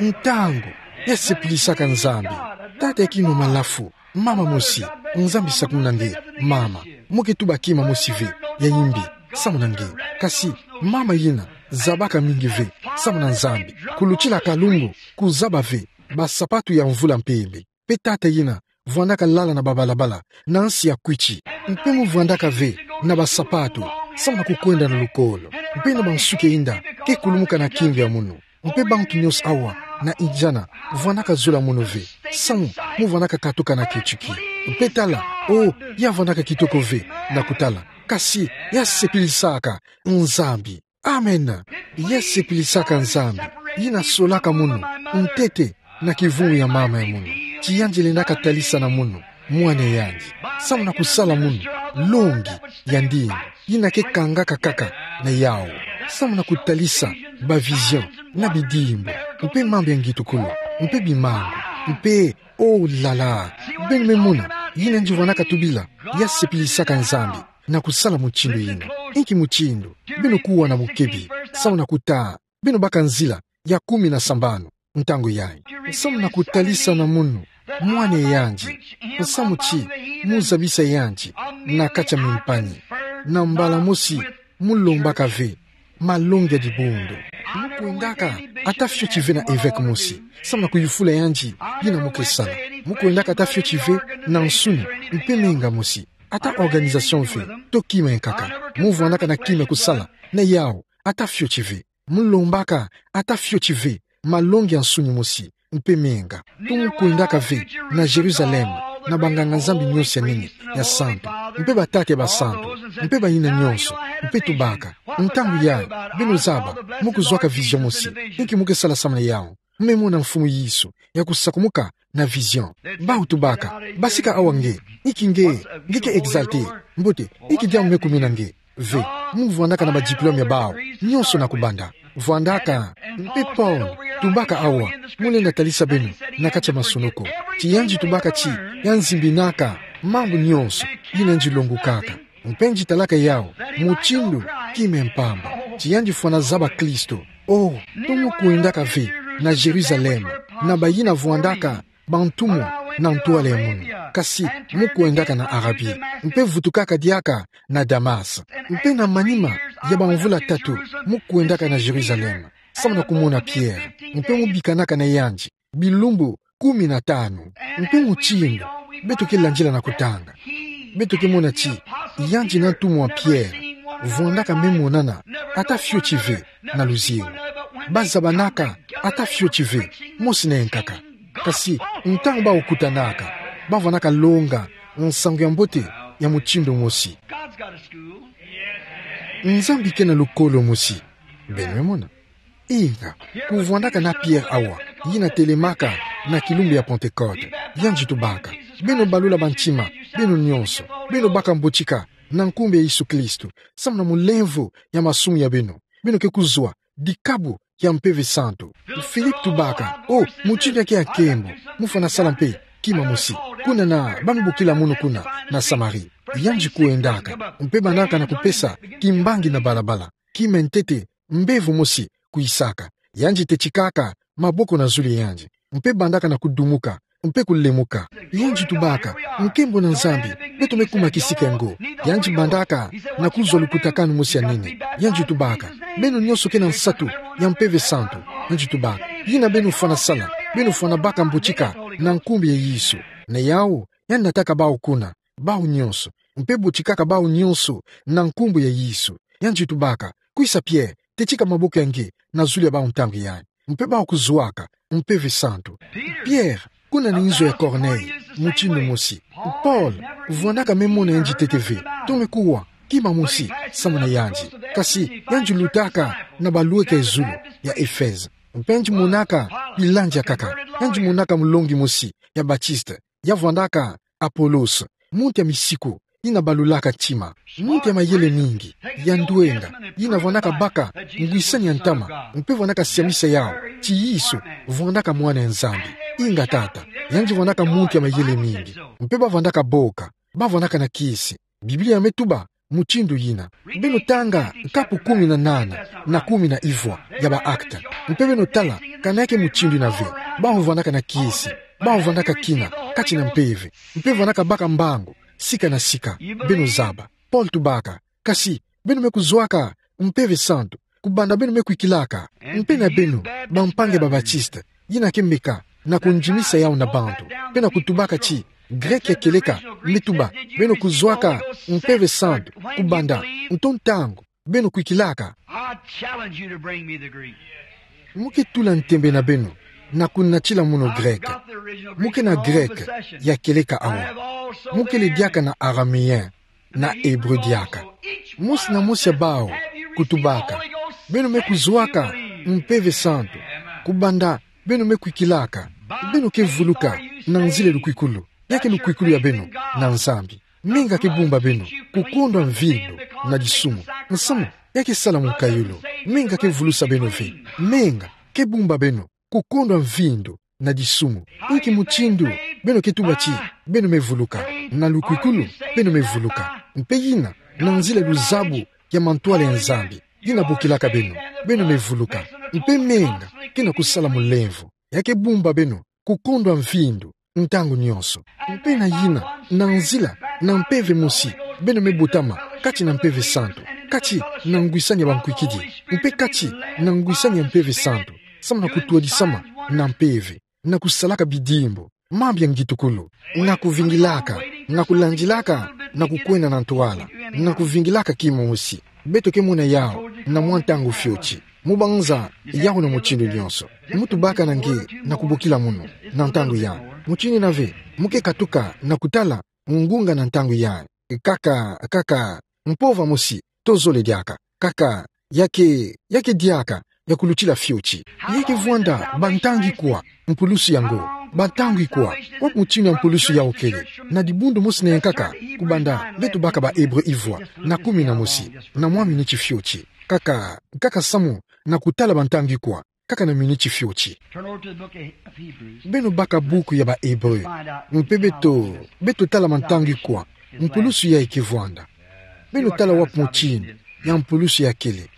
Ntangu, ya sepilisaka Nzambi. Tata ya kima malafu, mama mosi, Nzambi sakumuna nge, mama. Mu ke tuba kima mosi ve, ya yimbi, samu na nge. Kasi, mama yina, zabaka mingi ve, samu na Nzambi. Kulutila kalungu, kuzaba ve, basapatu ya mvula mpembe. Mpe tata yina, vwandaka lala na babalabala, na nsi ya kwiti. Mpe mu vwandaka ve, na basapatu, samu na kukwenda na lukolo. Mpe na bansuki ya inda, ke kulumuka na kingo ya munu. Mpe bantu nyonso awa, na injana, vwandaka zola munu ve. Samu, mu vwandaka katuka na ketiki. Mpe tala, oh, ya vwandaka kitoko ve, na kutala. Kasi, ya sepilisaka, Nzambi. Amen. Ya sepilisaka Nzambi, yina solaka munu, ntete, na kivungu ya mama ya munu. Ti yandi lendaka talisa na munu, mwana ya yandi. Samu na kusala munu, longi, ya ndinga, yina ke kangaka kaka, na yawu. Samu na kutalisa, ba vision, na bidimbu, mpe mambu ya ngitukulu, mpe bimangu, mpe, oh là là, beno me mona, yina yandi vwandaka tubila, ya sepilisaka Nzambi. Na kusala mutindu yina. Inki mutindu? Beno kuwa na mukebi. Samu na kuta. Beno baka nzila. Ya kumi na sambanu. Ntangu yayi. Samu na kutalisa na munu. Mwana ya yandi. Samu ti. Mu zabisa yandi. Na kati ya mimpangi. Na mbala mosi. Mu lombaka ve. Malongi ya dibundu. Mu kwendaka. Ata fioti ve na evêque mosi. Samu na kuyufula yandi. Yina mu ke sala. Mu kwendaka ata fioti ve. Na nsuni. Mpe menga mosi. Ata organisation ve, to kima ya nkaka. Mu vwandaka na kima ya kusala, na yawu, ata fioti ve. Mu lombaka, ata fioti ve, malongi ya nsuni mosi, mpe menga. To mu kwendaka ve, na Jérusalem, na banganga-Nzambi nyonso ya nene, ya santu, mpe batata ya basantu, mpe bayina nyonso, mpe tubaka. Ntangu yayi, beno zaba, mu kuzwaka vision mosi, inki mu ke sala samu na yawu. Mu me mona Mfumu Yesu, ya kusakumuka, na vision. Bawu tubaka, basika awa nge, inki nge, nge ke exalté. Mbote, inki diambu me kumina nge. Ve, mu vwandaka na ba diplôme ya bawu, nyonso na kubanda. Vwandaka, mpe Paul, tubaka awa, mu lenda talisa beno, na kati ya masunoko. Ti yandi tubaka ti, ya nzimbinaka, mambu nyonso, yina yandi longukaka. Mpe yandi talaka yawu, mutindu, kima ya mpamba. Ti yandi fwana zaba Kristo. Oh, to mu kwendaka ve, na Jérusalem, na bayina vwandaka, bantumwa, na ntwala ya munu. Kasi, mu kwendaka na Arabi, mpe vutukaka diaka na Damas. Mpe na manima ya bamvula tatu, mu kwendaka na Jérusalem, samu na kumona Pierre, mpe mu bikanaka na yandi bilumbu kumi na tanu. Mpe mutindu beto ke landila na kutanga, beto ke mona ti yandi na ntumwa Pierre vwandaka me monana ata fioti ve na luzingu. Bazabanaka ata fioti ve, mosi na ye nkaka. Kasi ntangu bakutanaka, bavwandaka longa nsangu ya mbote ya mutindu mosi. Nzambi kena lukolo mosi. Beno me mona? Inga, kuvwandaka na Pierre awa, yina telemaka na kilumbu ya Pentecôte. Yandi tubaka: Beno balula bantima, beno nyonso, beno baka mbotika na nkumbu ya Yesu Kristo, samu na mulemvo ya masumu ya beno, beno ke kuzwa dikabu ya Mpeve Santu. Philippe tubaka: O, mutindu ya ke ya nkembo, mu fwana sala mpe kima mosi, kuna na ba mi bokila munu kuna na Samarie. Yandi kwendaka, mpe bandaka na kupesa kimbangi na balabala. Kima ntete, mbevo mosi kwisaka. Yandi tetikaka maboko na zulu ya yandi, mpe bandaka na kudumuka, mpe kulemuka. Yandi tubaka: Nkembo na Nzambi, beto me kuma kisika ngo. Yandi bandaka na kuzwa lukutakanu mosi ya nene. Yandi tubaka: Beno nyonso ke na nsatu ya Mpeve Santu. Yandi tubaka: Yina beno fwana sala, beno fwana baka mbotika na nkumbu ya Yesu. Na yawu, yandi nataka bawu kuna, bawu nyonso, mpe botikaka bawu nyonso na nkumbu ya Yesu. Yandi tubaka: Kwisa Pierre, tetika maboko ya nge na zulu ya bawu ntangu yayi. Mpe bawu kuzwaka Mpeve Santu. Pierre, kuna na inzo ya Corneille, mutindu mosi. Paul, vwandaka me mona yandi ntete ve, to me kuwa kima mosi samu na yandi. Kasi yandi lutaka na balweka ya zulu ya Efeze. Mpe yandi monaka bilandi ya nkaka. Yandi monaka mulongi mosi ya Baptiste, ya vwandaka Apollos, muntu ya misiku, yina balulaka ntima, muntu ya mayele mingi, ya ndwenga, yina vwandaka baka ngwisani ya ntama, mpe vwandaka siamisa yawu ti Yesu vwandaka Mwana ya Nzambi. Inga tata, yandi vwandaka muntu ya mayele mingi, mpe bavwandaka boka, bavwandaka na kisi. Biblia me tuba mutindu yina. Beno tanga nkapu kumi na nana na kumi na ivwa ya ba Actes, mpe beno tala kana ya ke mutindu yina ve. Bawu vwandaka na kisi, bawu vwandaka kina kati na mpeve, mpe vwandaka baka mbangu sika na sika. Beno zaba. Paul tubaka: Kasi beno me kuzwaka Mpeve Santu kubanda beno me kwikilaka. Mpe na beno, bampangi ya ba Baptiste, yina ke meka na kundimisa yawu na bantu, mpe na kutubaka ti Greke ya kieleka me tuba: Beno kuzwaka Mpeve Santu kubanda nto ntangu beno kwikilaka. I challenge you to bring me the Greek. Mu ke tula ntembe na beno na kunatila munu Greke. Mu ke na Greke ya kieleka awa. Mu kele diaka na Araméen, na Hébreu diaka. Mosi na mosi ya bawu kutubaka: Beno me kuzwaka Mpeve Santu kubanda beno me kwikilaka. Beno ke vuluka na nzila lukwikulu. Ya ke lukwikulu ya beno na Nzambi. Menga ke bumba beno kukondwa mvindu na disumu. Nsamu, ya ke sala mukayulu. Menga ke vulusa beno ve. Menga ke bumba beno kukondwa mvindu na disumu. Inki mutindu beno ke tuba ti beno me vuluka? Na lukwikulu beno me vuluka. Mpe yina na nzila luzabu ya mantwala ya Nzambi, yina bokilaka beno, beno me vuluka. Mpe menga ke na kusala mulemvo. Ya ke bumba beno kukondwa mvindu ntangu nyonso. Mpe na yina, na nzila na mpeve mosi, beno me botama kati na Mpeve Santu, kati na ngwisani ya bankwikidi, mpe kati na ngwisani ya Mpeve Santu, samu na kutwadisama na mpeve, na kusalaka bidimbu, mambu ya ngitukulu, na kuvingilaka, na kulandilaka, na kukwenda na ntwala, na kuvingilaka kimosi. Beto ke mona yawu na mwa ntangu fioti. Mu banza yawu na mutindu nyonso. Mu tubaka na nge na kubokila munu na ntangu yayi. Mutindu yina ve, mu ke katuka na kutala ngunga na ntangu yayi. Kaka, kaka, mpova mosi tozole diaka. Kaka, ya ke, ya ke diaka ya kulutila fioti. Ya ke vwanda bantangi kwa mpulusu ya ngo? Bantangi kwa? Wapi mutindu ya mpulusu yawu kele? Na dibundu mosi na yankaka, kubanda beto baka ba Hébreu ivwa na kumi na mosi, na mwa miniti fioti. Kaka, kaka samu na kutala bantangi kwa, kaka na miniti fioti. Turn over to the book of Hebrews. Beno baka buku ya ba Hébreu. Mpe beto, beto tala bantangi kwa mpulusu yayi ke vwanda. Beno tala wapi mutindu ya mpulusu ya kele.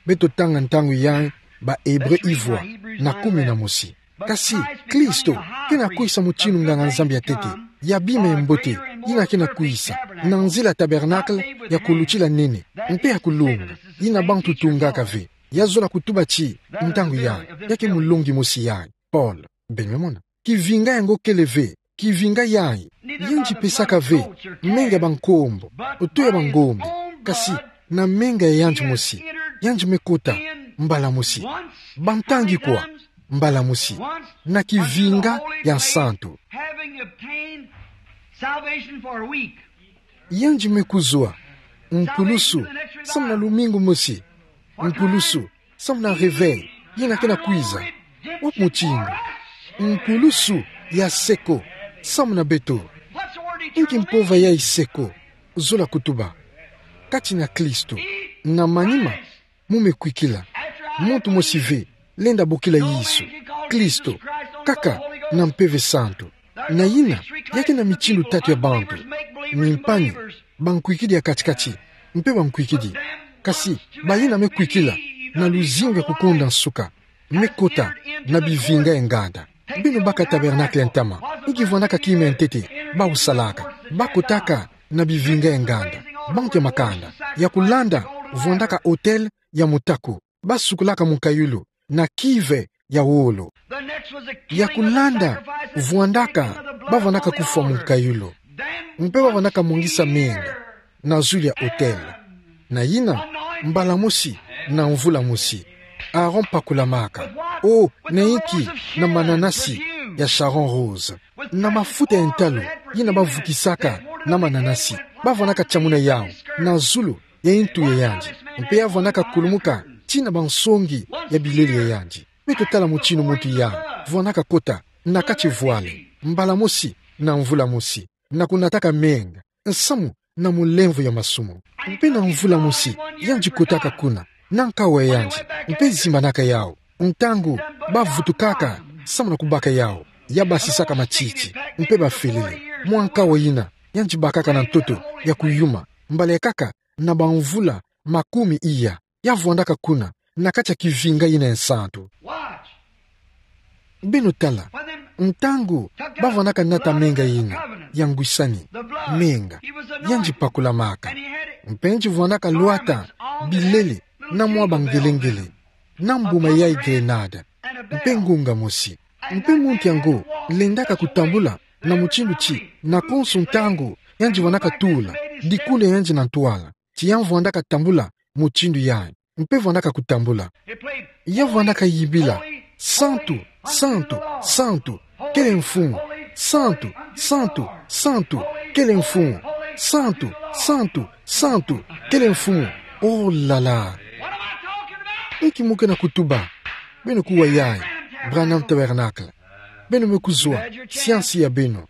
Beto tanga ntangu yayi ba Hébreu ivwa na kumi na mosi. Kasi Kristo Ke na kwisa mutinu nganga-nzambi ya ntete, ya bima ya mbote, yina ke na kwisa na nzila tabernacle ya kulutila nene, mpe ya kulunga, yina bantu tungaka ve. Ya zola kutuba ti, ntangu yayi, ya ke mulongi mosi yayi, Paul. Beno me mona. Kivinga yango kele ve, kivinga yayi, yandi pesaka ve menga ya bankombo, oto ya bangombe, kasi na menga ya yandi mosi, yandi me kota, mbala mosi, bantangi kwa, mbala mosi, na kivinga ya nsantu. Having obtained salvation for a week. Yandi me kuzwa nkulusu, samu na lumingu mosi, nkulusu, samu na réveil, yina ke na kwiza. Wapi mutinu? Nkulusu ya seko, samu na beto. Inki mpova yayi seko? Zola kutuba. Kati na Kristo, na manima, mu me kwikila. Muntu mosi ve lenda bokila Yesu Kristo, kaka na Mpeve Santu. Na yina, ya ke na mitinu tatu ya bantu: mimpani, bankwikidi ya kati-kati, mpe bankwikidi. Kasi bayina me kwikila na luzingu ya kukonda nsuka, me kota na bivinga ya nganda. Beno baka tabernacle ya ntama, inki vwandaka kima ya ntete bau salaka? Ba kotaka na bivinga ya nganda. Bantu ya makanda ya kulanda vwandaka autel ya mutaku, ba sukulaka munkayulu na kive ya wolo. Ya kulanda vwandaka, ba vwandaka kufwa munkayulu, mpe ba vwandaka mwangisa menga na zulu ya autel. Na yina, mbala mosi na mvula mosi, Aaron pakulamaka. O, na inki? Na mananasi ya Sharon rose, na mafuta ya ntalu yina ba vukisaka na mananasi. Ba vwandaka tiamuna yau na zulu ya intu ya yandi, mpe ya vwandaka kulumuka tii na bansongi ya bilele ya yandi. Beto tala mutinu muntu yayi vwandaka kota na kati vwale, mbala mosi na mvula mosi, na kunataka menga, nsamu na mulemvo ya masumu. Mpe na mvula mosi, yandi kotaka kuna na nkawala ya yandi, mpe zimbanaka yau. Ntangu ba vutukaka samu na kubaka yau, ya basisaka matiti, mpe ba felele. Mwa nkawala yina, yandi bakaka na ntoto ya kuyuma, mbala ya nkaka na bamvula makumi iya, ya vwandaka kuna na kati ya kivinga yina ya nsantu. Beno tala, ntangu ba vwandaka nata menga yina ya ngwisani, menga, yandi pakulamaka. Mpe yandi vwandaka lwata bilele na mwa bangelengele, na mbuma yayi grenade, mpe ngunga mosi. Mpe muntu yango lendaka kutambula na mutinu ti, na konso ntangu yandi vwandaka tula dikulu ya yandi na ntwala, ti ya vwandaka tambula mutinu yayi, mpe vwandaka kutambula. Ya vwandaka yibila: Santu, santu, santu, kele Mfumu. Santu, santu, santu, kele Mfumu. Santu, santu, santu, kele Mfumu. Oh là là! Inki mu ke na kutuba? Beno kuwa yayi Branham Tabernacle. Beno me kuzwa siansi ya beno.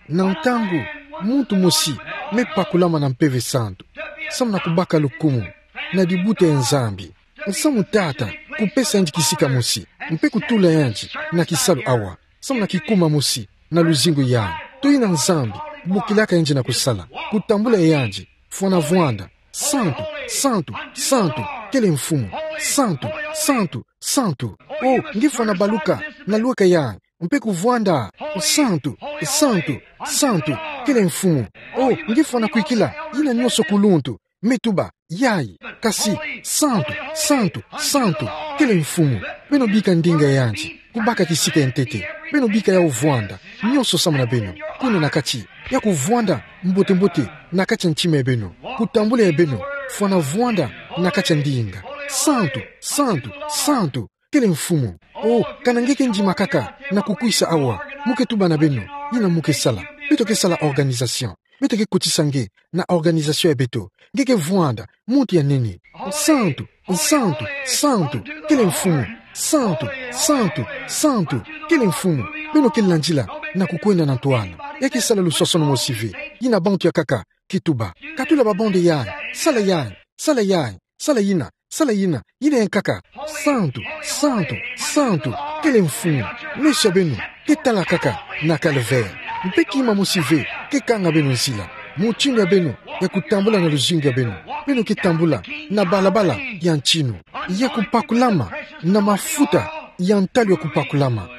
Na ntangu muntu mosi me pakulama na Mpeve Santu, samu na kubaka lukumu na dibuta ya Nzambi, nsamu tata kupesa yandi kisika mosi, mpe kutula yandi na kisalu awa, samu na kikuma mosi na luzingu yayi, to yina Nzambi bokilaka yandi na kusala, kutambula yandi, fwana vwanda: Santu, santu, santu, kele Mfumu. Santu, santu, santu. Oh, nge fwana baluka na lweka yayi, mpe kuvwanda: Santu, santu, santu, kele Mfumu. Oh, nge fwana kwikila yina nyonso kuluntu, me tuba: Yayi. Kasi: Santu, santu, santu, kele Mfumu. Beno bika ndinga ya yandi kubaka kisika ya ntete. Beno bika yau vwanda, nyonso samu na beno, kuna na kati, ya kuvwanda mbote-mbote na kati ya ntima ya beno, kutambula ya beno, fwana vwanda na kati ya ndinga: Santu, santu, santu, kele Mfumu. Oh, kana nge ke ndima kaka na kukwisa awa, mu ke tuba na beno yina mu ke sala. Beto ke sala organisation. Beto ke kotisa nge na organisation ya beto. Nge ke vwanda muntu ya nene: Santu, santu, santu, kele Mfumu. Santu, santu, santu, kele Mfumu. Beno ke landila na kukwenda na ntwala. Ya ke sala luswaswanu mosi ve. Yina bantu ya nkaka ke tuba: Katula ba bande yayi, sala yayi, sala yayi, sala yina, sala yina, yina ya nkaka. Santu, santu, santu, kele Mfumu. Meso ya beno ke tala kaka na calvaire. Mpe kima mosi ve ke kanga beno nzila. Mutinu ya beno ya kutambula na luzingu ya beno, beno ke tambula na balabala ya ntinu, ya kupakulama na mafuta ya ntalu ya kupakulama.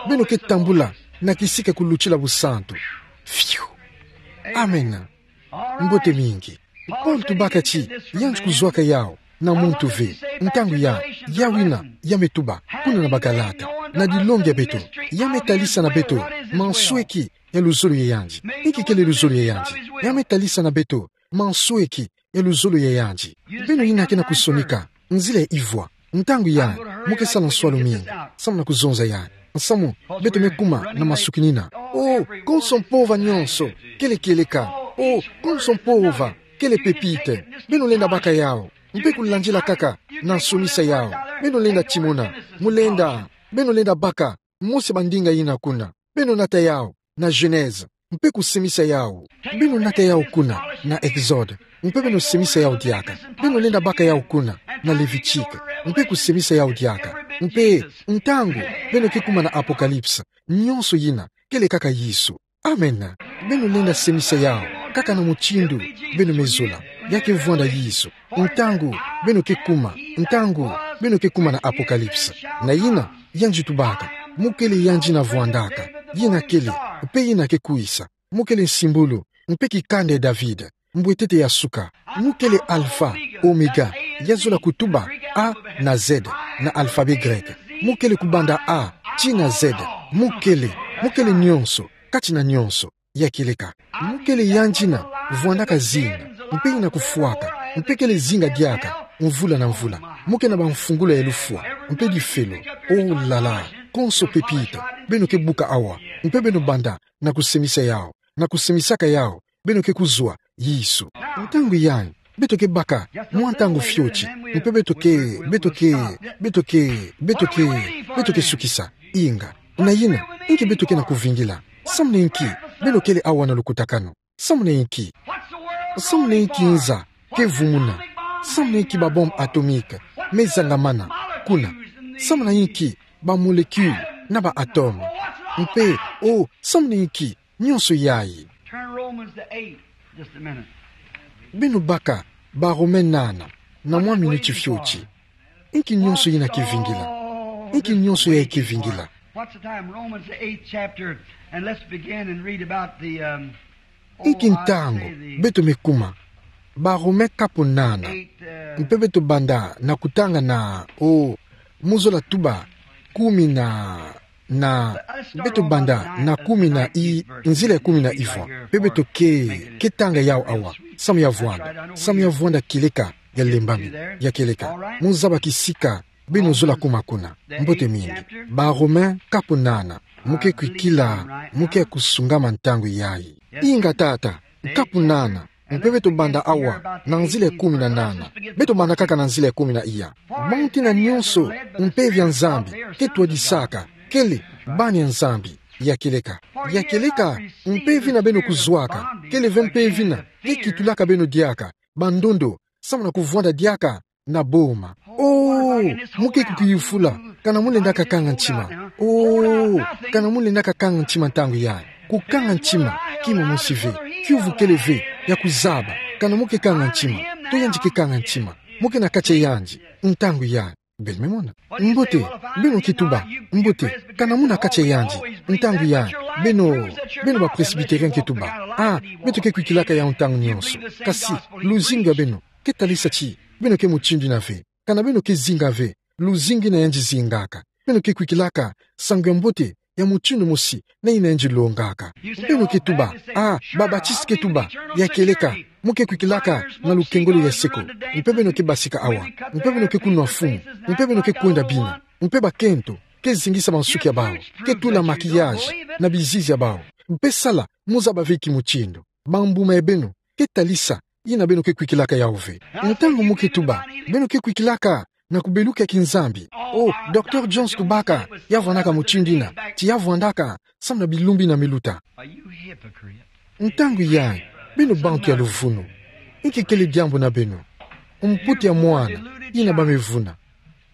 Beno ke tambula na kisika kulutila busantu. Fiu. Amen. Mbote mingi. Paulo tubaka ti, yandi kuzwaka yawu na muntu ve. Ntangu ya, yawu ina, ya me tuba, kuna na Bagalata, na dilongi ya beto, ya me talisa na beto mansweki ya luzolo ya yandi. Inki kele luzolo ya yandi? Ya me talisa na beto mansweki ya luzolo ya yandi. Beno ina ke na kusonika nzila ya ivwa. Ntangu ya, mu ke sala nswalu mingi, samu na kuzonza ya. Samu, beto me kuma na masukinina. Oh, konso mpova nyonso, kele kieleka. Oh, konso mpova, kele pepite. Beno lenda baka yawu. Mpe kulandila kaka na nsomisa yawu. Beno lenda timona. Mu lenda, beno lenda baka, mosi bandinga ina kuna. Beno nata yawu na Genèse, mpe kusemisa yawu. Beno nata yawu kuna na Exode, mpe beno semisa yawu diaka. Beno lenda baka yawu kuna na Levitique, mpe kusemisa yawu diaka. Mpe ntangu beno ke kuma na Apocalypse, nyonso ina kele kaka Yesu. Amen. Beno lenda semisa yawu kaka na mutindu beno me zola. Ya ke vwanda Yesu. Ntangu beno ke kuma, ntangu beno ke kuma na Apocalypse, na ina yandi tubaka, mu kele yandi ina vwandaka, ina kele, mpe ina ke kwisa. Mu kele nsimbulu, mpe kikanda ya David, mbwetete ya suka. Mu kele Alpha, Omega, ya zola kutuba A na Z na alphabet grec. Mu kele kubanda A tii na Z. Mu kele, mu kele nyonso kati na nyonso. Ya kieleka. Mu kele yandi ina vwandaka zinga, mpe ina kufwaka, mpe kele zinga diaka mvula na mvula. Mu ke na bamfungula ya lufwa, mpe difelo. Oh là là, konso pepite, beno ke buka awa, mpe beno banda na kusemisa yawu, na kusemisaka yawu, beno ke kuzwa Yesu. Ntangu yayi, beto ke baka mwa ntangu fioti, mpe beto ke, beto ke, beto ke, beto ke, beto ke sukisa. Inga. Na ina, inki beto ke na kuvingila? Samu na inki beno kele awa na lukutakanu? Samu na inki? Samu na inki nza ke vumuna? Samu na inki ba bombe atomique me zangamana kuna? Samu na inki ba molécule na ba atome? Mpe, oh, samu na inki nyonso yayi? Turn Romans to eight, just a minute. Beno baka Barome nana, na mwa minuti fioti. Inki nyonso ina ke vingila? Inki nyonso yayi ke vingila? What's the time? Romans, the eighth chapter, and let's begin and read about the, um, oh, Inki ntangu beto me kuma? Barome kapu nana. Eight, uh, mpe beto banda na kutanga na, oh, mu zola tuba kumi na na, beto banda na kumi na i, nzila ya kumi na ivwa. Mpe beto ke, ke tanga yawu awa. Samu ya vwanda, samu ya vwanda kieleka ya lembami, ya kieleka. Mu zaba kisika beno zola kuma kuna. Mbote mingi. Barome kapu nana. Mu ke kwikila, mu ke kusungama ntangu yayi. Inga tata, kapu nana. Mpe beto banda awa na nzila ya kumi na nana. Beto banda kaka na nzila ya kumi na iya. Bantu ina nyonso mpeve ya Nzambi ke twadisaka kele bana ya Nzambi. Ya kieleka. Ya kieleka, mpeve ina beno kuzwaka kele ve mpeve ina ke kitulaka beno diaka bandondo, samu na kuvwanda diaka na boma. Oh, mu ke kukiyufula, kana mu lendaka kanga ntima. Oh, kana mu lendaka kanga ntima ntangu yayi. Kukanga ntima, kima mosi ve. Kiuvu kele ve ya kuzaba kana mu ke kanga ntima, to yandi ke kanga ntima. Mu ke na kati ya yandi ntangu yayi. Beno me mona. Mbote, beno ke tuba, mbote, kana mu na kati ya yandi ntangu yayi. Beno, beno ba presbytérien ke tuba. Ah, beto ke kwikilaka yawu ntangu nyonso. Kasi luzingu ya beno ke talisa ti beno ke mutindu ina ve. Kana beno ke zinga ve luzingu ina yandi zingaka, beno ke kwikilaka nsangu ya mbote ya mutindu mosi na ina yandi longaka. Beno ke tuba, ah, ba Baptiste ke tuba, ya kieleka, mu ke kwikilaka na lukengolo ya seko. Mpe beno ke basika awa. Mpe beno ke kunwa fumu. Mpe beno ke kwenda bina. Mpe bakento ke zingisa bansuki ya bawu, ke tula maquillage na bizizi ya bawu. Mpe sala mu zaba ve kimutindu. Bambuma ya beno ke talisa ina beno ke kwikilaka yawu ve. Ntangu mu ke tuba, beno ke kwikilaka na kubeluka ya kinzambi. Oh, Docteur Jones tubaka, ya vwandaka mutindu ina, ti ya vwandaka samu na bilumbu ina me luta. Ntangu yayi, beno bantu ya luvunu. Inki kele diambu na beno? Mputa ya mwana ina ba me vuna.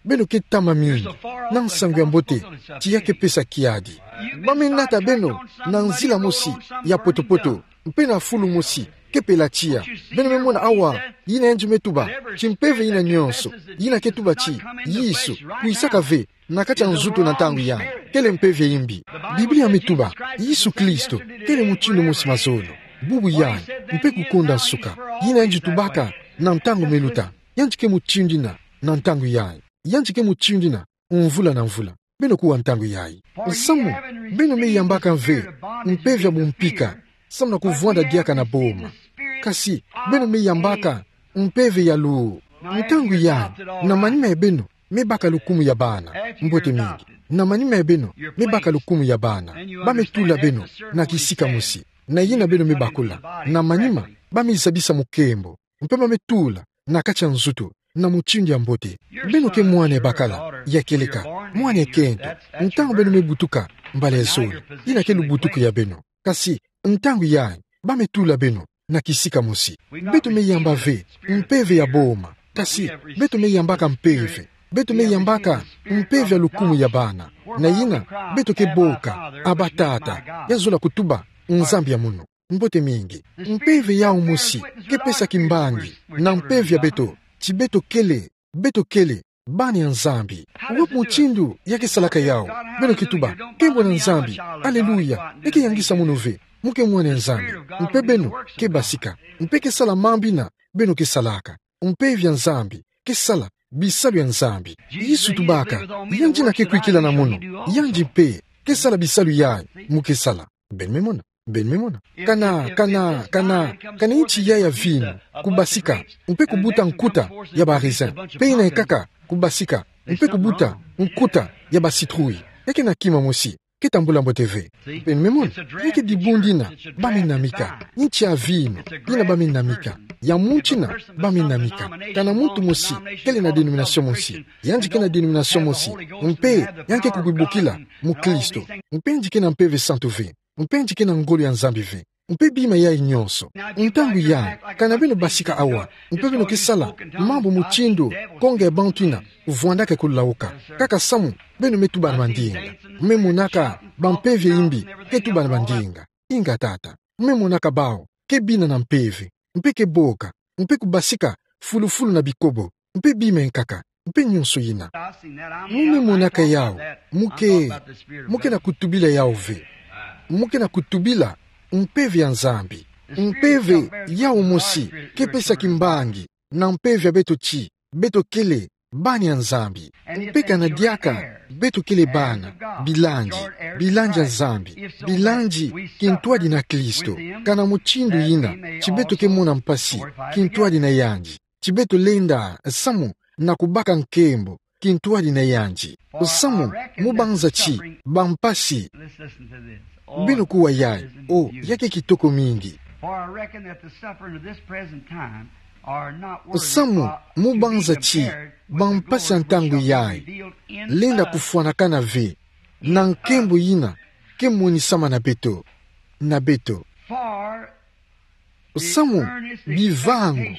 Beno ke tama mingi na nsangu ya mbote ti ya ke pesa kiadi. Ba me nata beno na nzila mosi ya poto-poto, mpe na fulu mosi ke pela tiya. Beno me mona awa ina yandi me tuba, ti mpeve ina nyonso ina ke tuba ti Yesu kwisaka ve na kati ya nzutu na ntangu yayi. kele mpeve ya imbi. Biblia metuba, Yesu Kristo kele mutindu mosi mazono, bubu yayi, mpe kukonda nsuka. Yina yandi tubaka na ntangu meluta, yandi ke mutindu yina na ntangu yayi, yandi ke mutindu yina mvula na mvula. Beno kuwa ntangu yayi. Nsamu, beno me yambaka mve mpeve ya bumpika, samu na kuvwanda diaka na boma. Kasi, beno me yambaka mpeve ya luwu. Ntangu yayi, na manima ya beno me baka lukumu ya bana. Mbote mingi. Na manima ya beno me baka lukumu ya bana. Ba me tula beno na kisika mosi. Na yina beno me bakula, na manima, ba me zabisa mukembo. Mpe ba me tula na kati ya nzutu na mutindu ya mbote. Beno ke mwana ya bakala, ya kieleka, mwana ya kento. Ntangu beno me butuka, mbala ya zole, yina ke lubutuku ya beno. Kasi, ntangu yayi, ba me tula beno na kisika mosi. Beto me yamba ve mpeve ya boma. Kasi, beto me yambaka mpeve. Beto me yambaka mpeve ya lukumu ya bana. Na yina, beto ke boka, Aba Tata, ya zola kutuba, Nzambi ya munu. Mbote mingi. Mpeve yawu mosi ke pesa kimbangi na mpeve ya beto, ti beto kele, beto kele bana ya Nzambi. Wapi mutindu ya ke salaka yawu? Beno ke tuba, nkembo na Nzambi, aleluya, ya ke yangisa mono ve, mu ke mwana ya Nzambi. Mpe beno ke basika, mpe ke sala mambu yina beno ke salaka. Mpeve ya Nzambi ke sala bisalu ya Nzambi. Yesu tubaka, yandi yina ke kwikila na mono, yandi mpe ke sala bisalu yayi mu ke sala. Beno me mona, beno me mona. Kana, kana, kana, kana nti yayi ya vinu kubasika, mpe kubuta nkuta ya ba raisin, mpe yina ikaka kubasika, mpe kubuta nkuta ya ba citrouille. Ya ke na kima mosi, ke tambula mbote ve. Beno me mona, ya ke dibundu yina ba me namika, nti ya vinu yina ba me namika, ya muntu yina ba me namika. Kana muntu mosi kele na denomination mosi, yandi ke na denomination mosi, mpe yandi ke kubibukila mukristo, mpe yandi ke na Mpeve Santu ve, mpe yandi ke na ngolo ya Nzambi ve, mpe bima yayi nyonso. Ntangu yayi, kana beno basika awa, mpe beno ke sala mambu mutindu konga ya bantu yina vwandaka kulawuka. Kaka samu beno me tuba na mandinga. Me monaka bampeve ya imbi ke tuba na mandinga. Inga tata, me monaka bawu ke bina na mpeve, mpe ke boka, mpe kubasika fulufulu na bikobo, mpe bima ya nkaka, mpe nyonso yina. Mu me monaka yawu, mu ke, mu ke na kutubila yawu ve. Mu ke na kutubila mpeve ya Nzambi. Mpeve yawu mosi ke pesa kimbangi na mpeve ya beto ti beto kele bana ya Nzambi. Mpe kana diaka beto kele bana, bilandi, bilandi ya Nzambi, bilandi kintwadi na Kristo. Kana mutindu yina ti beto ke mona mpasi kintwadi na yandi, ti beto lenda samu na kubaka nkembo kintwadi na yandi. Samu mu banza ti bampasi. Beno kuwa yayi, o, ya ke kitoko mingi. Samu mu banza ti bampasi ya ntangu yayi lenda kufwanakana ve na nkembo yina ke monisama na beto, na beto. Samu bivangu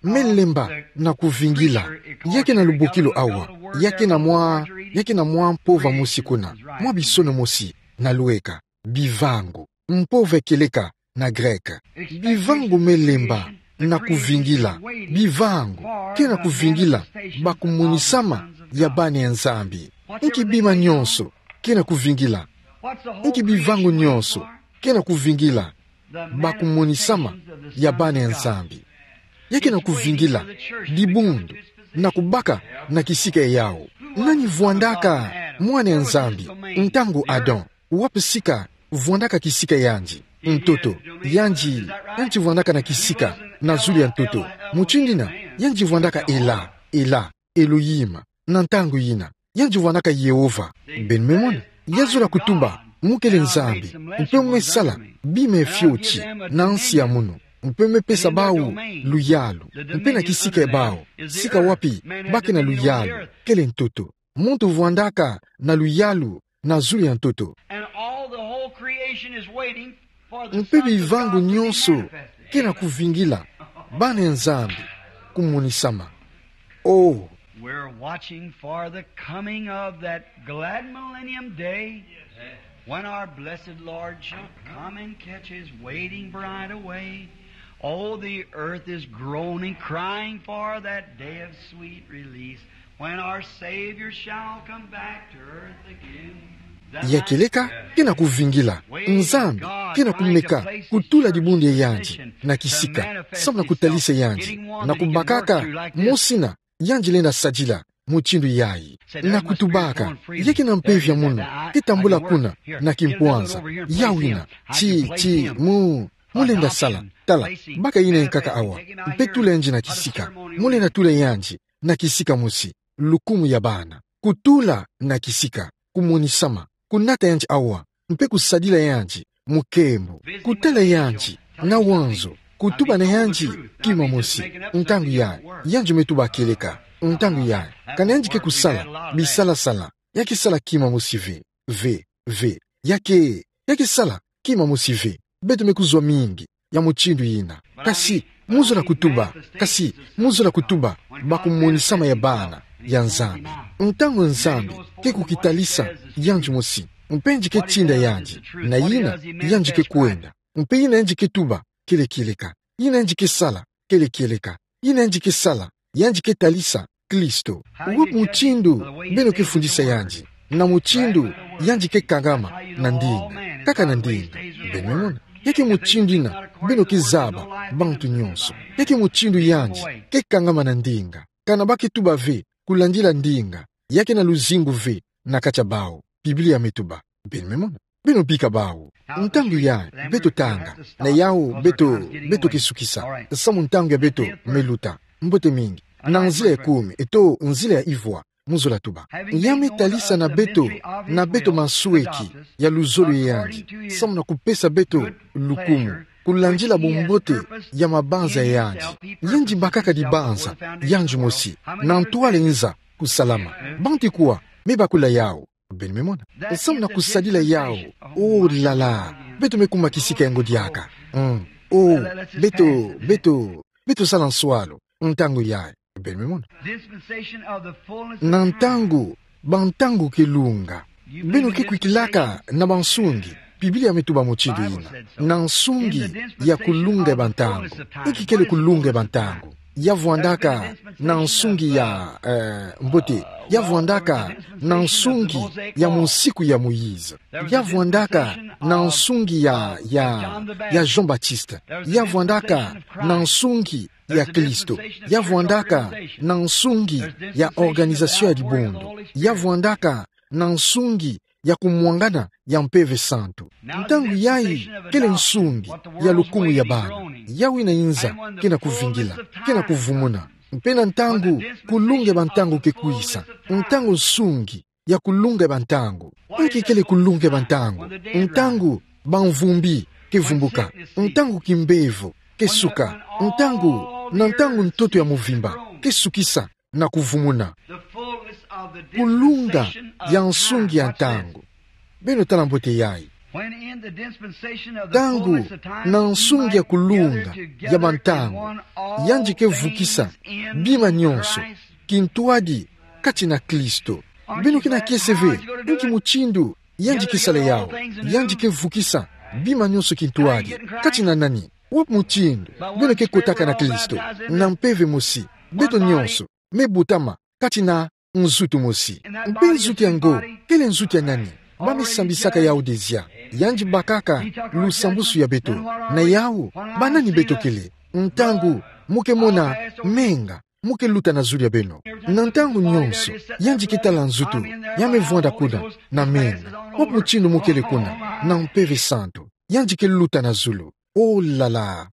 me lemba na kuvingila. Ya ke na lubokilo awa, ya ke na mwa, ya ke na mwa mpova mosi kuna, mwa bisono mosi na lweka. Bivangu, mpova kieleka na grec. Bivangu me lemba na kuvingila. Bivangu ke na kuvingila bakumonisama ya bana ya Nzambi. Nki bima nyonso ke na kuvingila? Nki bivangu nyonso ke na kuvingila bakumonisama ya bana ya Nzambi? Ya ke na kuvingila dibundu na kubaka na kisika yawu. Nani vwandaka mwana ya Nzambi ntangu Adam? Wapi sika vwandaka kisika yandi? Ntoto. Yandi, yandi vwandaka na kisika na zulu ya ntoto. Mutindu yina, yandi vwandaka Ela, Ela, Elohim, na ntangu yina. Yandi vwandaka Yehova. Beno me mona, ya zola kutuba mu kele Nzambi, mpe mu me sala bima ya fioti na nsi ya munu, mpe mu me pesa bawu luyalu, mpe na kisika ya bawu, sika wapi ba ke na luyalu, kele ntoto. Muntu vwandaka na luyalu na zulu ya ntoto. And all the whole creation is waiting for the sons of God to be manifested. Mpe bivangu nyonso ke na kuvingila bana ya Nzambi kumonisama. Oh. We're watching for the coming of that glad millennium day when our blessed Lord shall come and catch his waiting bride away. Oh, the earth is groaning, crying for that day of sweet release when our Savior shall come back to earth again. Ya kieleka, ke na kuvingila. Nzambi ke na kumeka kutula dibundu ya yandi na kisika, samu na kutalisa yandi, na kubakaka mosina yandi lenda sadila mutindu yayi. Na kutubaka, ya kena mpeve ya munu ke tambula kuna na kimpwanza. Ya wina, ti, ti, mu, mu lenda sala. Tala, baka yina yankaka awa, mpe tula yandi na kisika. Mu lenda tula yandi na kisika mosi, lukumu ya bana. Kutula na kisika, kumonisama, kunata yandi awa, mpe kusadila yandi mu nkembo. Kutala yandi na wanzo, kutuba na yandi kima mosi. Ntangu yayi, yandi me tuba kieleka. Ntangu yayi, kana yandi ke kusala bisala-sala, ya ke sala kima mosi ve, ve, ve. Ya ke, ya ke sala kima mosi ve. Beto me kuzwa mingi ya mutindu yina. Kasi, mu zola kutuba, kasi, mu zola kutuba, ba kumonisama ya bana ya Nzambi. Ntangu Nzambi ke kukitalisa yandi mosi, mpe yandi ke tinda yandi na yina yandi ke kwenda, mpe yina yandi ke tuba kele kieleka, yina yandi ke sala kele kieleka, yina yandi ke sala, yandi ke talisa Kristo. Wapi mutindu beno ke fundisa yandi? Na mutindu yandi ke kangama na ndinga. Kaka na ndinga. Beno mona? Ya ke mutindu yina beno ke zaba bantu nyonso. Ya ke mutindu yandi ke kangama na ndinga. Kana ba ke tuba ve kulandila ndinga, ya ke na luzingu ve na kati ya bawu. Biblia me tuba. Beno me mona? Beno bika bawu. Ntangu yayi beto tanga, na yawu beto, beto ke sukisa, samu ntangu ya beto me luta. Mbote mingi. Na nzila ya kumi, eto nzila ya ivwa, mu zola tuba. Ya me talisa na beto, na beto masweki ya luzolo ya yandi, samu na kupesa beto lukumu, kulandila bumbote ya mabanza ya yandi. Yandi bakaka dibanza yandi mosi, na ntwala nza kusalama. Bantu kwa me bakula yawu? Beno me mona? Samu na kusadila yawu. Oh là là. Beto me kuma kisika ya ngo diaka. Mm. Oh, beto, beto, beto sala nswalu ntangu yayi. Beno me mona? Na ntangu, bantangu ke lunga. Beno ke kwikilaka na bansungi. Biblia me tuba mutindu yina. Na nsungi ya kulunga ya bantangu. Inki kele kulunga ya bantangu? Ya vwandaka na nsungi ya, eh, mbote. Ya vwandaka na nsungi ya musiku ya Moïse. Ya vwandaka na nsungi ya, ya, ya Jean-Baptiste. Ya vwandaka na nsungi ya Kristo. Ya vwandaka na nsungi ya organisation ya dibundu. Ya vwandaka na nsungi ya kumwangana ya Mpeve Santu. Ntangu yayi kele nsungi ya lukumu ya bana. Yawu yina nza ke na kuvingila, ke na kuvumuna. Mpe na ntangu, kulunga ya bantangu ke kwisa. Ntangu nsungi ya kulunga ya bantangu. Inki kele kulunga ya bantangu? Ntangu bamvumbi ke vumbuka. Ntangu kimbevo ke suka. Ntangu, na ntangu ntoto ya muvimba ke sukisa na kuvumuna. Kulunga ya nsungi ya ntangu. Beno tala mbote yayi. Ntangu na nsungi ya kulunga ya bantangu, yandi ke vukisa bima nyonso kintwadi kati na Kristo. Beno ke na kiese ve inki mutindu yandi ke sala yawu? Yandi ke vukisa bima nyonso kintwadi kati na nani? Wapi mutindu beno ke kotaka na Kristo? Na mpeve mosi, beto nyonso me butama kati na nzutu mosi. Mpe nzutu yango kele nzutu ya nani? Ba me sambisaka yawu dezia. Yandi bakaka lusambusu ya beto. Na yawu, banani beto kele? Ntangu mu ke mona menga mu ke luta na zulu ya beno. Na ntangu nyonso yandi ke tala nzutu, ya me vwanda kuna na menga. Wapi mutindu mu kele kuna? Na Mpeve Santu. Yandi ke luta na zulu. Oh là là.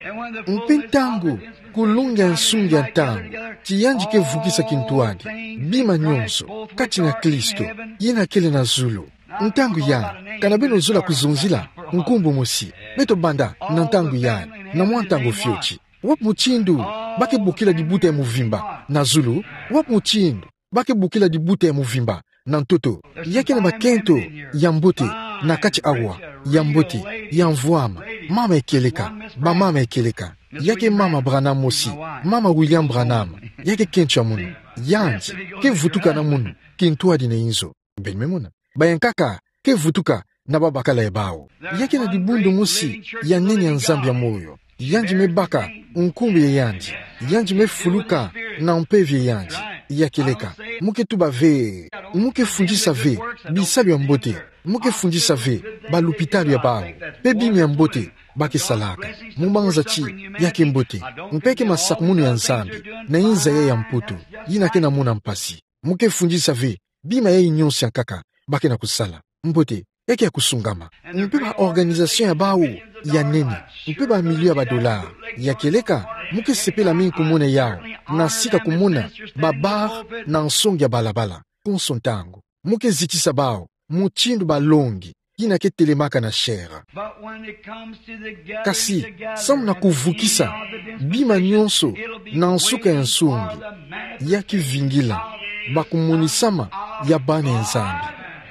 Mpe ntangu kulunga ya nsungi ya ntangu, ti yandi ke vukisa kintwadi bima nyonso kati na Kristo, yina kele na zulu. Ntangu yayi, kana beno zola kuzonzila nkumbu mosi, beto banda na ntangu yayi, na mwa ntangu fioti. Wapi mutindu ba ke bokila dibuta ya muvimba na zulu? Wapi mutindu ba ke bokila dibuta ya muvimba na ntoto? Ya ke na makento ya mbote na kati awa, ya mbote, ya mvwama, mama ya kieleka, bamama ya kieleka. Ya ke mama Branham mosi, mama William Branham, ya ke kento ya munu. Yandi ke vutuka na munu kintwadi na inzo. Beno me mona? Bayankaka ke vutuka na babakala ya bawu. Ya ke na dibundu mosi ya nene ya Nzambi ya moyo. Yandi me baka nkumbu ya yandi. Yandi me fuluka na mpeve ya yandi. Ya kieleka, mu ke tuba ve, mu ke fundisa ve bisalu ya mbote. Mo ke fundisa ve balupitalu ya bawu, pe bima ya mbote ba ke salaka. Mo manza ti ya ke mbote, mpe ke masakumunu ya Nzambi na inza ya ya Mputu, yina ke na mona mpasi. Mo ke fundisa ve bima yayi nyonso ya nkaka ba ke na kusala. Mbote, ya ke ya kusungama. Mpe ba organisation ya bawu ya nene, mpe ba million ya ba dollars. Ya kieleka, mo ke sepela mingi kumona yawu, na sika kumona ba bar na nsonge ya balabala, konso ntangu. Mo ke zitisa bawu mutindu balongi yina ke telemaka na chair. But when it comes to the gathering Kasi, together samu na and kuvukisa seeing all the different bima nations, nyonso it'll be na nsuka ya way nsungi, before the manifestation ya kivingila, of the ba kumonisama Son ya bana ya Nzambi.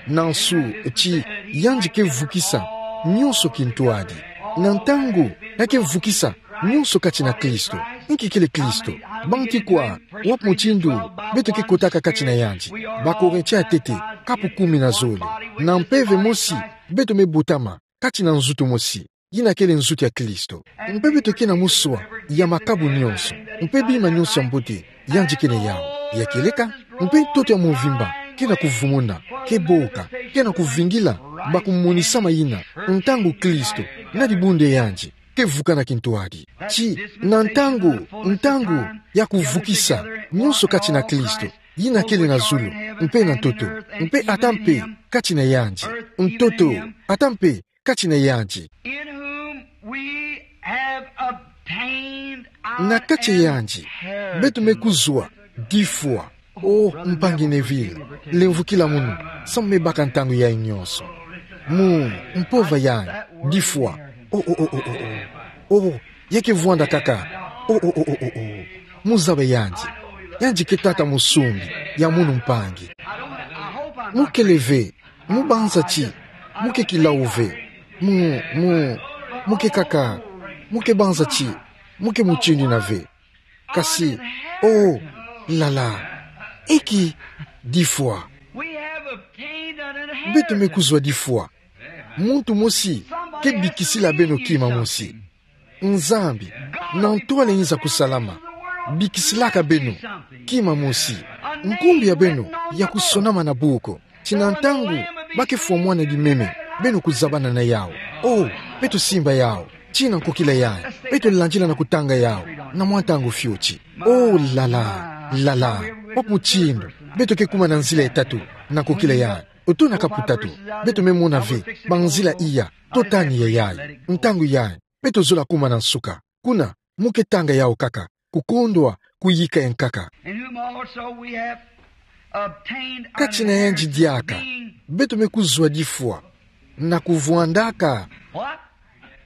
Na nsu ti yandi ke vukisa nyonso kintwadi. Na ntangu ya ke vukisa nyonso kati na Kristo. Nki kele Kristo? Banti kwa, wapi mutindu beto ke kotaka kati na yandi? Ba Korintien ya tete, kapu kumi na zole. Na mpeve mosi, beto me botama kati na nzutu mosi, yina kele nzutu ya Kristo. Mpe beto ke na moswa ya makabu nyonso, mpe bima nyonso ya mbote yandi ke na yawu. Ya kieleka, mpe ntoto ya mvimba ke na kuvumuna, ke boka, ke na kuvingila ba kumonisama yina, ntangu Kristo na dibundu ya yandi ke vukana kintwadi. Ti na ntangu, ntangu ya kuvukisa nyonso kati na Kristo, yina kele na zulu mpe na ntoto, mpe ata mpe kati na yandi, ntoto, ata mpe kati na yandi. In whom we have obtained our Na kati ya yandi, inheritance. Beto me kuzwa difwa. Oh, mpangi Neville, lemvukila munu, samu me baka ntangu yayi nyonso. Mu, mpova yayi, difwa. Oh, oh, oh, oh, oh, oh. Oh, ya ke vwanda kaka. Oh, oh, oh, oh, oh, oh. Mu zaba yandi. Yandi ke tata musungi ya munu mpangi. Mo kele ve, mo banza ti mo ke kilau ve. Mo, mo, mo ke kaka, mo ke banza ti mo ke mutindu ina ve. Kasi, oh, lala. Eki difwa. We have obtained an inheritance. Beto me kuzwa difwa. Muntu mosi ke bikisila beno kima mosi. Nzambi, na ntwala inza kusalama, bikisilaka beno kima mosi. Nkumbu ya beno ya kusonama na buku. Ti na ntangu ba ke fwa mwana di meme, beno kuzabana na yawu. Oh, beto simba yawu. Ti na nkokila yayi, beto landila na kutanga yawu na mwa ntangu fioti. Oh, lala, lala. Wapi mutindu beto ke kuma na nzila ya tatu na nkokila yayi? Oto na kapu tatu, beto me mona ve banzila iya to tani ya yayi. Ntangu yayi, beto zola kuma na nsuka. Kuna, mo ke tanga yawu kaka, kukondwa kuyika ya nkaka. In whom also we have obtained our Kati na yandi diaka, inheritance, being beto me kuzwa difwa na kuvwandaka. What?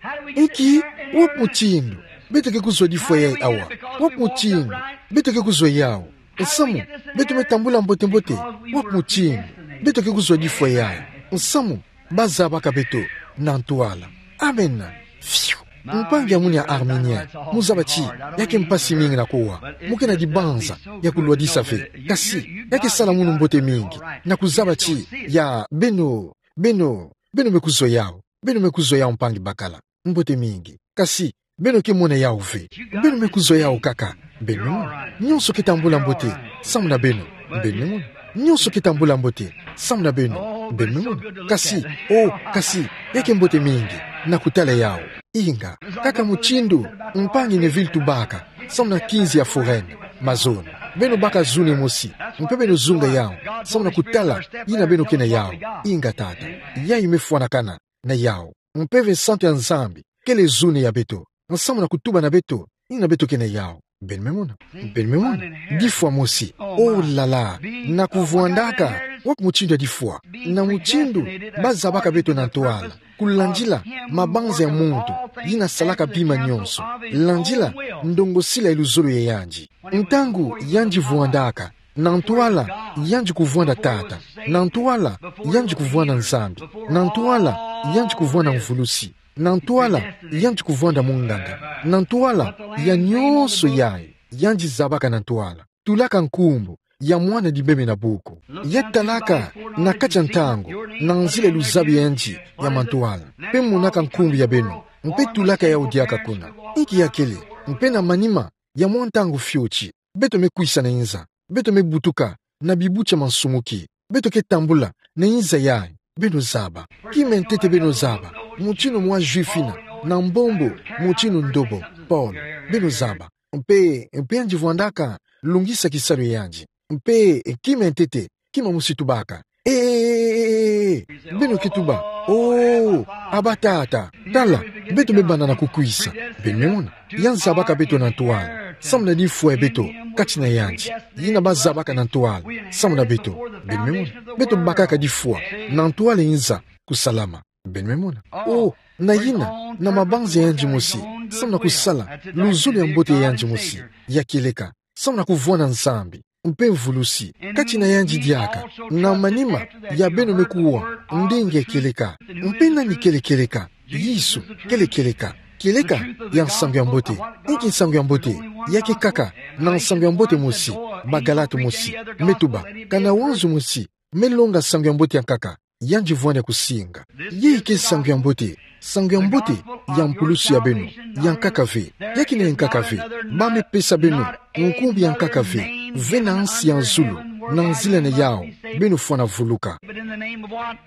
How do we get Eki, the inheritance? Wapi mutindu beto ke kuzwa difwa yayi awa? Wapi mutindu beto ke kuzwa yawu? Nsamu beto me tambula mbote-mbote. Wapi mutindu beto ke kuzwa difwa yayi? Nsamu ba zabaka beto na ntwala. Amen. Fiu. Mpangi ya munu ya Arminien, mo zaba ti ya ke mpasi mingi na kuwa. Mo ke na dibanza ya kulwadisa ve. Kasi, ya ke sala munu mbote mingi na kuzaba ti ya beno, beno, beno me kuzwa yawu. Beno me kuzwa yawu, mpangi bakala. Mbote mingi. Kasi, beno ke mona yawu ve. Beno me kuzwa yawu kaka. Beno me mona. Nyonso ke tambula mbote samu na beno. Beno me mona. Nyonso ke tambula mbote samu na beno. Beno me mona. Kasi, oh, kasi, ya ke mbote mingi na kutala yawu. Inga, kaka mutindu mpangi Neville tubaka samu na kinzi ya foraine, mazono. Beno baka zone mosi, mpe beno zunga yawu samu na kutala yina beno ke na yawu. Inga tata. Yayi me fwanakana na yawu. Mpeve santu ya Nzambi kele zone ya beto, nsamu na kutuba na beto yina beto ke na yawu. Beno me mona. Beno me mona. Difwa mosi. Oh, lala. Na kuvwandaka. Wapi mutindu ya difwa? Na mutindu ba zabaka beto na ntwala, kulandila mabanza ya muntu yina salaka bima nyonso, landila ndongosila ya luzolo ya yandi. Ntangu yandi vwandaka, na ntwala yandi kuvwanda Tata, na ntwala yandi kuvwanda Nzambi, na ntwala yandi kuvwanda mvulusi, na ntwala yandi kuvwanda munganga, na ntwala ya nyonso yayi, yandi zabaka na ntwala, tulaka nkumbu ya mwana di meme na buku. Ya talaka na kati ya ntangu, na nzila ya luzabi ya yandi ya mantwala, mpe monaka nkumbu ya beno, mpe tulaka yawu diaka kuna. Inki ya kele? Mpe na manima ya mwa ntangu fioti, beto me kwisa na inza. Beto me butuka na bibuti ya mansumuki. Beto ke tambula na inza yayi. beno zaba. Kima ntete beno zaba. Mutinu mwa juifina, na mbombo, mutinu ndobo, Paul, beno zaba. Mpe, mpe yandi vwandaka lungisa kisalu yandi. Mpe, kima ntete, kima mosi tubaka: E, e, e, e, e, e, beno ke tuba: O, Aba Tata. Tala, beto me banda na kukwisa. Beno me mona. Yandi zabaka beto na ntwala, samu na difwa ya beto kati na yandi. Yina ba zabaka na ntwala samu na beto. Beno me mona. Beto bakaka difwa na ntwala yinza kusalama. Beno me mona. O, na yina, na mabanza ya yandi mosi, samu na kusala luzolo ya mbote ya yandi mosi ya kieleka, samu na kuvwanda Nzambi mpe mvulusi kati na yandi diaka, na manima ya beno me kuwa ndinga ya kieleka. Mpe nani kele kieleka? Yesu kele kieleka. Kieleka ya Nsangu ya Mbote. Inki Nsangu ya Mbote? Ya ke kaka na Nsangu ya Mbote mosi. Bagalate mosi me tuba: Kana wanzu mosi me longa Nsangu ya Mbote ya nkaka, yandi vwanda kusinga. Yai ke Nsangu ya Mbote. Nsangu ya Mbote ya mpulusu ya beno, ya nkaka ve. Ya kina ya nkaka ve. Ba me pesa beno nkumbu ya nkaka ve, ve na nsi ya zulu, na nzila na yawu beno fwana vuluka. But in the name of what?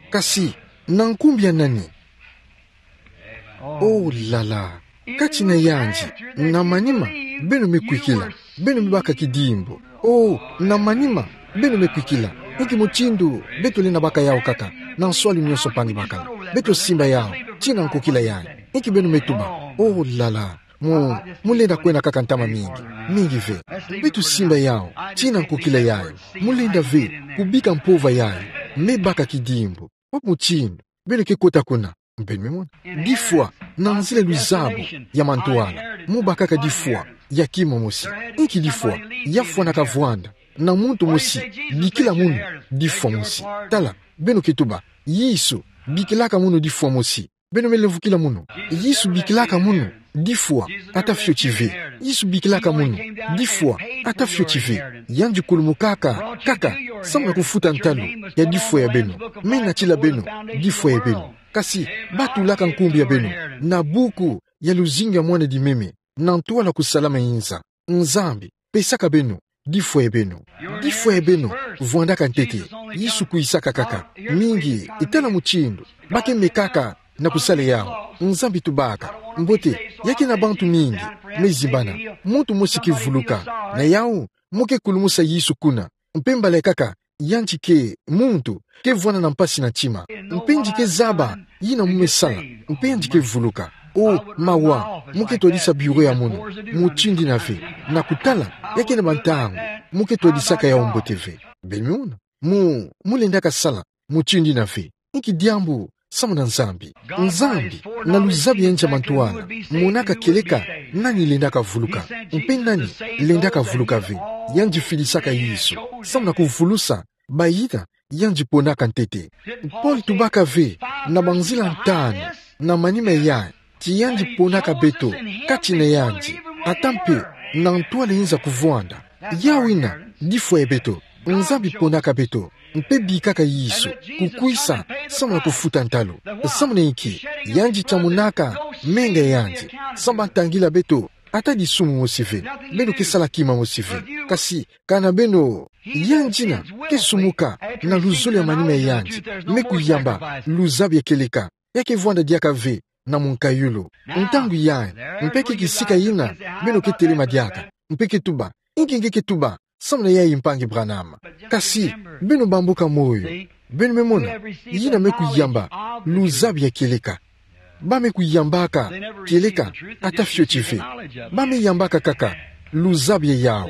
Kasi, na nkumbu ya nani? Oh, la la. Kati na yandi, na manima, beno me kwikila, beno me baka kidimbu. Oh, na manima, beno me kwikila. Inki mutindu beto lenda baka yawu kaka? Na nswalu nyonso mpangi bakala, beto simba yawu tii na nkokila yayi. Inki beno me tuba? Oh, la la. Mu, mu lenda kwenda kaka ntama mingi, mingi ve. Beto simba yawu tii na nkokila yayi. Mu lenda ve kubika mpova yayi. Me baka kidimbu. Wapi mutindu beno ke kota kuna? Beno me mona. Difwa, na nzila luzabu ya mantwala, mu bakaka difwa ya kima mosi. Inki difwa? Ya fwanaka vwanda na muntu mosi bikila munu difwa mosi. Tala, beno ke tuba: Yesu bikilaka munu difwa mosi. Beno me lemvukila munu. Yesu bikilaka munu difwa, ata fioti ve. Yesu bikilaka munu difwa, ata fioti ve. Yandi kulumukaka kaka samu na kufuta ntalu ya difwa ya beno. Me natila beno difwa ya beno. Kasi, ba tulaka nkumbu ya beno na buku ya luzingu ya mwana-dimeme, na ntwala kusalama yinza. Nzambi pesaka beno difwa ya beno. Difwa ya beno vwandaka ntete. Yesu kwisaka kaka. Mingi, itala mutindu ba ke mekaka na kusala yawu. Nzambi tubaka: Mbote, ya ke na bantu mingi me zimbana, muntu mosi ke vuluka. Na yawu, mu ke kulumusa Yesu kuna. Mpe mbala ya kaka, yandi ke, muntu ke vwanda na mpasi na ntima. Mpe yandi ke zaba yina mu me sala. Mpe yandi ke vuluka. O, mawa, mu ke twadisa bureau ya munu mutindu yina ve. Na kutala, ya ke na bantangu mu ke twadisaka yawu mbote ve. Beno me mona. Mu, mu lendaka sala mutindu yina ve. Inki diambu samu na Nzambi? Nzambi, na luzabu ya yandi ya mantwala, monaka kieleka nani lendaka vuluka mpe nani lendaka vuluka ve. Yandi fidisaka Yesu samu na kuvulusa bayina yandi ponaka ntete. Paul tubaka ve na banzila ntanu na manima yayi ti yandi ponaka beto kati na yandi, ata mpe na ntwala yinza kuvwanda. Yawu yina difwa ya beto. Nzambi ponaka beto mpe bikaka Yesu kukwisa samu na kufuta ntalu. Samu na inki? Yandi tamunaka menga ya yandi samu na kutangila beto ata disumu mosi ve. Beno ke sala kima mosi ve. Kasi, kana beno, yandi yina ke sumuka na luzolo ya manima ya yandi, me kuyamba luzabu ya kieleka. Ya ke vwanda diaka ve na munkayulu. Ntangu yayi, mpe ke kisika yina beno ke telema diaka, mpe ke tuba: Inki nge ke tuba samu na yayi, mpangi Branham? Kasi, beno bambuka moyo. Beno me mona, yina me kuyamba luzabu ya kieleka. Ba me kuyambaka kieleka ata fioti ve. Ba me yambaka kaka luzabu ya yawu.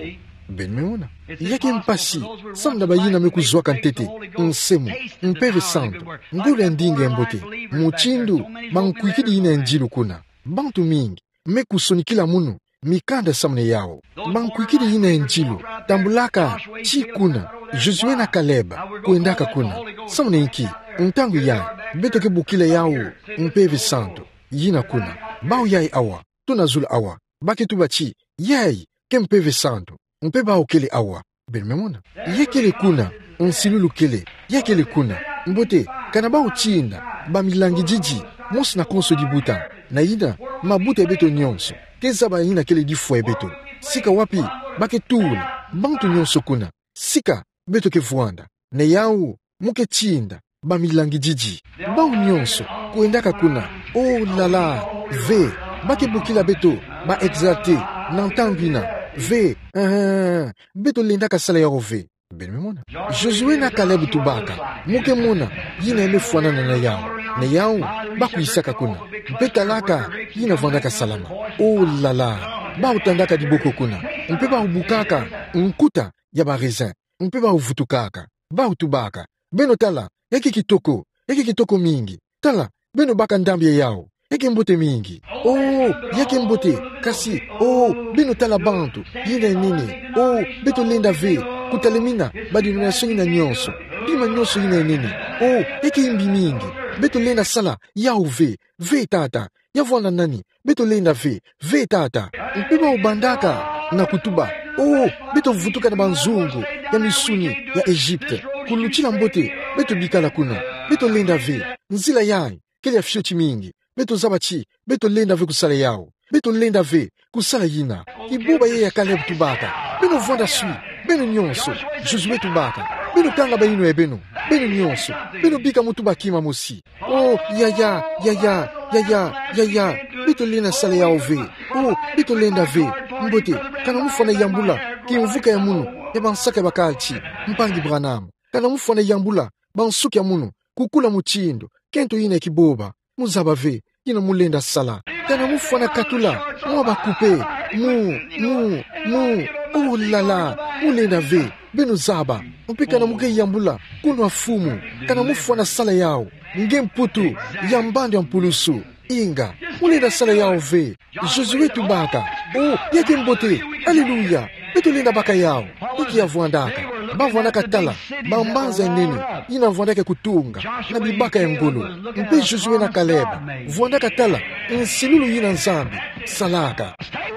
Beno me mona. Ya ke mpasi samu na bayina me kuzwaka ntete nsemo, Mpeve Santu, ngolo ya ndinga ya mbote, mutindu bankwikidi yina ya ndilu kuna. Bantu mingi me kusonikila munu mikanda samu na yawu. Bankwikidi yina ya ndilu tambulaka tii kuna. Josué na Caleb kwendaka kuna. Samu na inki? Ntangu yayi, beto ke bokila yawu Mpeve Santu. Yina kuna. Bawu yayi awa, tuna zulu awa, ba ke tuba ti yayi ke Mpeve Santu. Mpe bawu kele awa. Beno me mona. Ya kele kuna. Nsilulu kele. Ya kele kuna. Mbote, kana bawu tinda bamilangididi mosi na konso dibuta, na yina mabuta ya beto nyonso ke zaba yina kele difwa ya beto. Sika wapi ba ke tula bantu nyonso kuna? Sika beto ke vwanda na yawu, mu ke tinda bamilangididi. Bawu nyonso kwendaka kuna. Oh là là, ve, ba ke bokila beto ba exalté na ntangu ina. Ve, eh, beto lendaka sala yawu ve. Beno me mona. Josué na Caleb tubaka: Mu ke mona yina ya me fwanana na yawu. Na yawu, ba kwisaka kuna. Mpe talaka yina vwandaka salama. Oh là là, bawu tandaka diboko kuna. Mpe bawu bukaka nkuta ya ba raisin. Mpe bawu vutukaka. Bawu tubaka: Beno tala, ya ke kitoko, ya ke kitoko mingi. Tala, beno baka ndambi ya yawu. Ya ke mbote mingi. Oh, ya ke mbote, kasi, oh, beno tala bantu, yina ya nene. Oh, beto lenda ve, kutalemina ba dénomination yina nyonso. Bima nyonso yina ya nene. Oh, ya ke imbi mingi. Beto lenda sala yawu ve, ve tata. Ya vwanda nani? Beto lenda ve, ve tata. Mpe bawu bandaka na kutuba: Oh, beto vutuka na banzungu ya misuni ya Egypte. Kulutila mbote, beto bikala kuna. Beto lenda ve. Nzila yayi kele ya fioti mingi. Beto zaba ti beto lenda ve kusala yawu. Beto lenda ve kusala yina. Kiboba yayi ya Caleb tubaka: Beno vwanda swi, beno nyonso. Josué tubaka: Beno kanga bayinwa ya beno, beno nyonso. Beno bika mu tuba kima mosi. Oh, yaya, yaya, yaya, yaya. Beto lenda sala yawu ve. Oh, beto lenda ve. Mbote, kana mu fwana yambula kimvuka ya munu ya bansaka ya bakalti, mpangi Branham. Kana mu fwana yambula bansuki ya munu kukula mutindu kento yina ya kiboba. Mu zaba ve yina mu lenda sala. Kana mu fwana katula mwa bakupe. Mu, mu, mu. Oh là là, mu lenda ve. Beno zaba. Mpe kana mu ke yambula kunwa fumu, kana mu fwana sala yawu nge mputu ya mbandu ya mpulusu. Inga, mu lenda sala yawu ve. Josué tubaka: Oh, ya ke mbote. Aleluya. Beto lenda baka yawu. Inki ya vwandaka? Ba vwandaka tala bambanza ya nene yina vwandaka kutunga na bibaka ya ngolo. Mpe Josué na Caleb vwandaka tala nsilulu yina Nzambi salaka.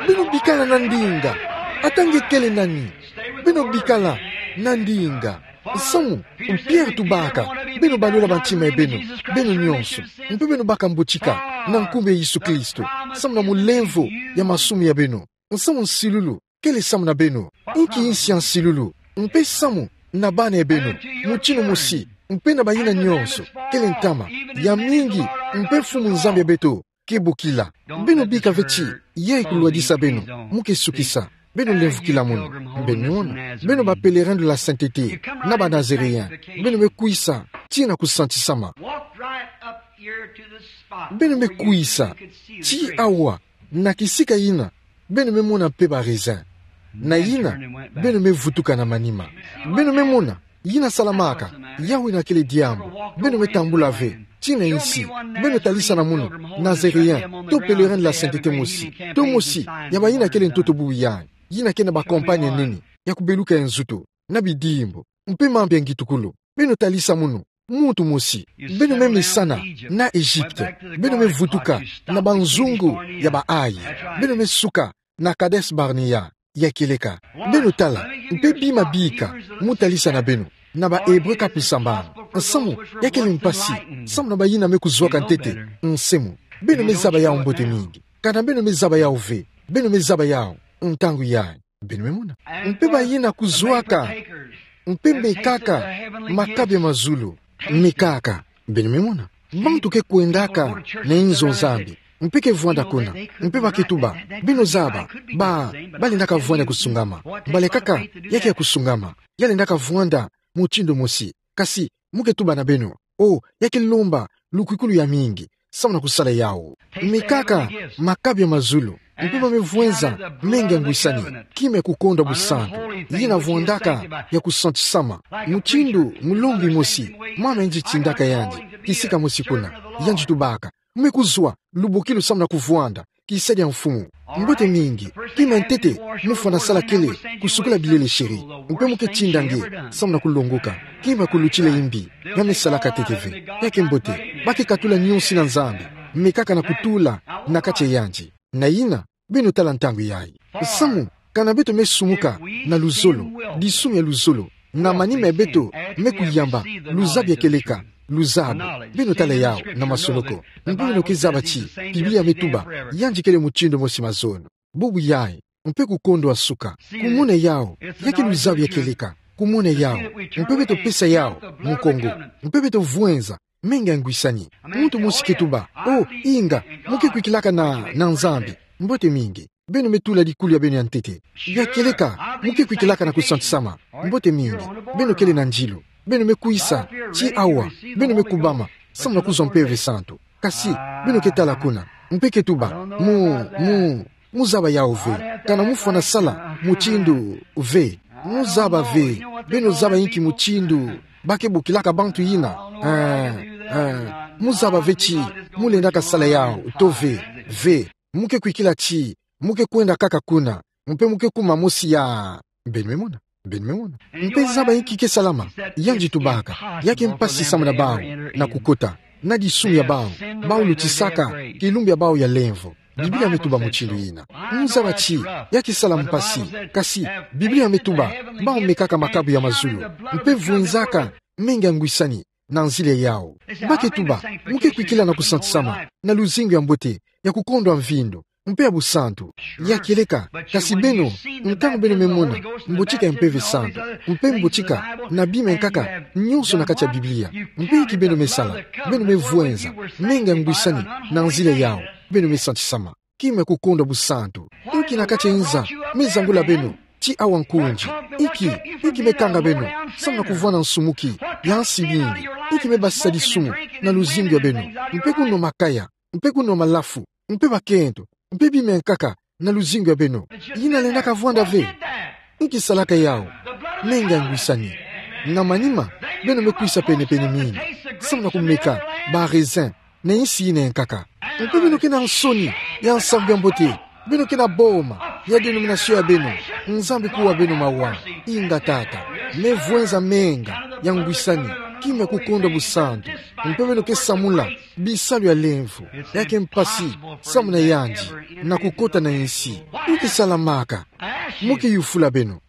Beno bikala na ndinga. Ata nge kele nani, beno bikala na ndinga. Nsamu, Pierre tubaka: Beno balula bantima ya beno, beno nyonso, mpe beno baka mbotika na nkumbu ya Yesu Kristo, samu na mulemvo ya masumu ya beno. Nsamu, nsilulu kele samu na beno. Inki nsi ya nsilulu? Mpe samu na bana ya beno, mutindu mosi, mpe na bayina nyonso, kele ntama ya mingi, mpe Mfumu Nzambi ya beto ke bokila. Beno bika ve ti yayi kulwadisa beno. Mu ke sukisa. Beno lemvukila munu. Beno mona, beno ba pèlerins de la sainteté na ba Nazaréens. Beno me kwisa tii na kusantisama. Beno me kwisa tii awa, na kisika yina beno me mona mpe ba raisins. Na yina, beno me vutuka na manima. Beno me mona yina salamaka, yawu yina kele diambu. Beno me tambula ve tii na insi. Beno talisana munu Nazaréen to pèlerin de la sainteté mosi, to mosi ya bayina kele ntoto bubu yayi, yina ke na ba compagnie nini ya kubeluka ya nzutu na bidimbu mpe mambu ya ngitukulu. Beno talisa munu muntu mosi. Beno me mesana na Egypte. Beno me vutuka na banzungu ya ba ayi. Beno me suka na Kadesh Barnea ya kieleka. Beno tala mpe bima bika mu talisa na beno na ba Hébreux kapu sambanu. Nsamu, ya kele mpasi samu na bayina me kuzwaka ntete nse mu. Beno me zaba yawu mbote mingi. Kana beno me zaba yawu ve, beno me zaba yawu ntangu yayi. Beno me mona. Mpe bayina kuzwaka mpe mekaka makabu ya mazulu. Mekaka. Beno me mona. Bantu ke kwendaka na inzo Nzambi mpe ke vwanda kuna, mpe ba ke tuba: Beno zaba, ba, ba lendaka vwanda ya kusungama. Mbala kaka ya ke ya kusungama, ya lendaka vwanda mutindu mosi. Kasi mu ke tuba na beno: Oh, ya ke lomba lukwikulu ya mingi samu na kusala yawu. Mekaka makabu ya mazulu, mpe ba me vwenza menga ya ngwisani, kima ya kukondwa busantu, yina vwandaka ya kusantisama. Mutindu mulongi mosi, mama yandi tindaka yandi kisika mosi kuna, yandi tubaka: Mu me kuzwa lubokilu samu na kuvwanda kisa dia mfumu. Mbote mingi. Kima ya ntete mu fwana sala kele kusukula bilele sheri, mpe mu ke tinda nge samu na kulongoka. Kima ya kulutila imbi ya me salaka ntete ve. Ya ke mbote. Ba ke katula nyonso na Nzambi, mekaka na kutula na kati ya yandi. Na yina, beno tala ntangu yayi. Nsamu, kana beto me sumuka na luzolo, disumu ya luzolo, na manima ya beto me kuyamba luzabu ya kieleka, luzabu, beno tala yawu na masoloko. Mpe beno ke zaba ti Biblia me tuba: Yandi kele mutindu mosi mazono, bubu yayi, mpe kukondwa suka. Kumona yawu, ya ke luzabu ya kieleka. kumona yawu. Mpe beto pesa yawu mukongo. Mpe beto vwenza menga ngwisani. Muntu mosi ke tuba: "O, inga, mo ke kwikilaka na, na Nzambi. Mbote mingi. Beno me tula dikulu ya beno ya ntete. Ya kieleka, mo ke kwikilaka na kusantisama. Mbote mingi. Beno kele na ndilu. Beno me kwisa ti awa. Beno me kubama samu na kuzwa Mpeve Santu. Kasi beno ke tala kuna." Mpe ke tuba: "Mo, mo, mo zaba yawu ve. Kana mo fwana sala mutindu ve. Mo zaba ve. Beno zaba inki mutindu ba ke bokilaka bantu yina? Eh, eh, mo zaba ve ti mo lendaka sala yawu to ve, ve. Mo ke kwikila ti mo ke kwenda kaka kuna, mpe mo ke kuma mosi ya." Beno me mona? Beno me mona? Mpe zaba inki ke salama. Yandi tubaka: "Ya ke mpasi samu na bawu na kukota na disumu ya bawu, bawu lutisaka kilumbu ya bawu ya lemvo." Biblia me tuba mutindu yina. Mo zaba ti ya ke sala mpasi. Kasi Biblia me tuba bawu mekaka makabu ya mazulu, mpe vwenzaka menga ngwisani na nzila yawu. Ba ke tuba: "Mo ke kwikila na kusantisama, na luzingu ya mbote, ya kukondwa mvindu, mpe ya busantu." Ya kieleka, kasi beno, ntangu beno me mona mbotika ya Mpeve Santu, mpe mbotika na bima ya nkaka nyonso na kati ya Biblia, mpe inki beno me sala? Beno me vwenza menga ngwisani na nzila yawu. Beno me santisama. Kima ya kukondwa busantu. Inki na kati ya nza me zangula beno ti awa nkunzi? Inki, inki me kanga beno samu na kuvwanda nsumuki ya nsi mingi? Inki me basisa disumu na luzingu ya beno, mpe kunwa makaya, mpe kunwa malafu, mpe bakento, mpe bima ya nkaka na luzingu ya beno? Yina lendaka vwanda ve. Inki salaka yawu? Menga ngwisani. Na manima, beno me kwisa penepene mingi samu na kumeka ba raisin na nsi yina ya nkaka. Mpe beno ke na nsoni ya nsambu ya mbote. Beno ke na boma ya denomination ya beno. Nzambi kuwa beno mawa. Inga tata, me vwenza menga ya ngwisani, kima ya kukondwa busantu. Mpe beno ke samula bisalu ya lemvo. Ya ke mpasi samu na yandi na kukota na nsi. Inki salamaka? Mo ke yufula beno.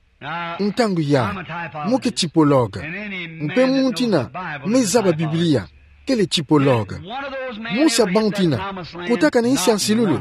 Ntangu yayi, mo ke typologue. Mpe muntu yina me zaba Biblia kele typologue. Mosi ya bantu yina kotaka na nsi ya nsilulu?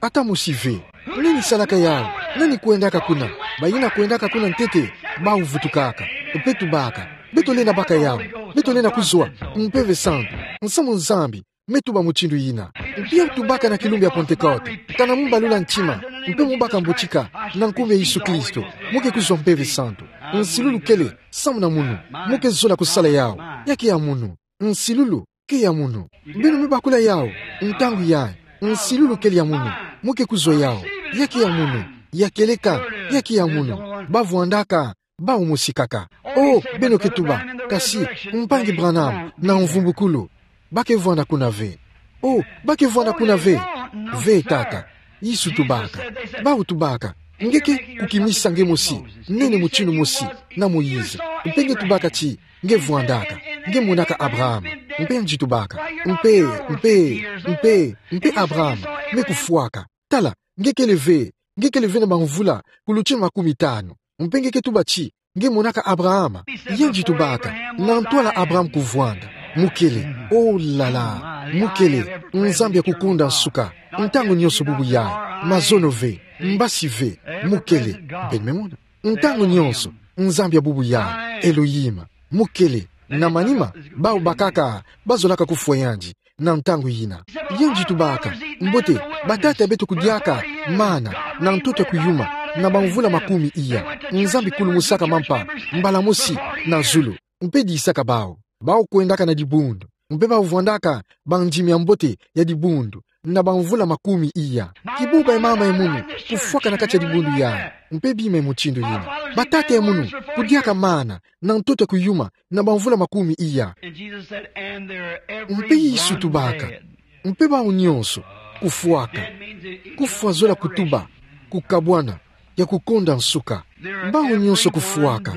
Ata mosi ve. Nani salaka yawu? Nani kwendaka kuna? Bayina kwendaka kuna ntete, bawu vutukaka, mpe tubaka: "Beto lenda baka yawu. Beto lenda kuzwa Mpeve Santu." Nsamu Nzambi me tuba mutindu yina. Mpe ya tubaka na kilumbu ya Pentekote: "Kana mo balula ntima, mpe mo baka mbotika na nkumbu ya Yesu Kristo, mo ke kuzwa Mpeve Santu." Nsilulu kele samu na munu. Mo ke zola kusala yawu. Ya ke ya munu. Nsilulu ke ya munu. Beno me bakula yawu ntangu yayi. Nsilulu kele ya munu. Mo ke kuzwa yawu. Ya ke ya munu. Ya kieleka, ya ke ya munu. Ba vwandaka bawu mosi kaka. O, beno ke tuba: "Kasi Mpangi Branham na Mvumbukulu ba ke vwanda kuna ve." O, ba ke vwanda kuna ve? Ve tata. Yesu tubaka. Bawu tubaka: "Nge ke kukimisa nge mosi nene mutindu mosi na Moïse." Mpe nge tubaka ti nge vwandaka, nge monaka Abraham. Mpe yandi tubaka: "Mpe, mpe, mpe, mpe Abraham me kufwaka. Tala, nge kele ve, nge kele ve na bamvula kuluti makumi tanu. Mpe nge ke tuba ti nge monaka Abraham." Yandi tubaka: "Na ntwala Abraham kuvwanda, mo kele." O la la, mo kele Nzambi ya kukunda nsuka. Ntangu nyonso bubu yayi. Mazono ve, mbasi ve, mo kele. Beno me mona? Ntangu nyonso Nzambi ya bubu yayi, Elohim, mo kele. Na manima, bawu bakaka bazolaka kufwa yandi na ntangu yina. Yandi tubaka: "Mbote, batata ya beto kudiaka mana na ntoto ya kuyuma na bamvula makumi iya. Nzambi kulumusaka mampa mbala mosi na zulu, mpe disaka bawu. Bawu kwendaka na dibundu, mpe bawu vwandaka bandimi ya mbote ya dibundu na bamvula makumi iya." Kibuba ya mama ya munu kufwaka na kati ya dibundu yayi, mpe bima ya mutindu yina. Batata ya munu kudiaka mana na ntoto ya kuyuma na bamvula makumi iya. Mpe Yesu tubaka: "Mpe bawu nyonso kufwaka." Kufwa zola kutuba kukabwana, ya kukunda nsuka. Bawu nyonso kufwaka.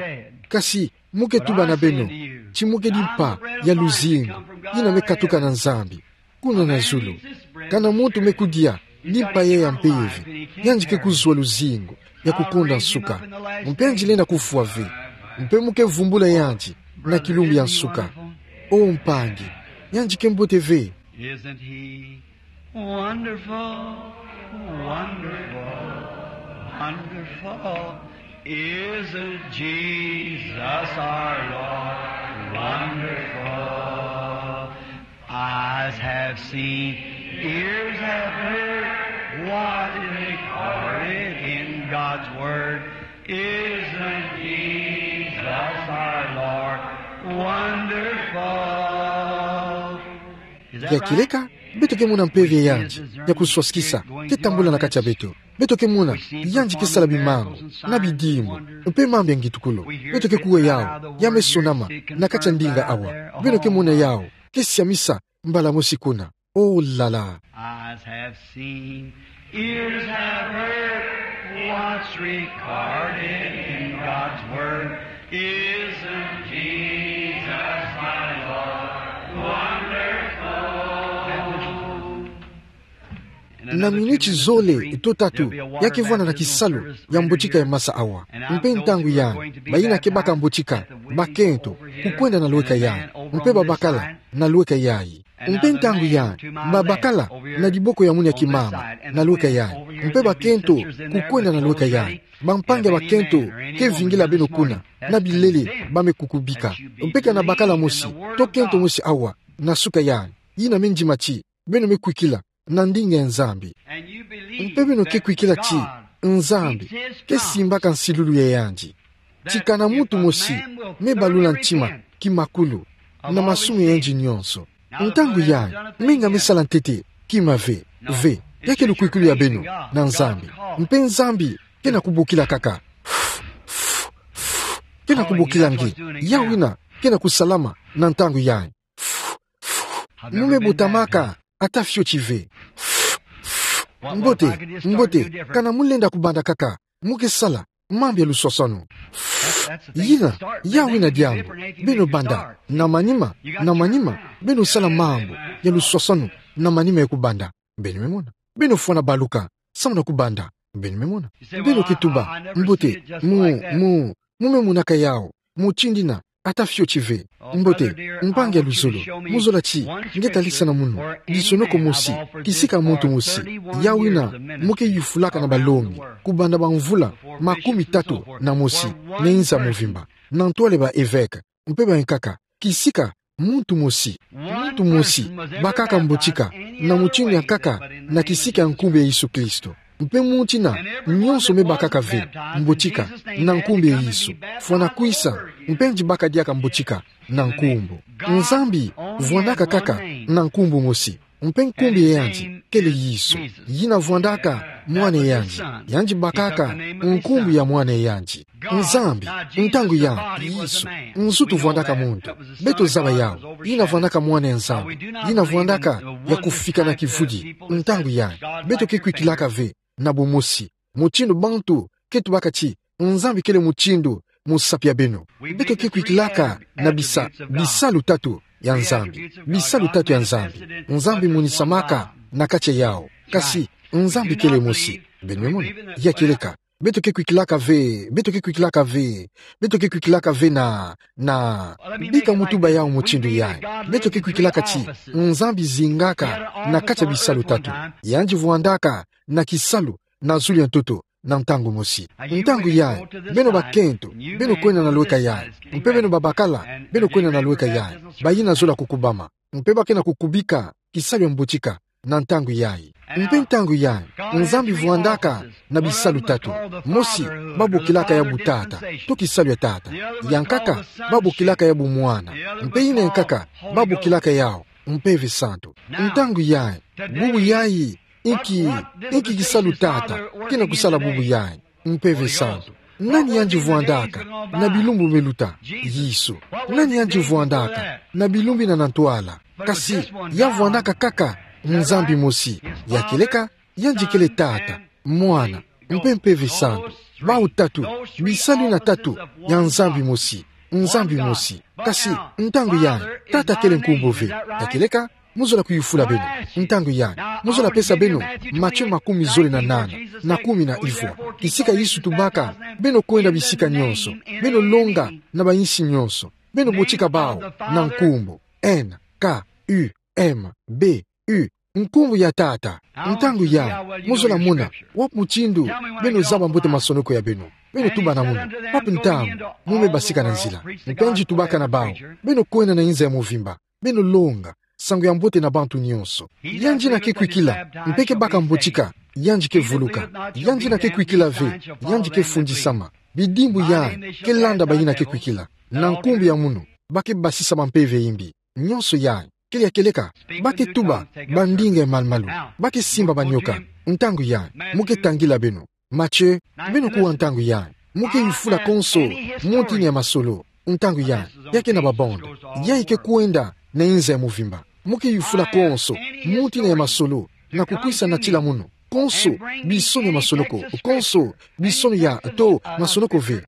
Kasi mo ke tuba na beno ti mo kedi mpa ya luzingu yina me katuka na Nzambi kuna na zulu. Kana muntu me kudia limpa yayi ya mpeve, yandi ke kuzwa luzingu ya kukunda nsuka. Mpe yandi lenda kufwa ve. Mpe mo ke vumbula yandi na kilumbu ya nsuka. O mpangi, yandi ke mbote ve. Isn't he wonderful, wonderful, wonderful? Isn't Jesus our Lord wonderful? Eyes have seen, ears have heard, what is recorded in God's word. Isn't Jesus our Lord wonderful? Ya kieleka, beto ke mona mpeve ya yandi ya kuswasikisa ke tambula na kati ya beto. Beto ke mona yandi ke sala bimangu na bidimbu mpe mambu ya ngitukulu. Beto ke kuwa yawu ya mesonama na kati ya ndinga awa. Beno ke mona yawu ke siamisa mbala mosi kuna. Oh là là. Eyes have seen, ears have heard, what's recorded in God's word. Isn't Jesus my Lord wonderful? Na minuti zole to tatu, ya ke vwanda na kisalu ya mbotika ya masa awa. Mpe ntangu yandi, bayina ke baka mbotika, bakento, kukwenda na lweka yandi, mpe babakala na lweka yayi. Mpe ntangu yandi, babakala na diboko ya mwini ya kimama na lweka yandi, mpe bakento, kukwenda na lweka yandi. Bampangi ya bakento ke vingila beno kuna na bilele, ba me kukubika. Mpe kana bakala mosi to kento mosi awa na suka yandi, yina me ndima ti beno me kwikila na ndinga ya Nzambi. Mpe beno ke kwikila ti Nzambi ke simbaka nsilulu ya yandi, ti kana muntu mosi me balula ntima kimakulu na masumu ya yandi nyonso, ntangu yandi me nga me sala ntete kima ve, ve, ya ke lukwikulu ya beno na Nzambi. Mpe Nzambi ke na kubokila kaka, ke na kubokila nge, yawu yina ke na kusalama na ntangu yandi. Mu me botamaka ata fioti ve. Mbote, mbote, kana mu lenda kubanda kaka, mu ke sala mambu ya luswaswanu. Yina, yawu yina diambu. Beno banda na manima, na manima, beno sala mambu ya luswaswanu na manima ya kubanda. Beno me mona. Beno fwana baluka samu na kubanda. Beno me mona. Beno ke tuba, mbote, mu, mu, mu me monaka yawu mutindu yina ata fioti ve. Mbote, mpangi ya luzolo, mu zola ti nge talisana munu lisonoko mosi kisika muntu mosi, yawu yina mu ke yufulaka na balongi kubanda bamvula makumi tatu na mosi na inza mvimba, na ntwala ya ba-evêque mpe bayankaka, kisika muntu mosi, muntu mosi bakaka mbotika na mutindu yankaka na kisika ya nkumbu ya Yesu Kristo. Mpe muntu yina nyonso me bakaka ve mbotika na nkumbu ya Yesu, fwana kwisa, mpe yandi baka diaka mbotika na nkumbu. Nzambi vwandaka kaka na nkumbu mosi, mpe nkumbu ya yandi kele Yesu. Yina vwandaka mwana ya yandi, yandi bakaka nkumbu ya mwana ya yandi. Nzambi, ntangu yandi, Yesu, nzutu vwandaka muntu. Beto zaba yawu, yina vwandaka mwana ya Nzambi, yina vwandaka ya kufika na kivudi, ntangu yandi. Beto ke kwikilaka ve na bumosi, mutindu bantu ke tubaka ti Nzambi kele mutindu musapi ya beno. Beto ke kwikilaka na bisa, bisalu tatu ya Nzambi. Bisalu tatu ya Nzambi. Nzambi monisamaka na kati ya yawu. Kasi Nzambi kele mosi. Beno me mona. Ya kieleka. Beto ke kwikilaka ve, beto ke kwikilaka ve, beto ke kwikilaka ve na, na, bika mu tuba yawu mutindu yayi. Beto ke kwikilaka ti Nzambi zingaka na kati ya bisalu tatu. Yandi vwandaka na kisalu na zulu ya ntoto na ntangu mosi. Ntangu yayi, beno bakento, beno kwenda na lweka yayi. Mpe beno babakala, beno kwenda na lweka yayi. Bayina zola kukubama. Mpe ba ke na kukubika kisalu ya mbotika na ntangu yayi. Mpe ntangu yayi, Nzambi vwandaka na bisalu tatu. Mosi, ba bokilaka yawu Tata, to kisalu ya Tata. Yankaka, ba bokilaka yawu Mwana. Mpe yina yankaka, ba bokilaka yawu Mpeve Santu. Ntangu yayi, bubu yayi, inki, inki kisalu Tata ke na kusala bubu yayi? Mpeve Santu. Nani yandi vwandaka na bilumbu me luta? Yesu. Nani yandi vwandaka na bilumbu yina na ntwala? Kasi ya vwandaka kaka Nzambi mosi. Ya kieleka, yandi kele Tata, Mwana, mpe Mpeve Santu. Bawu tatu, bisalu yina tatu ya Nzambi mosi. Nzambi mosi. Kasi ntangu yayi, Tata kele nkumbu ve. Ya kieleka, mu zola kuyufula beno. Ntangu yayi, mu zola pesa beno Matthieu makumi zole na nana, na kumi na ivwa. Kisika Yesu tubaka: Beno kwenda bisika nyonso, beno longa na bayinsi nyonso, beno botika bawu na nkumbu N, K, U, M, B, U, nkumbu ya Tata. Ntangu yayi, mu zola mona wapi mutindu beno zaba mbote masonoko ya beno. Beno tuba na munu: Papa, ntangu mu me basika na nzila. Mpe ngitu tubaka na bawu: Beno kwenda na inza ya mvimba, beno longa nsangu ya mbote na bantu nyonso. Yandi na ke kwikila, mpe ke baka mbotika, yandi ke vuluka. Yandi na ke kwikila ve, yandi ke fundisama. Bidimbu yayi ke landa bayina ke kwikila. Na nkumbu ya munu, ba ke basisa bampeve ya imbi. Nyonso yayi, kele ya kieleka, ba ke tuba bandinga ya malu-malu, ba ke simba banyoka. Ntangu yayi, mu ke tangila beno. Mathieu, beno kuwa ntangu yayi, mu ke yufula konso muntu yina ya masolo. Ntangu yayi, ya ke na ba bande, yayi ke kwenda na inza ya mvimba. Mu ke yufula konso muntu yina ya masolo, na kukwisa natila munu. Konso bisoni ya masonoko, konso bisoni ya, to masonoko ve.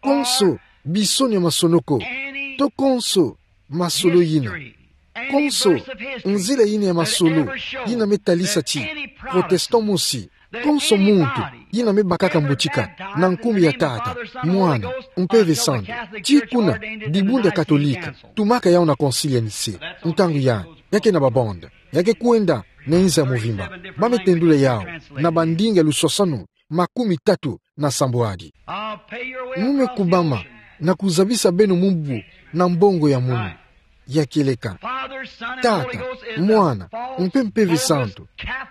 Konso bisoni ya masonoko, to konso masolo yina. Konso nzila yina ya masolo yina me talisa ti protestant mosi, konso muntu yina me bakaka mbotika na nkumbu ya Tata, Mwana, Mpeve Santu, ti kuna dibundu ya Katolika tumaka yawu na Concile ya Nicée. Ntangu yayi, ya ke na ba bande, ya ke kwenda na inza ya mvimba. Ba me tendula yawu na bandinga luswasanu makumi tatu na sambwadi. Mu me kubama na kuzabisa beno mu mbu na mbongo ya munu. Ya kieleka, Tata, Mwana, mpe Mpeve Santu,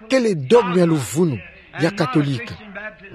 kele dogme ya luvunu ya Katolika,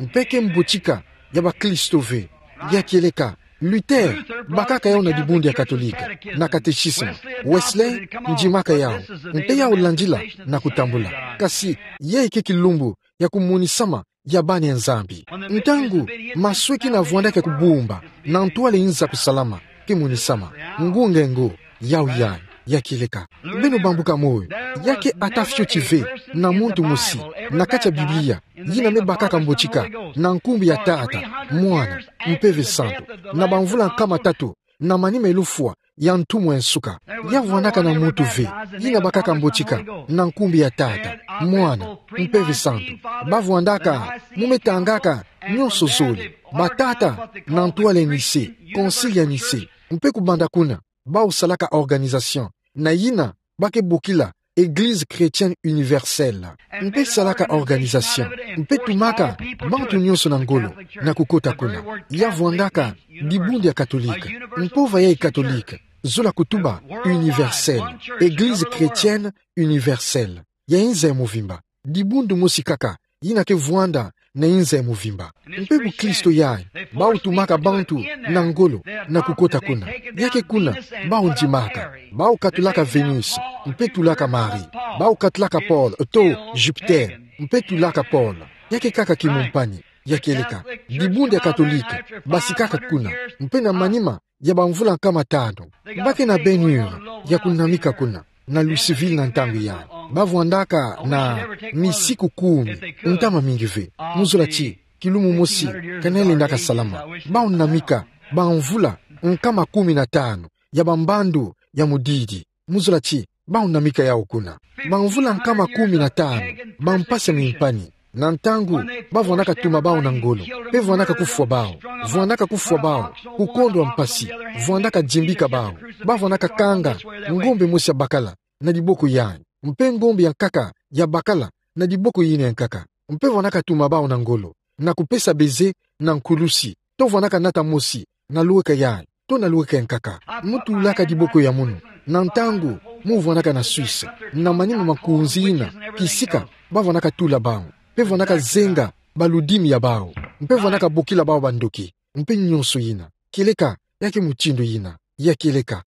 mpe ke mbotika ya bakristo ve. Ya kieleka, Luther bakaka yawu na dibundu ya Katolika, na catéchisme. Wesley ndimaka yawu, mpe yawu landila na kutambula. Kasi yayi ke kilumbu ya kumonisama ya bana ya Nzambi. Ntangu masweki na vwandaka ya kubumba na ntwala ya inza kusalama, ke monisama ngunga ngo, yawu yayi. Ya kieleka, beno bambuka moyo. Ya ke ata fioti ve na muntu mosi na kati ya Biblia yina me bakaka mbotika na nkumbu ya Tata, Mwana, Mpeve Santu, na bamvula nkama tatu na manima ya lufwa ya ntumwa ya nsuka. Ya vwandaka na muntu ve yina bakaka mbotika na nkumbu ya Tata, Mwana, Mpeve Santu. Ba vwandaka, mu me tangaka nyonso zole, batata na ntwala ya Nicée, Concile ya Nicée, mpe kubanda kuna, bawu salaka organisation na yina ba ke bokila Église chrétienne universelle. Mpe salaka organisation, mpe tumaka bantu nyonso na ngolo na kukota kuna. Ya vwandaka dibundu ya Katolika, mpova yayi Katolika, zola kutuba universelle, Église chrétienne universelle, ya inza ya mvimba. Dibundu mosi kaka yina ke vwanda na inza ya mvimba. Mpe bukristo yayi, bawu tumaka bantu na ngolo na kukota kuna. Ya ke kuna bawu ndimaka, bawu katulaka Vénus, mpe tulaka Marie. Bawu katulaka Paul, to Jupiter, mpe tulaka Paul. Ya ke kaka kimumpani. Ya kieleka, dibundu ya Katolika basikaka kuna, mpe na manima ya bamvula nkama tanu, ba ke na baignure ya kunamika kuna na Louisville na ntangu yayi. Ba vwandaka na misiku kumi, ntama mingi ve. Mu zola ti kilumu mosi ka na lendaka salama. Bawu namika bamvula nkama kumi na tanu ya bambandu ya mudidi. Mu zola ti bawu namika yawu kuna. Bamvula nkama kumi na tanu, bampasi ya mimpani. Na ntangu ba vwandaka tuma bawu na ngolo, mpe vwandaka kufwa bawu, vwandaka kufwa bawu, kukondwa mpasi, vwandaka dimbika bawu. Ba vwandaka kanga ngombe mosi ya bakala na diboko yayi, mpe ngombe ya nkaka ya bakala na diboko yina ya nkaka, mpe vwandaka tuma bawu na ngolo na kupesa baiser na nkulusi, to vwandaka nata mosi na lweka yayi, to na lweka ya nkaka. Mu tulaka diboko ya munu na ntangu mu vwandaka na Suisse, na manima ma makunzi yina kisika ba vwandaka tula bawu, mpe vwandaka zenga baludimi ya bawu, mpe vwandaka bokila bawu bandoki, mpe nyonso yina. Kieleka, ya ke mutindu yina. Ya kieleka,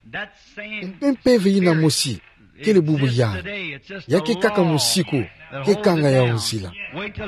mpe mpeve yina mosi, kele bubu yayi. Ya ke kaka musiku ke kanga yawu nzila.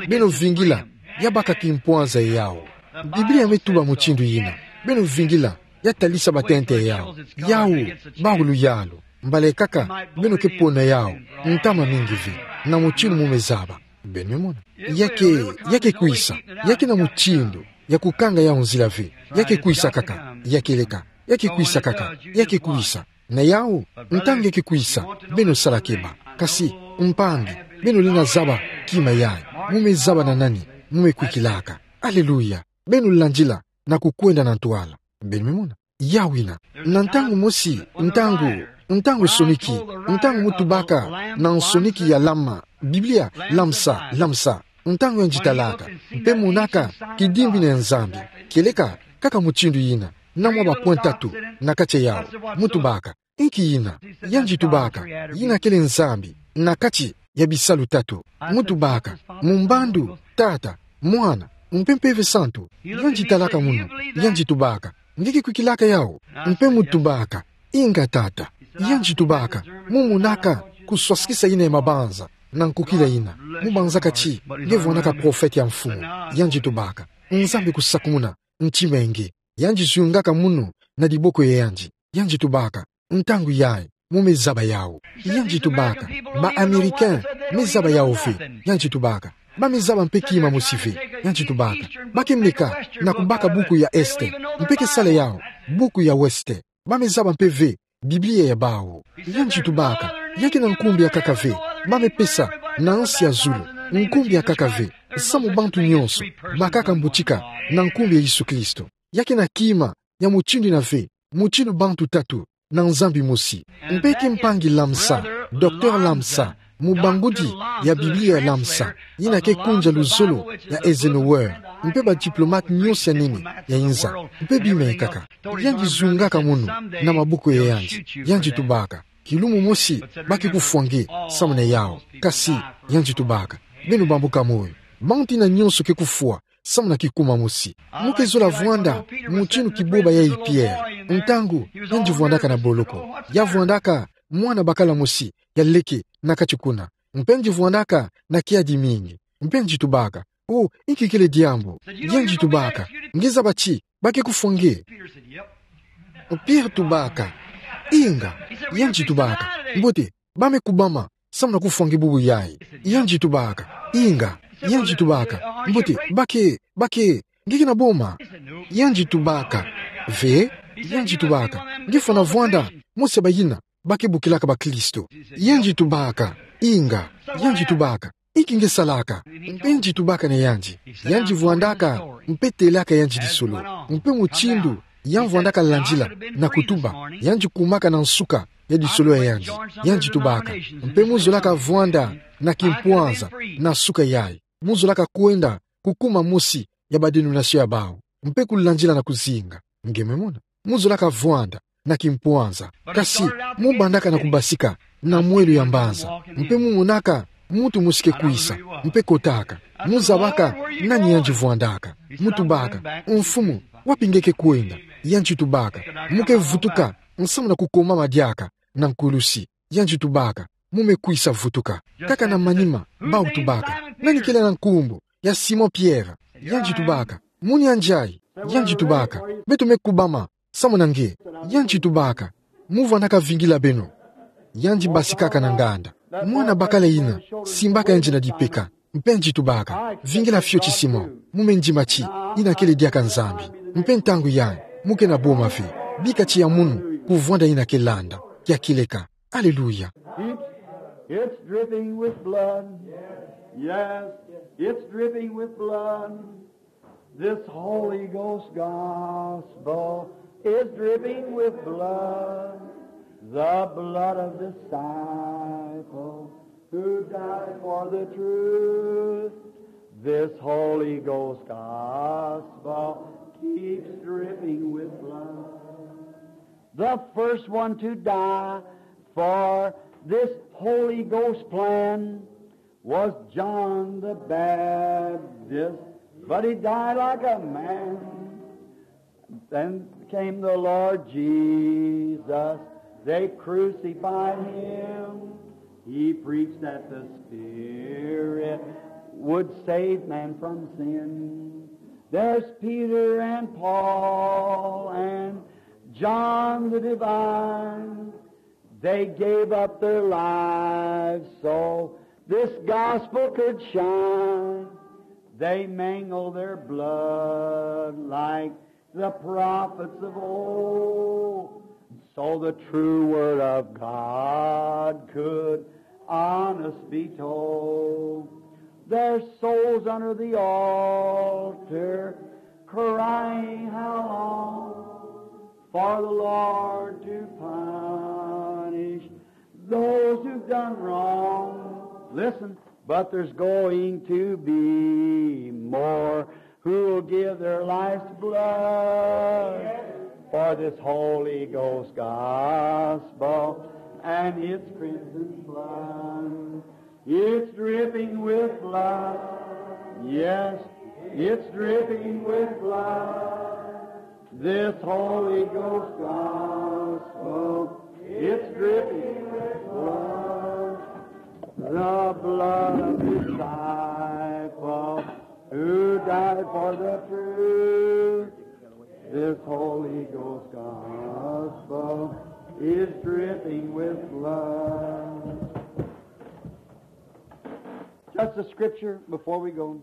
Beno vingila, ya baka kimpwanza ya yawu. Biblia me tuba mutindu yina. Beno vingila, ya talisa batente ya yawu. Yawu bawu luyalu. Mbala kaka beno ke pona yawu ntama mingi ve, na mutindu mu me zaba. Beno me mona. Ya ke, ya ke kwisa, ya ke na mutindu ya kukanga yawu nzila ve. Ya ke kwisa kaka. Ya kieleka, ya ke kwisa kaka. Ya ke kwisa. Na yawu, ntangu ya ke kwisa, beno sala keba. Kasi, mpangi, beno lenda zaba kima yayi. Mu me zaba na nani mu me kwikilaka. Aleluya. Beno landila na kukwenda na ntwala. Beno me mona. Yawu yina. Na ntangu mosi, ntangu, ntangu soniki, ntangu mu tubaka na nsoniki ya lama, Biblia, lamsa, lamsa. Ntangu yandi talaka, mpe monaka kidimbi na Nzambi. Kieleka, kaka mutindu ina, na mwa ba point tatu na kati yao. Mu tubaka, inki ina? Yandi tubaka, ina kele Nzambi na kati ya bisalu tatu. Mu tubaka, mu mbandu, Tata, Mwana, mpe Mpeve Santu. Yandi talaka munu, yandi tubaka, nge ke kwikilaka yao? Mpe mu tubaka, inga Tata. Yandi tubaka, mu monaka kuswasikisa ina ya mabanza na nkukila ina. Mu banza kati nge vwandaka profete ya Mfumu. Yandi tubaka, Nzambi kusakumuna ntima nge. Yandi zungaka munu na diboko ya yandi. Yandi tubaka, ntangu yayi, mu me zaba yao. Yandi tubaka, ba Américain me zaba yao ve. Yandi tubaka, ba me zaba mpe kima mosi ve. Yandi tubaka, ba ke meka na kubaka buku ya Est, mpe ke sala yao buku ya Ouest. Ba me zaba mpe ve Biblia ya bawu. Yandi tubaka, ya ke na nkumbu ya nkaka ve ba me pesa na nsi ya zulu. Nkumbu ya nkaka ve, samu bantu nyonso bakaka mbutika na nkumbu ya Yesu Kristo. Ya ke na kima ya mutindu ina ve, mutindu bantu tatu na Nzambi mosi. Mpe ke mpangi Lamsa, Docteur Lamsa, mubangudi ya Biblia ya Lamsa, ina ke kunja luzolo ya Eisenhower, mpe ba diplomate nyonso ya nene ya inza, mpe bima ya nkaka. Yandi zungaka munu na mabuku ya yandi. Yandi tubaka, kilumu mosi ba ke kufwa nge samu na yao. Kasi, yandi tubaka, beno bambuka moyo. Bantu ina nyonso ke kufwa samu na kikuma mosi. Mu ke zola vwanda mutindu kiboba yayi Pierre, ntangu yandi vwandaka na boloko. Ya vwandaka mwana bakala mosi ya leke na kati kuna. Mpe yandi vwandaka na kiadi mingi. Mpe yandi tubaka, o, inki kele diambu? Yandi tubaka, nge zaba ti ba ke kufwa nge? Pierre tubaka, inga. Yandi tubaka, mbote, ba me kubama samu na kufwa nge bubu yayi. Yandi tubaka, inga. Yandi tubaka, mbote, ba ke, ba ke, nge ke na boma? Yandi tubaka, ve. Yandi tubaka, nge fwana vwanda mosi ya bayina ba ke bokilaka bakristo. Yandi tubaka, inga. Yandi tubaka, inki nge salaka? Mpe yandi tubaka na yandi, yandi vwandaka mpe telaka yandi lisolo, mpe mutindu ya vwandaka landila na kutuba, yandi kumaka na nsuka ya lisolo ya yandi. Yandi tubaka, mpe mu zolaka vwanda na kimpwanza na suka yayi. Mu zolaka kwenda kukuma mosi ya ba dénomination ya bawu, mpe kulandila na kuzinga. Nge me mona? Mu zolaka vwanda na kimpwanza. Kasi mu bandaka na kubasika na mwelo ya mbanza, mpe mu monaka muntu mosi ke kwisa, mpe kotaka. Mu zabaka nani yandi vwandaka. Mu tubaka, Mfumu, wapi nge ke kwenda? Yandi tubaka, mu ke vutuka samu na kukomama diaka na nkulusi. Yandi tubaka, mu me kwisa vutuka. Kaka na manima, bawu tubaka, nani kele na nkumbu ya Simon Pierre? Yandi tubaka, mu nianjayi. Yandi tubaka, beto me kubama samu na nge. Yandi tubaka, mu vwandaka vingila beno. Yandi basikaka na nganda. Mwana bakala yina simbaka yandi na dipeka, mpe yandi tubaka, vingila fioti Simon, mu me ndima ti ina kele diaka Nzambi. Mpe ntangu yayi mu ke na boma ve. Bika tiya munu ku vwanda ina ke landa. Kia kieleka. Aleluya. It's, it's dripping with blood. Yes, it's dripping with blood. This Holy Ghost gospel is dripping with blood. The blood of disciples who died for the truth. This Holy Ghost gospel keeps dripping with blood. The first one to die for this Holy Ghost plan was John the Baptist, but he died like a man. Then came the Lord Jesus. They crucified him. He preached that the Spirit would save man from sin. There's Peter and Paul and John the Divine. They gave up their lives so this gospel could shine. They mingled their blood like the prophets of old, so the true word of God could honest be told. Their souls under the altar crying, "How long for the Lord to punish those who've done wrong?" Listen, But there's going to be more who will give their life's blood for this Holy Ghost gospel and its crimson flood. It's dripping with blood. Yes, it's dripping with blood. This Holy Ghost gospel, it's dripping with blood. The blood of disciple who died for the truth. This Holy Ghost gospel is dripping with blood. Just a scripture before we go.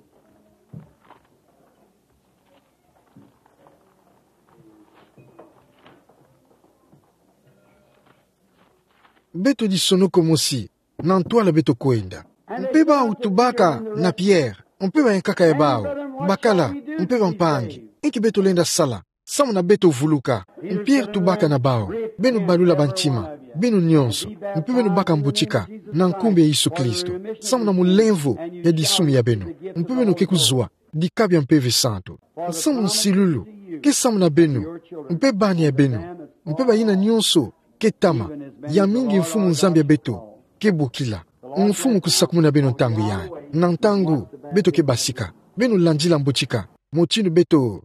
Beto lisonoko mosi, na ntwala beto kwenda. Mpe bawu tubaka na Pierre, mpe bayankaka ya bawu, bakala, mpe bampangi, inki beto lenda sala, samu na beto vuluka. Mpe Pierre tubaka na bawu, beno balula bantima, beno nyonso, mpe beno baka mbutika, na nkumbu ya Yesu Kristo, samu na mulemvo ya disumi ya beno, mpe beno ke kuzwa dika bia Mpeve Santu. Samu nsilulu ke samu na beno, mpe bani ya beno, mpe bayina nyonso ke tama, ya mingi Mfumu Nzambi ya beto ke bokila. Mfumu kusakumuna beno ntangu yai, na ntangu beto ke basika. Beno landila mbutika, mutindu beto